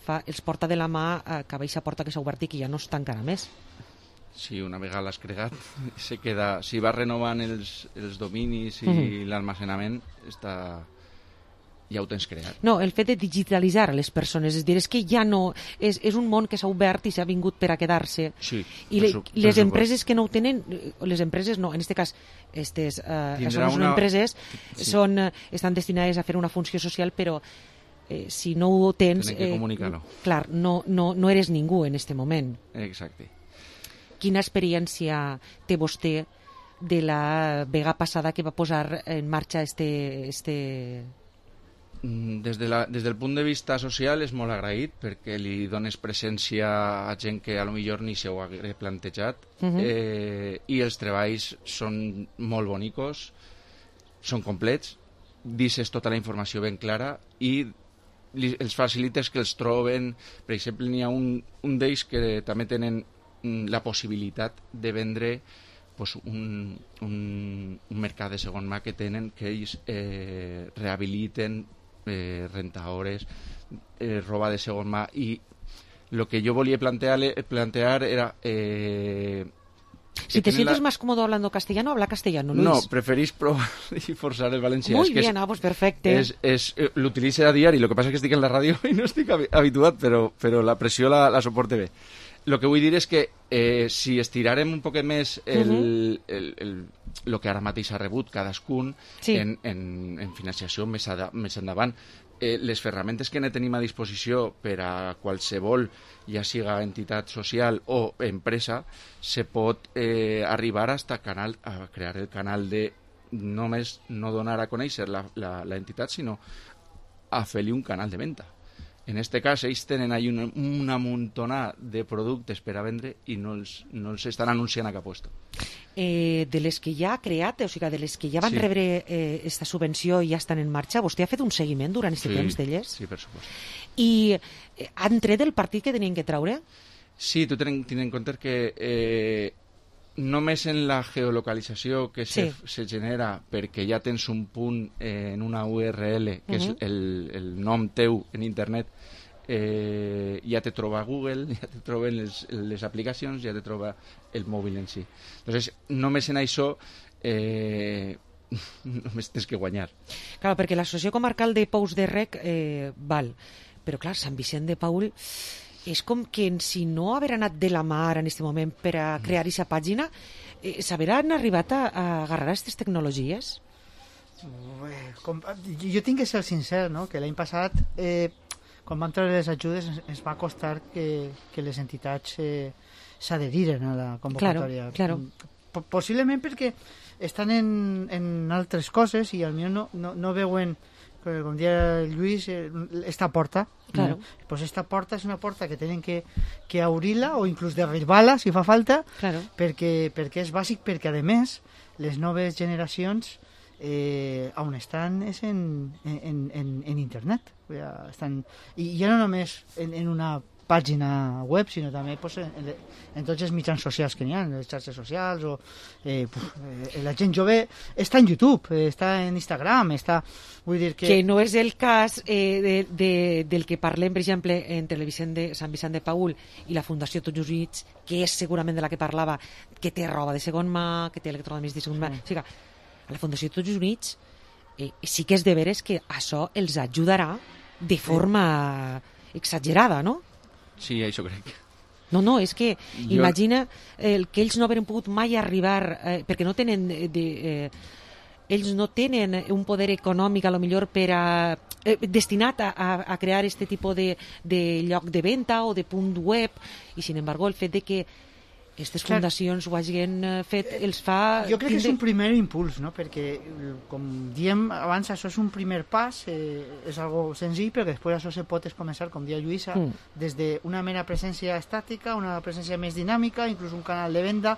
porta de la mà cap a aquesta porta que s'ha obert i que ja no es tancarà més. Sí, una vegada l'has creat, se queda, si vas renovant els dominis i l'almacenament, ja ho tens creat. No, el fet de digitalitzar les persones, és dir, és que ja no... És un món que s'ha obert i s'ha vingut per a quedar-se. Sí, i les empreses que no ho tenen, les empreses no, en aquest cas, són empreses, estan destinades a fer una funció social, però si no ho tens... Tenen que comunicar-ho. Clar, no eres ningú en aquest moment. Exacte. Quina experiència té vostè de la vegada passada que va posar en marxa Des del punt de vista social és molt agraït perquè li dones presència a gent que a lo millor ni s'ho hagués plantejat i els treballs són molt bonicos, són complets, dices tota la informació ben clara i els facilites que els troben. Per exemple, n'hi ha un d'ells que també tenen la possibilitat de vendre un mercat de segon mà que tenen, que ells rehabiliten rentadores, roba de segon mà, i el que jo volia plantear era... Si te sientes más cómodo hablando castellano, habla castellano, Luis. No, preferís probar y forzar el valencià. Muy bien, pues perfecte. L'utilitzo a diari, lo que passa és que estic en la ràdio i no estic habituat, però la pressió la soporte bé. El que vull dir és que si estirarem un poquet més el que ara mateix ha rebut cadascun en financiació més endavant, les ferramentes que ne tenim a disposició per a qualsevol, ja siga entitat social o empresa, se pot arribar a crear el canal de només no donar a conèixer la entitat, sinó a fer-li un canal de venda. En aquest cas, ells tenen ahí una muntonada de productes per a vendre i no els estan anunciant a cap lloc. de les que ja ha creat, o sigui, de les que ja van rebre esta subvenció i ja estan en marxa, vostè ha fet un seguiment durant aquest temps d'elles? Sí, per supost. I han tret el partit que tenien que treure? Sí, tu ten en compte que només en la geolocalització que se genera perquè ja tens un punt en una URL, que és el nom teu en internet, ja te troba Google, ja te troben les aplicacions, ja te troba el mòbil en si. Entonces, només en això només tens que guanyar. Clar, perquè l'associació comarcal de Pous de Rec val, però clar, Sant Vicent de Paül és com que si no haver anat de la mar en aquest moment per a crear aquesta pàgina, s'haveran arribat a agarrar aquestes tecnologies? Jo tinc que ser sincer, no? Que l'any passat, quan vam treure les ajudes, ens va costar que les entitats s'adheriren a la convocatòria. Claro. Possiblement perquè estan en altres coses i potser no veuen, com deia Lluís, esta porta. Claro. Pues esta porta és una porta que tenen que obrir-la o inclús derribar-la si fa falta, perquè és bàsic, perquè a més les noves generacions on estan és en internet. I ja no només en una pàgina web, sinó també en tots els mitjans socials que n'hi ha, les xarxes socials, o la gent jove està en YouTube, està en Instagram, vull dir que no és el cas del que parlem, per exemple, entre Sant Vicent de Paül i la Fundació Tots Units, que és segurament de la que parlava, que té roba de segon mà, que té electrodomèstics de segon mà. O sigui, a la Fundació Tots Units sí que és de veres que això els ajudarà de forma exagerada, no? Sí, això crec. No, és que imagina que ells no hauran pogut mai arribar, perquè no tenen ells no tenen un poder econòmic a lo millor destinat a crear este tipus de lloc de venda o de punt web, i sin embargo el fet de que aquestes fundacions ho hagin fet els fa... Jo crec que és un primer impuls, no? Perquè, com diem abans, això és un primer pas, és algo senzill, però després això se pot començar, com dia Lluïsa, des d'una mera presència estàtica, una presència més dinàmica, inclús un canal de venda.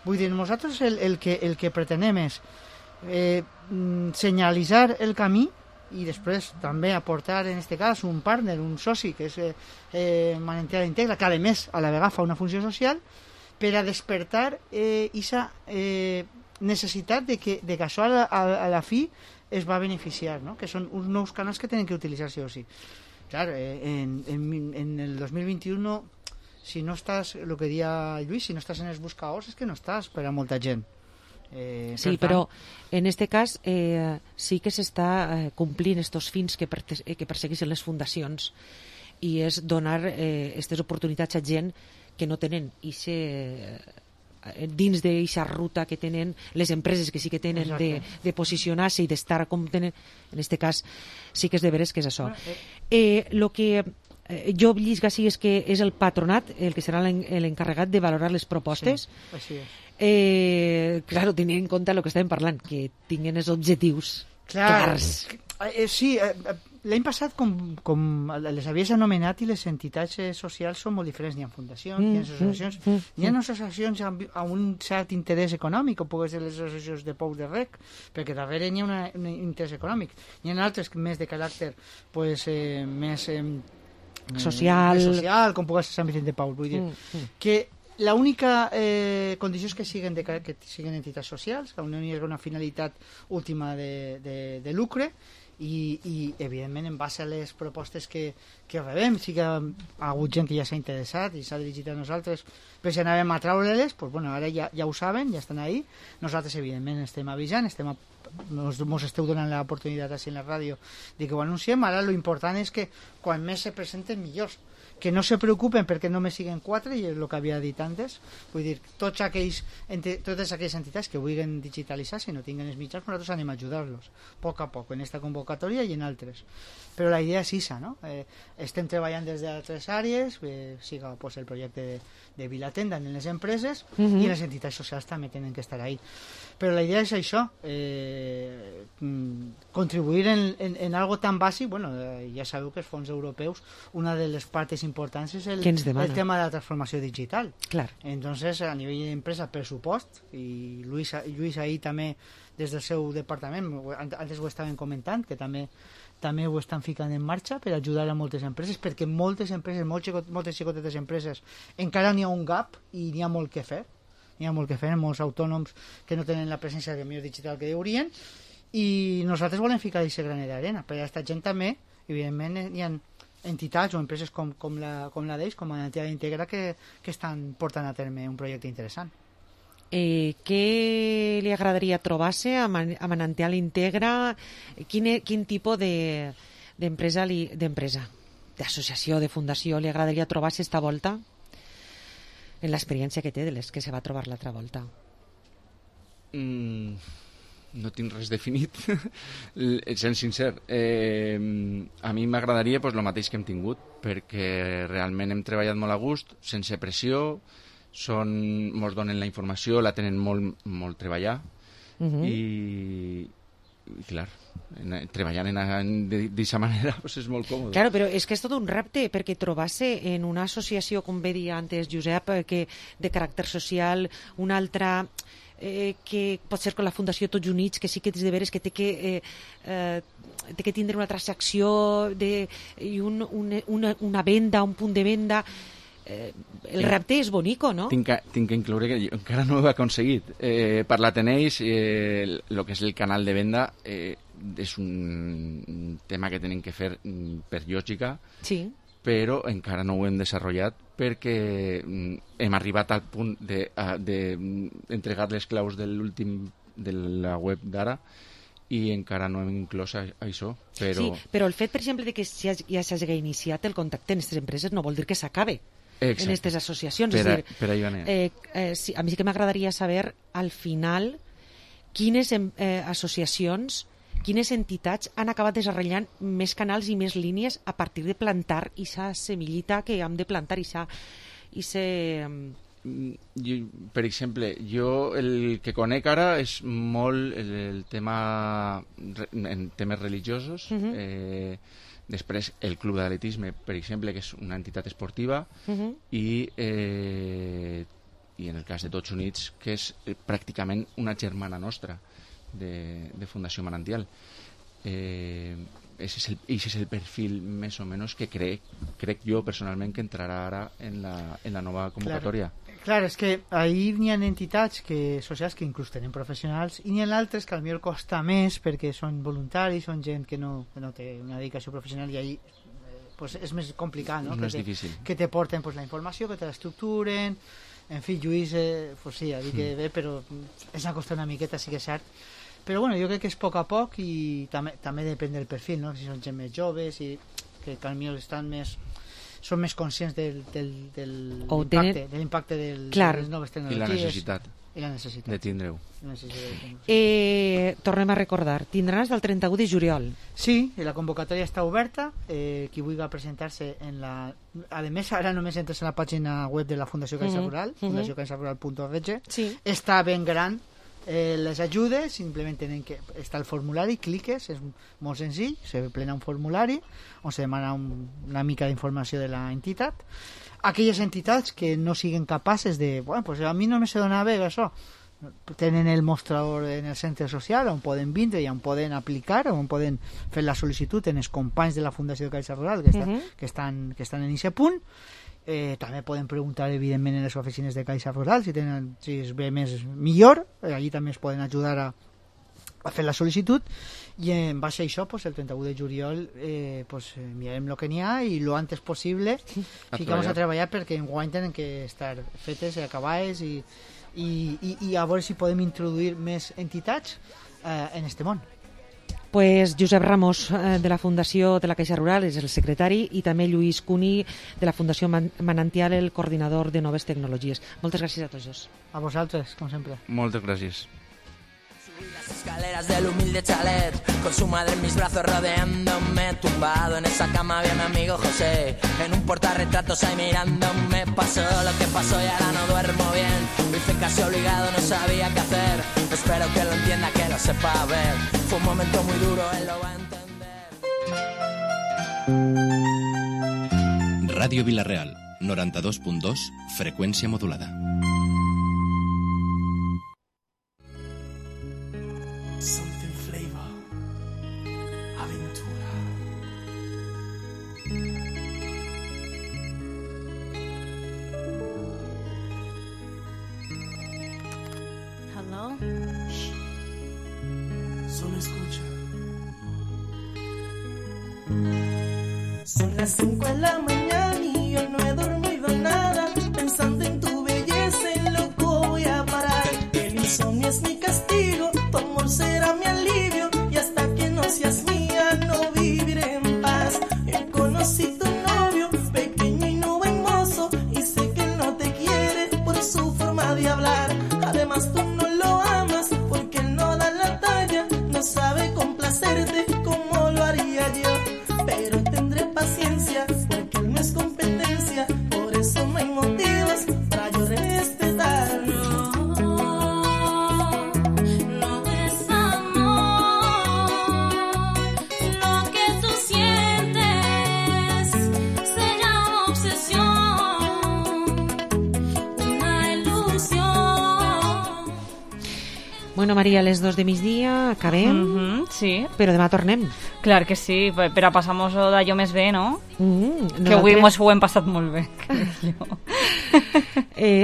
Vull dir, nosaltres el que pretenem és senyalitzar el camí i després també aportar, en aquest cas, un partner, un soci, que és Manantial Integra, que a més a la vegada fa una funció social, per a despertar aquesta necessitat de que això a la fi es va beneficiar, no? Que són uns nous canals que tenen que utilitzar sí o sí. Clar, en el 2021, si no estàs, el que deia Lluís, si no estàs en els buscadors, és que no estàs per a molta gent. Sí, però en aquest cas sí que s'està complint estos fins que persegueixen les fundacions, i és donar aquestes oportunitats a gent que no tenen dins d'aquesta ruta que tenen les empreses que sí que tenen de posicionar-se i d'estar com tenen, en aquest cas sí que és de veres que és això. El que jo llisc així és que és el patronat el que serà l'encarregat de valorar les propostes. Sí, és. Claro, tenint en compte el que estàvem parlant, que tinguin els objectius clars. Sí, l'any passat, com les havies anomenat, i les entitats socials són molt diferents. N'hi ha fundacions, n'hi ha associacions, n'hi ha associacions amb un cert interès econòmic, com poden ser les associacions de Pous de Rec, perquè darrere n'hi ha un interès econòmic. N'hi ha altres més de caràcter més social, com pugui ser Sant Vicent de Paül. Vull dir que l'única condició és que siguin entitats socials, que no hi hagi una finalitat última de lucre, i evidentment en base a les propostes que rebem, sí que ha hagut gent que ja s'ha interessat i s'ha dirigit a nosaltres, però si anàvem a treure-les, doncs, bueno, ara ja ho saben, ja estan ahí. Nosaltres evidentment estem avisant, mos esteu donant l'oportunitat així en la ràdio de que ho anunciem. Ara lo important és que quan més se presenten millors, que no se preocupen perquè només siguen 4, i és el que havia dit antes. Vull dir, totes aquelles entitats que vulguin digitalitzar, si no tinguen els mitjans, nosaltres anem a ajudar-los a poc a poc en esta convocatòria i en altres. Però la idea és aquesta, no? Estem treballant des d'altres àrees, siga el projecte de Vilatenda en les empreses, i les entitats socials també tenen que estar ahí. Però la idea és això, contribuir en algo tan bàsic. Bueno, ja sabeu que els fons europeus, una de les parts importants és el tema de la transformació digital. Clar. Entonces, a nivell d'empresa, pressupost, i Lluís ahir també, des del seu departament, antes ho estaven comentant, que també ho estan ficant en marxa per ajudar a moltes empreses, perquè moltes empreses, moltes xicotetes empreses, encara n'hi ha un gap i n'hi ha molt que fer. N'hi ha molt que fer, molts autònoms que no tenen la presència de millor digital que deurien, i nosaltres volem ficar aquest granet d'arena. Per a aquesta gent també, evidentment, hi ha entitats o empreses com la d'ells, com Manantial Integra, que estan portant a terme un projecte interessant. Què li agradaria trobar-se a Manantial Integra? Quin tipus d'empresa, d'associació, de fundació li agradaria trobar-se esta volta? En l'experiència que té de les que se va trobar l'altra volta. No tinc res definit, sent sincer. A mi m'agradaria el mateix que hem tingut, perquè realment hem treballat molt a gust, sense pressió, mos donen la informació, la tenen molt treballar, i clar, treballant d'aquesta manera és molt còmode. Claro, però és que és tot un repte, perquè trobar-se en una associació, com bé dia antes Josep, que de caràcter social, una altra que pot ser com la Fundació Tots Units, que sí que és de veres que té que tindre una transacció i una venda, un punt de venda. El repte és bonico, no? Tinc que incloure que jo encara no ho he aconseguit. Parlat en ells, el que és el canal de venda és un tema que tenim que fer per lògica, sí, però encara no ho hem desenvolupat perquè hem arribat al punt d'entregar les claus de la web d'ara i encara no hem inclòs això. Sí, però el fet, per exemple, de que ja s'hagi iniciat el contacte en aquestes empreses no vol dir que s'acabe en aquestes associacions. Per allò anem. Sí, a mi sí que m'agradaria saber, al final, quines associacions, quines entitats han acabat desenvolupant més canals i més línies a partir de plantar aquesta semillita que hem de plantar per exemple, jo el que conec ara és molt el tema en temes religiosos. Després el Club d'Atletisme, per exemple, que és una entitat esportiva, i en el cas de Tots Units, que és pràcticament una germana nostra de Fundació Manantial. Ese és el perfil més o menys que crec jo personalment que entrarà ara en la nova convocatòria. Clar, és que ahir n'hi ha entitats socials que inclús tenen professionals i n'hi ha altres que potser costa més perquè són voluntaris, són gent que no té una dedicació professional, i ahir és més complicat, no? És difícil. Que te porten la informació, que te l'estructuren. En fi, Lluís, sí, ha dit que bé, però és a costar una miqueta, sí que és cert. Però bueno, jo crec que és a poc a poc, i també depèn del perfil, no? Si són gent més joves i que potser són més conscients de l'impacte de les noves tecnologies i la necessitat de tindre-ho. Tornem a recordar, tindràs del 31 de juliol. Sí, la convocatòria està oberta. Qui vulgui presentar-se a més, ara només entres en la pàgina web de la Fundació Caixa Rural, fundaciocaixarural.org. Està ben gran les ajudes, simplement tenen que està el formulari, cliques, és molt senzill, se plena un formulari on se demana una mica d'informació de l'entitat. Aquelles entitats que no siguin capaces de, bueno, pues a mi no me se dona bé això, tenen el mostrador en el centre social on poden vindre i on poden aplicar, on poden fer la sol·licitud en els companys de la Fundació de Caixa Rural que estan en aquest punt. També poden preguntar evidentment en les oficines de Caixa Rural si es ve millor, allí també es poden ajudar a fer la sol·licitud, i en base a això el 31 de juliol mirarem el que n'hi ha i lo antes possible ficamos a treballar perquè enguany tenen que estar fetes i acabades i a veure si podem introduir més entitats en este món. Pues Josep Ramos, de la Fundació de la Caixa Rural, és el secretari, i també Lluís Cuní, de la Fundació Manantial, el coordinador de noves tecnologies. Moltes gràcies a tots dos. A vosaltres, com sempre. Moltes gràcies. Las escaleras del humilde chalet, con su madre en mis brazos rodeándome, tumbado en esa cama había mi amigo José, en un portarretratos ahí mirándome. Pasó lo que pasó y ahora no duermo bien, lo hice casi obligado, no sabía qué hacer, espero que lo entienda, que lo sepa ver, fue un momento muy duro, él lo va a entender. Ràdio Vila-real, 92.2, freqüència modulada. Something flavor, aventura. Hello. Solo escucha. Son las 5 de la mañana y yo no he dormido nada. Pensando en tu belleza, en loco voy a parar. El insomnio es mi castigo, tu amor será mi alivio. Y hasta que no seas mía, no viviré en paz. Yo conocí tu novio, pequeño y no buen mozo. Y sé que él no te quiere por su forma de hablar. Además tú no lo amas porque él no da la talla. No sabe complacerte como lo haría yo. Pero tendré paciencia porque él no es competencia. Por eso no hay motivos para yo respetar. No es amor, lo que tú sientes se llama obsesión, una ilusión. Bueno, Maria, a les 2 de migdia acabem, sí. Però demà tornem. Clar que sí, per a passar-nos-ho d'allò més bé, no? Que avui nosaltres- mos ho hem passat molt bé.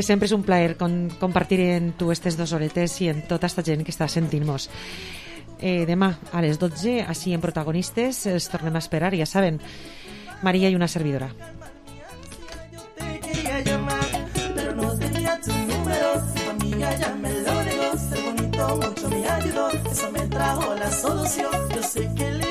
Sempre és un plaer compartir en tu estes 2 horetes i en tota esta gent que està sentint-nos. Demà a les 12, així en Protagonistes, els tornem a esperar, ja saben, Maria i una servidora. Te quería llamar, pero no tenía tu número. Tu amiga ya me lo negó. Ser bonito mucho me ayudó. Eso me trajo la solución. Yo sé que le